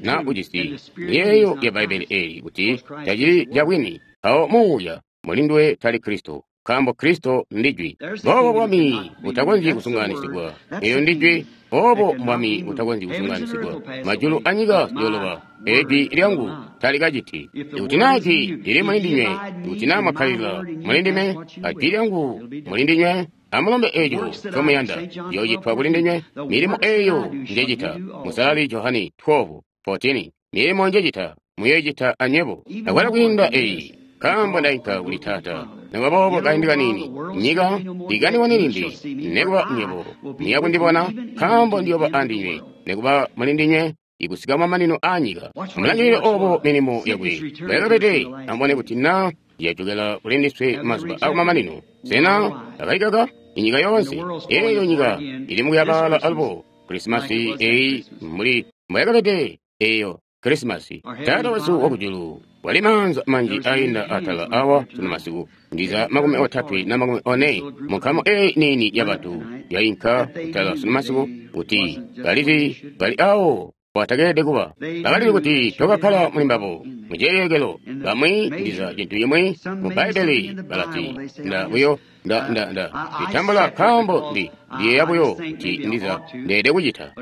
na ujisi miyeeyo ya Bbaibbele eeli kuti tacili cabwini, awo muuya mulinduwe tali Kristo, nkaambo Kristo ndijwi. Boobo bwami butakonzyi kusunganisigwa. Eyo ndijwi. Obo bwami butakonzyi kusunganisigwa. Majulu anyika ziyoloba, ejwi lyangu talikaciti. Ikuti naa jwi lili muli ndinywe, ikuti naa mwakkalilila muli ndime, ajwi lyangu muli ndinywe, amulombe eeco ncomuyanda, liyoocitwa kuli ndinywe. Milimo eeyo njecita. Musalali Johani 12:14. Milimo njecita muyoicita anywebo. Akwalo kwiinda eyi, nkaambo ndainka kuli Taata. Nikuba boobo kaindi kaniini, nyika ikandibone limbi, nikuba nywebo muya kundibona, nkaambo ndiyooba andinywe, nikuba muli ndinywe, ikusika mamanino aanyika. Amulangilile obo milimo yakwe mbwayakabede, amubone kuti naa yajokela kuli ndiswe mazuba akumamanino. Sena akaikaka inyika yoonse? Eeyo nyika ili mukuyabaala alubo. Krisimasi eyi mbuli mbwayakabede eyo Krisimasi. Taata wesu wakujulu, wali maanza manji ainda atala awa sunu masiku, ndiza 34 na 40 munkamu eyi niini ya bantu yainka kutala sunu masiku, kuti balizi bali awo watakeelede kuba. Bakalizi kuti tokakkala muli mbabo muciyeyekelo. Bamwi ndiza cintu cimwi mu Bbaibbele balati, nda buyo nda nditambula nkaambo ndiyeeya buyo kuti ndiza ndeede kucita.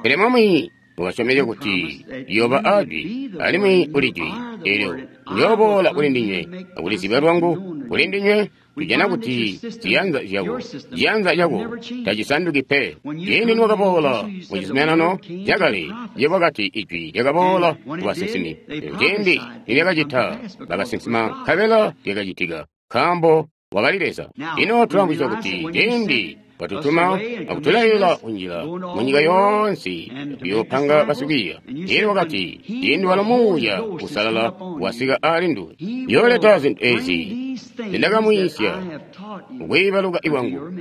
Pele Mwami mukasyomezya kuti liyooba ajwi, alimwi uli jwi eelyo ndiyooboola kuli ndinywe akulizibya lwangu kuli ndinywe. Tujana kuti ziyanza zyako, ciyanza cako tacisanduki pe. Ciindi niwakaboola mu cizuminano cakale, yebo wakati ijwi lyakaboola ku basinsimi. Ciindi nilyakacita, bakasinsima nkabela lyakacitika, nkaambo wakali Leza. Lino tulamvwisya kuti ciindi watutuma akutulailila kunjila munyika yoonse kuyoopanga basikwiiya. Elyo wakati, ciindi walo Muuya Uusalala wasika aali nduwe, yooleta zintu ezi zindakamwiisya kukwiibaluka iwangu,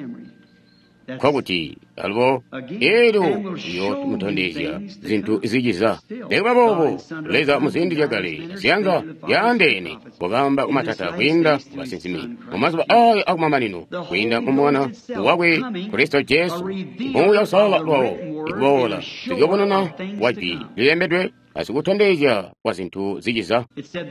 nkokuti alubo elyo liyoomutondezya zintu ziciza. Nikuba boobo, Leza muziindi zyakale ziyanza zyaandeene wakaamba kumatata kwiinda kubasinsimi mumazuba aaya akumamanino kwiinda mu Mwana wakwe Kristo Jesu. Muuya Uusalala lwawo ikuboola sikubonana wa jwi lilembedwe asikutondezya kwa zintu ziciza.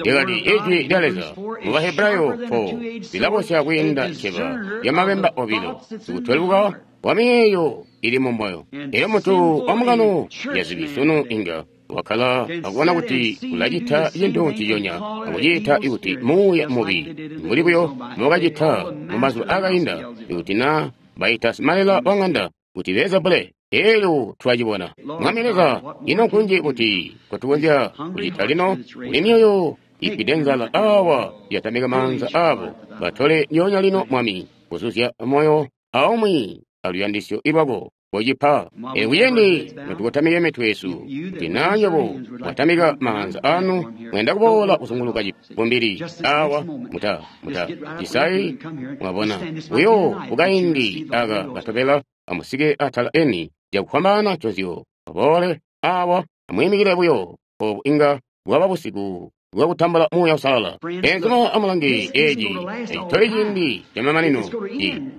Lyakati ijwi lya Leza mu Bahebrayo 4 lilabosya kwiinda nceba lyamabemba obilo, sikutweluka wa miyeeyo ili mu moyo. Elyo muntu wamukano yazibi sunu inga wakkala akubona kuti ulacita cintu nciconya akuciita ikuti muuya mubi, mbuli buyo mbokacita mumazuba aakainda, ikuti naa baita simalela wa ŋanda kuti Beelzebule. Elyo twacibona. Mwami Leza, ino nkunji kuti kotukonzya kucita lino? Kuli myoyo ifwide nzala awa yatamika maanza abo, batole ndyoonya lino, Mwami, kuzuzya moyo aumwi aluyandisyo lwako kocipa. Elyo kuciindi notukotamike mitwe yesu, kuti naa nywebo mwatamika maanza anu, muyanda kuboola kuzunguluka cibumbili awa, muta cisayi, mwabona buyo kukaindi aka katobela, amusike atala eni cakufwambaana nconzyo, muboole awa, amwiimikile buyo. Obu inga bwaba busiku bwakutambula Muuya Uusalala. Beenzuma, amulange eeci tacitoli ciindi camamanino.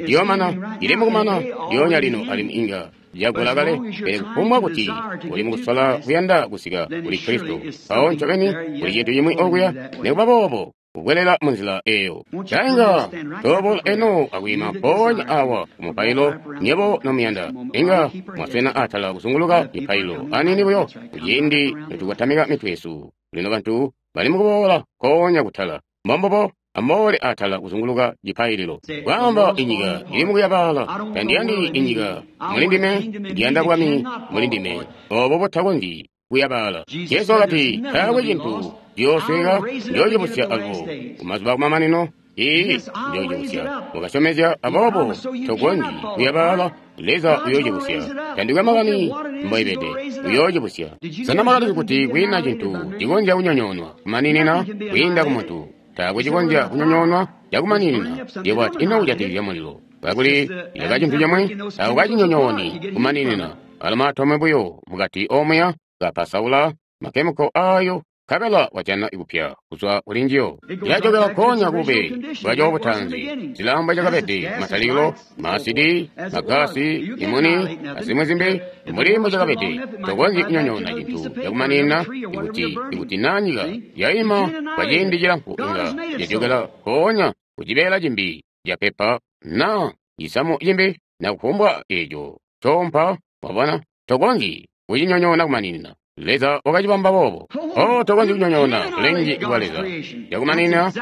Ciyoomana, cili mukumana lyoonya lino alimwi inga cagula kale. Pele kufumbwa kuti uli mukusola kuyanda kusika kuli Kristo, mpawo ncobeni kuli cintu cimwi okuya, nikuba boobo kukwelela munzila eyo. Inga tooboola eno akwiima mpoonya awa kumupailo, nyebo nomuyanda. Inga mwaswena atala kuzunguluka mipailo aniini buyo kuciindi notukotamika mitwe yesu. Lino bantu bali mukuboola nkoonya kutala. Mbombubo, amuboole atala kuzunguluka cipaililo. Kwaamba inyika ili mukuyabaala. Tandiyandi inyika mulindime, ndiyanda bwami mulindime. Obo butakonzyi kuyabaala. Jesu wakati, taakwe cintu ciyoosweka, njoocibusya alubo kumazuba akumamanino. Iiyi, njoocibusya. Wakasyomezya, aboobo tokonzyi kuyabaala. Leza uyoocibusya. Tandikwe makani mboibede, uyoocibusya. Sena mwakalizi kuti kwiina cintu cikonzya kunyonyoonwa kumaninina kwiinda kumuntu? Taakwe cikonzya kunyonyoonwa cakumaninina. Yebo ati, ino kujatikizya mulilo? Kakuli ileka cintu cimwi, taukacinyonyooni kumaninina. Alo maatomu buyo mukati omuya kapasaula makemiko ayo, nkabela wajana kupya kuzwa kuli njiyo. Ilajokela nkoonya kubube bwaco butanzi, zilamba cakabede matalikilo, maasidi, magasi, imuni, azimwi zimbi, mbuli mbo cakabede. Tokonzyi kunyonyoona cintu cakumaninina ikuti naa nyika yaima kwa ciindi cilamfu, inga yajokela nkoonya kucibeela cimbi capepa naa cisamu cimbi na kufumbwa eeco coompa. Wabona, tokonzyi kucinyonyoona kumaninina. Leza wakacibamba boobo. Oh, tokonzyi kunyonyoona bulengi bwa Leza cakumaninina.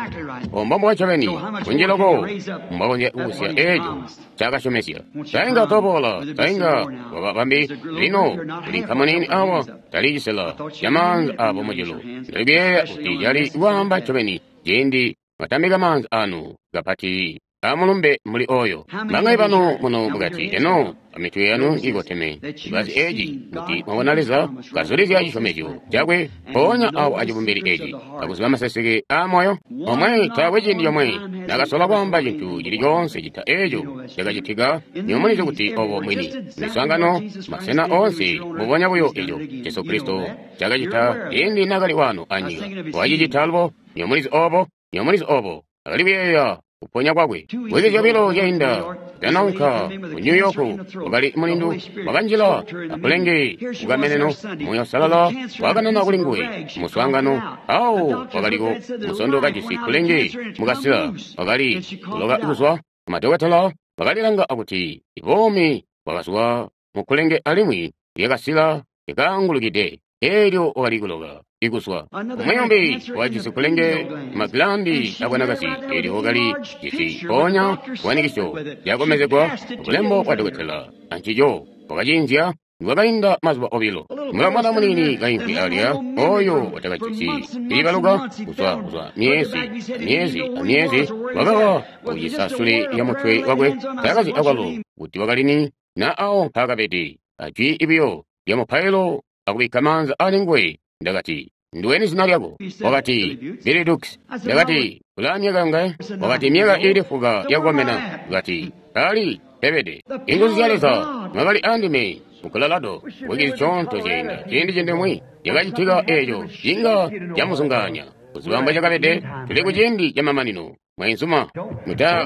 Ombombo ncobeni kunji loko mbwakonzya kubusya eeco ncaakasyomezya. Tainga toboola, tainga waba bambi. Lino kuli nkamu awa, tali cisela camaanza aabo mujulu. Ndali kuyeeya kuti cali kwaamba ncobeni ciindi mwatambika maanza anu kapati amulumbe muli oyo. Bangayi banu muno mukati eno amitwe yanu ikoteme, ibazi eeci kuti mwabona Leza kazulizya cisyomezyo cakwe mpoonya awo acibumbili eeci, akuziba maseseke aamoyo omwe. Taakwe ciindi comwe nakasola kwaamba cintu cili coonse cita eeco cakacitika. Nyomulizi kuti obo mwini miswaangano masena oonse mbubonya buyo eco Jesu Kristo cakacita ciindi nakali wano anyika, wacicita alubo. Nyomulizi obo, nyomulizi obo akali kuyeeya kuponya kwakwe. Mwezi zyobilo zyainda ndanaunka ku New York, wakali mulindu wakanjila akulenge kukameneno. Muuya Uusalala wakanana kuli nguwe muswaangano awo. Wakaliko musondo kajisi kulenge mukasila, wakali kuloka kuzwa. Madokotela bakalilanga akuti buumi bwakazwa mukulenge alimwi lyakasila lyakaangulukide, eelyo wakali kuloka ikuzwa. Umwi wajisi kulenge magilandi abwanakazi, eelyo wakali jisi mpoonya chifanikisyo cakomezegwa bulembo bwa dokotela ancico, wakacinzya. Nikwakainda mazuba obilo, mulamwana muniini kaimvwi alya oyo watakajisi ilibaluka kuzwa myezi amyezi amyezi, wakawa kucisa sule ya mutwe wakwe. Taakazi akwalo kuti wakalini na awo mpaakabede. Ajwi ibiyo lya mupailo akubikka maanza ali nguwe, ndakati, nduweni zina lyako? Wakati, Billy Dukes. Ndakati, ulaa myaka yongaye? Wakati, myaka iili fuka yakukomena. Wakati, ali pebede. Inguzu zya Leza mwakali andime mu Colorado wiki zisyoonto zyainda. Ciindi cindimwi cakacitika eeco cinga camuzungaanya kuziba mbwe cakabede. Tuli ku ciindi camamanino, mwainzuma.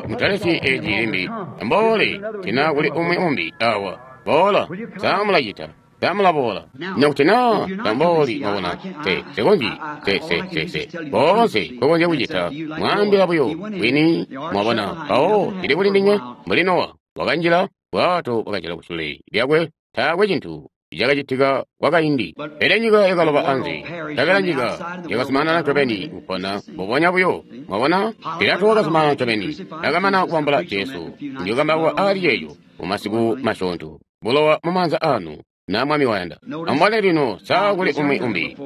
Mutalesi eeci limbi. Amboole tina kuli umwi umbi awa. Boola, samulacita. Tamulaboola nokuti naa tambooli. Mwabona, te sekonzyi se se se se boonse nkokonzya kucita mwaambila buyo bwini. Mwabona, mpawo cili kuli ndinywe. Mbuli Nowa wakanjila bwato, bwakajala kusule lyakwe, taakwe cintu cakacitika kwakaindi. Pele nyika yakaloba anze, nkabela nyika yakazumanana ncobeni kupona mbubonya buyo. Mwabona, Pilato wakazumanana ncobeni nakamana kubambula Jesu. Ndiyokambauka ali ceeco mumasiku masyoonto. Bulowa mumaanza anu na Mwami wayanda. Amubone lino, saa kuli umwi umbi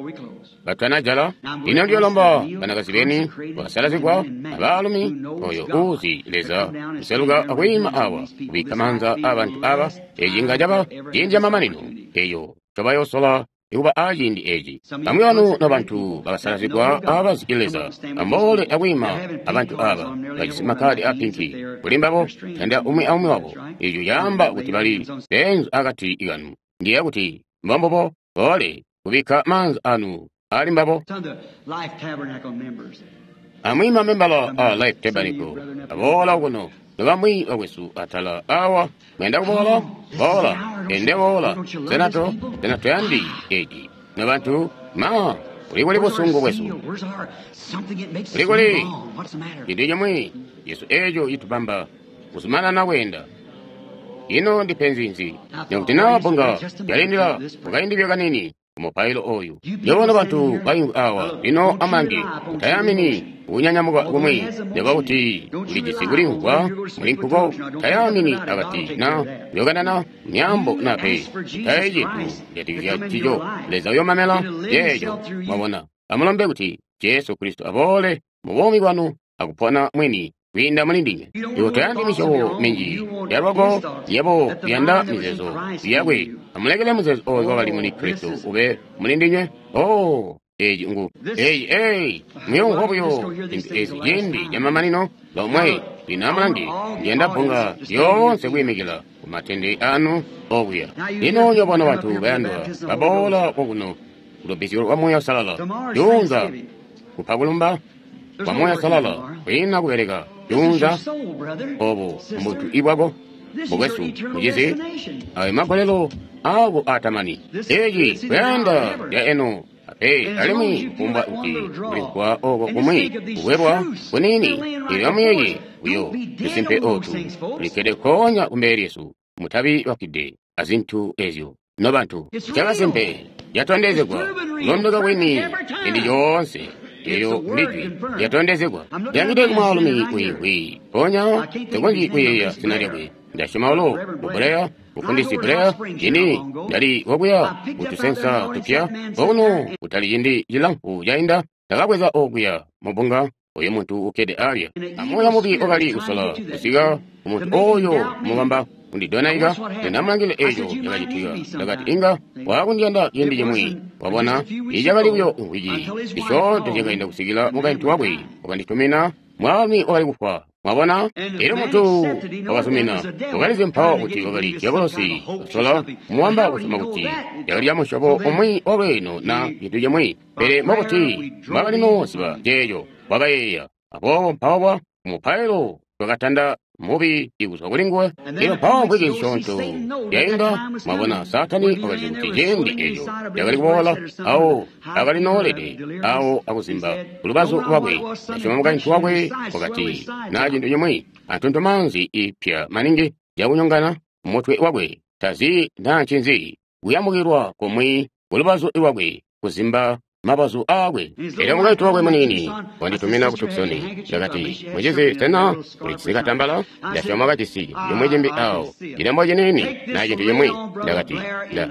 batanajala. Lino ndiyolomba banakazi beni bakasalazigwa abaalumi oyo uuzi Leza kuseluka akwiima awa kubikka maanza aabantu aba. Eci inga caba ciindi camamanino eyo ncobayoosola ikuba aaciindi eci. Bamwi banu nobantu bakasalazigwa abazi Leza, amuboole akwiima abantu aba bajisi makkaadi a pinki kuli mbabo, tanda umwi aumwi wabo. Eco caamba kuti bali beenzu akati kanu. Ndiyeeya kuti mbombubo. Boole kubikka maanza anu ali mbabo. Amwi mamembala a Life Tabernacle aboola kuno, nobamwi bakwesu atala awa mwenda kuboola, boola, ende boola, senato, senato yandi eci, nobantu, ma, uli kuli busungu bwesu, uli kuli cintu cimwi yesu eco citubamba kuzumanana kweenda. Ino ndipenzi nzi? Nekuti naa bbunga yalindila mukaindi kanini kumupailo oyu. Nyobona bantu baimvwi awa lino amangi mutayamini kunyanyamuka kumwi nekuba kuti ulijisi kulimvwa muli nkuko tayamini akati na yokanana myambo na pe mutaye cintu kujatikizya cico Leza uyomamela yeeco. Mwabona, amulombe kuti Jesu Kristo aboole mu buumi bwanu akupona mwini kwiinda muli ndinywe. Iwe toyandi misyobo minji yalwako yebo yanda mizeezo yakwe. Amulekele muzeezo oyo wakali muli Kristo ube muli ndinywe. Oh, eeci ngu eyi eyi muyomvwa buyo zintu ezi ciindi camamanino lomwe. Lino amulange, ndiyanda bbunga lyoonse kwiimikila ku matende anu okuya. Lino nyobona bantu bayandwa baboola kokuno kulubbizyo lwa Muuya Uusalala juunza kupa kulumba kwa Muuya Uusalala kwiina kubeleka juunza obo mbuntu ibwako mukwesu mucizi ayo magolelo ako atamani. Eci kuyanda lya eno ape alimwi kufumbwa kuti kulimvwa oko kumwi kukwebwa kunini ilyo amuyeye buyo tusimpe otu tulikkede konya kumbele lyesu mutabi bafwide azintu ezyo nobantu. Cakasimpe yatondezegwa kulondoka kwini ciindi coonse eyo ndijwi yatondezegwa. Ndiyangide kumwaalumi wiimvwi ponya tekonzyi kuyeeya zina lyakwe. Ndasyoma ulo mu Mufundisi Blair cini ndali wokuya kutusensa tupya okuno kutali cindi cilamfu cainda ndakabweza okuya mubunga oyo muntu ukkede alya. Amoya mubi wakali kusola kusika kumuntu oyo mubamba kundidonaika. Ndinamulangile eco cakacitika. Ndakati inga wakundiyanda ciindi cimwi. Wabona icakali buyo mvwiki zisyoonto zyakainda kusikila mukaintu wakwe wakanditumina mwaalumi wakali kufwa. Mwabona, elyo muntu wakazumina wakalizi mpawo kuti wakali dyabolosi kusola muwamba kusoma kuti yakali ya musyobo umwi walweeno na cintu cimwi, pele mwakuti mwakali noziba ceeco wakayeeya. Aboobo mpawo mupailo twakatanda mubi ikuzwa kuli nguwe. Elyo mpawo mvwiki zisyoonto yainda, mwabona, Saatani wakalizi kuti ciindi eco yakali kuboola awo akali noolede awo akuzimba kulubazu lwakwe. Nasyoma mukaintu wakwe wakati na cintu cimwi antuntumanzi ipya maningi cakunyongana mutwe wakwe tazi naa ncinzi kuyambukilwa kumwi kulubazu lwakwe kuzimba mabazu aakwe. Elyo mukaintu wakwe munini wanditumina ku Tucson. Ndakati, mucizi, sena ulijisi katambala? Ndasyoma kajisi cimwi cimbi awo, cilembo ciniini na cintu cimwi. Ndakati,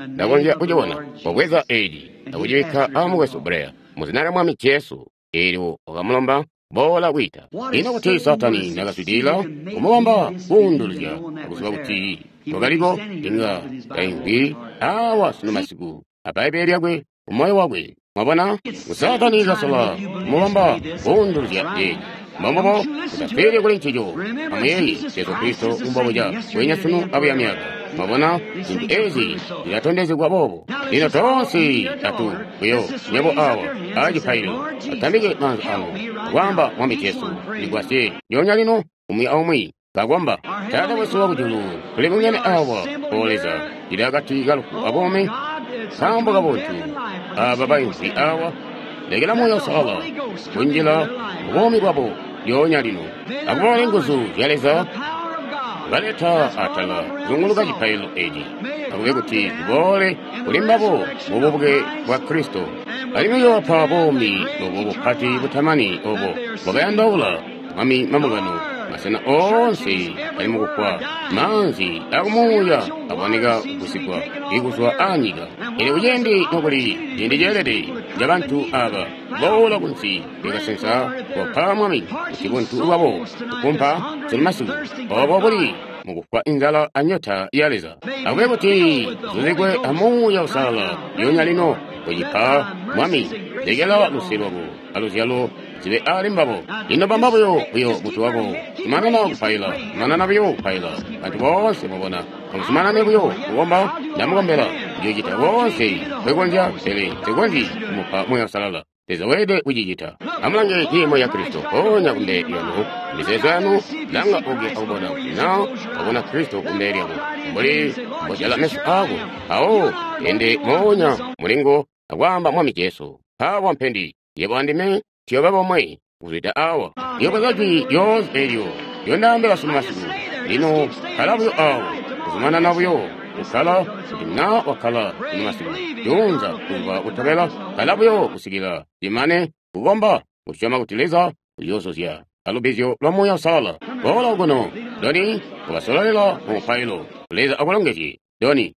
ndakonzya kucibona. Wabweza eci akucibikka amukwesu Blair mu zina lya Mwami Jesu. Elyo wakamulomba boola kwiita. Ino kuti Saatani nakazwidilila kumubamba kuunduluzya akuziba kuti wakaliko, inga taimvwi awa sunu masiku a Bbaibbele lyakwe kumoyo wakwe. Mwabona, Saatani kasola kumubamba kuunduluzya eci. Mbombubo mutafwile kuli ncico. Amuyeeye Jesu Kristo mbobuca bwenya sunu abuya myaka. Mwabona, zintu ezi zilatondezegwa boobo. Lino toonse atu buyo nywebo awa acipaililo atambike maanza anu akwaamba, Mwami Jesu, ndigwasye lyoonya lino. Umwi aumwi kakomba. Taata wesu wakujulu, tuli bungene awa, O Leza, tuli akati kalufu abuumi nkaambo kabuntu aba baimvwi awa. Lekela Muuya Uusalala kunjila mubuumi bwabo lyoonya lino, akuboole nguzu zya Leza baleta atala kuzunguluka cipaililo eci, akube kuti ziboole kuli mbabo mububuke bwa Kristo, alimwi yoobapa buumi obo bupati butamani obo bwakayandaula Mwami mambungano masena oonse ali mukufwa, maanzi akumuuya aboneka kugusigwa ikuzwa anyika. Elyo kuciindi nokuli ciindi ceelede cabantu aba boola kunsi lyakasensa kopa Mwami kuti buntu bwabo kukumpa sunu masiku obo buli mukufwa inzala anyota ya Leza. Akube kuti zuzigwe amuuya Uusalala lyoonya lino kucipa Mwami. Lekela luse lwako aluzyalo zibe ali mbabo. Lino bamba buyo mutwe wako, zumanana kupaila, zumanana buyo kupaila. Bantu boonse mwabona, amuzumanane buyo kukomba. Ndamukombela. Ndiyo cita koonse Nkwe konzya, pele Nse konzyi kumupa Muuya Uusalala. Leza weelede kucicita. Amulange ciimo ca Kristo mpoonya kumbele lyanu, mizeezo yanu, langa okuya akubona kuti na wabona Kristo kumbele lyako, mbuli mbojala meso aako, mpawo ende moonya mulingo akwaamba Mwami Jesu. Mpaawa mpendi, yebo andime tuyooba bomwe kuzwida awa. Ndiyo bweza jwi lyoonse eelyo lyondaambila sunu masiku. Lino kkala buyo awo, kuzumanana buyo kukkala kuti na wakkala sunu masiku, juunza buzuba butobela, kkala buyo kusikila cimane kukomba, kusyoma kuti Leza uyoozuzya alubbizyo lwa Muuya Uusalala. Boola okuno, Doni, kubasololela mu mupailo. Leza akulongezye, Doni.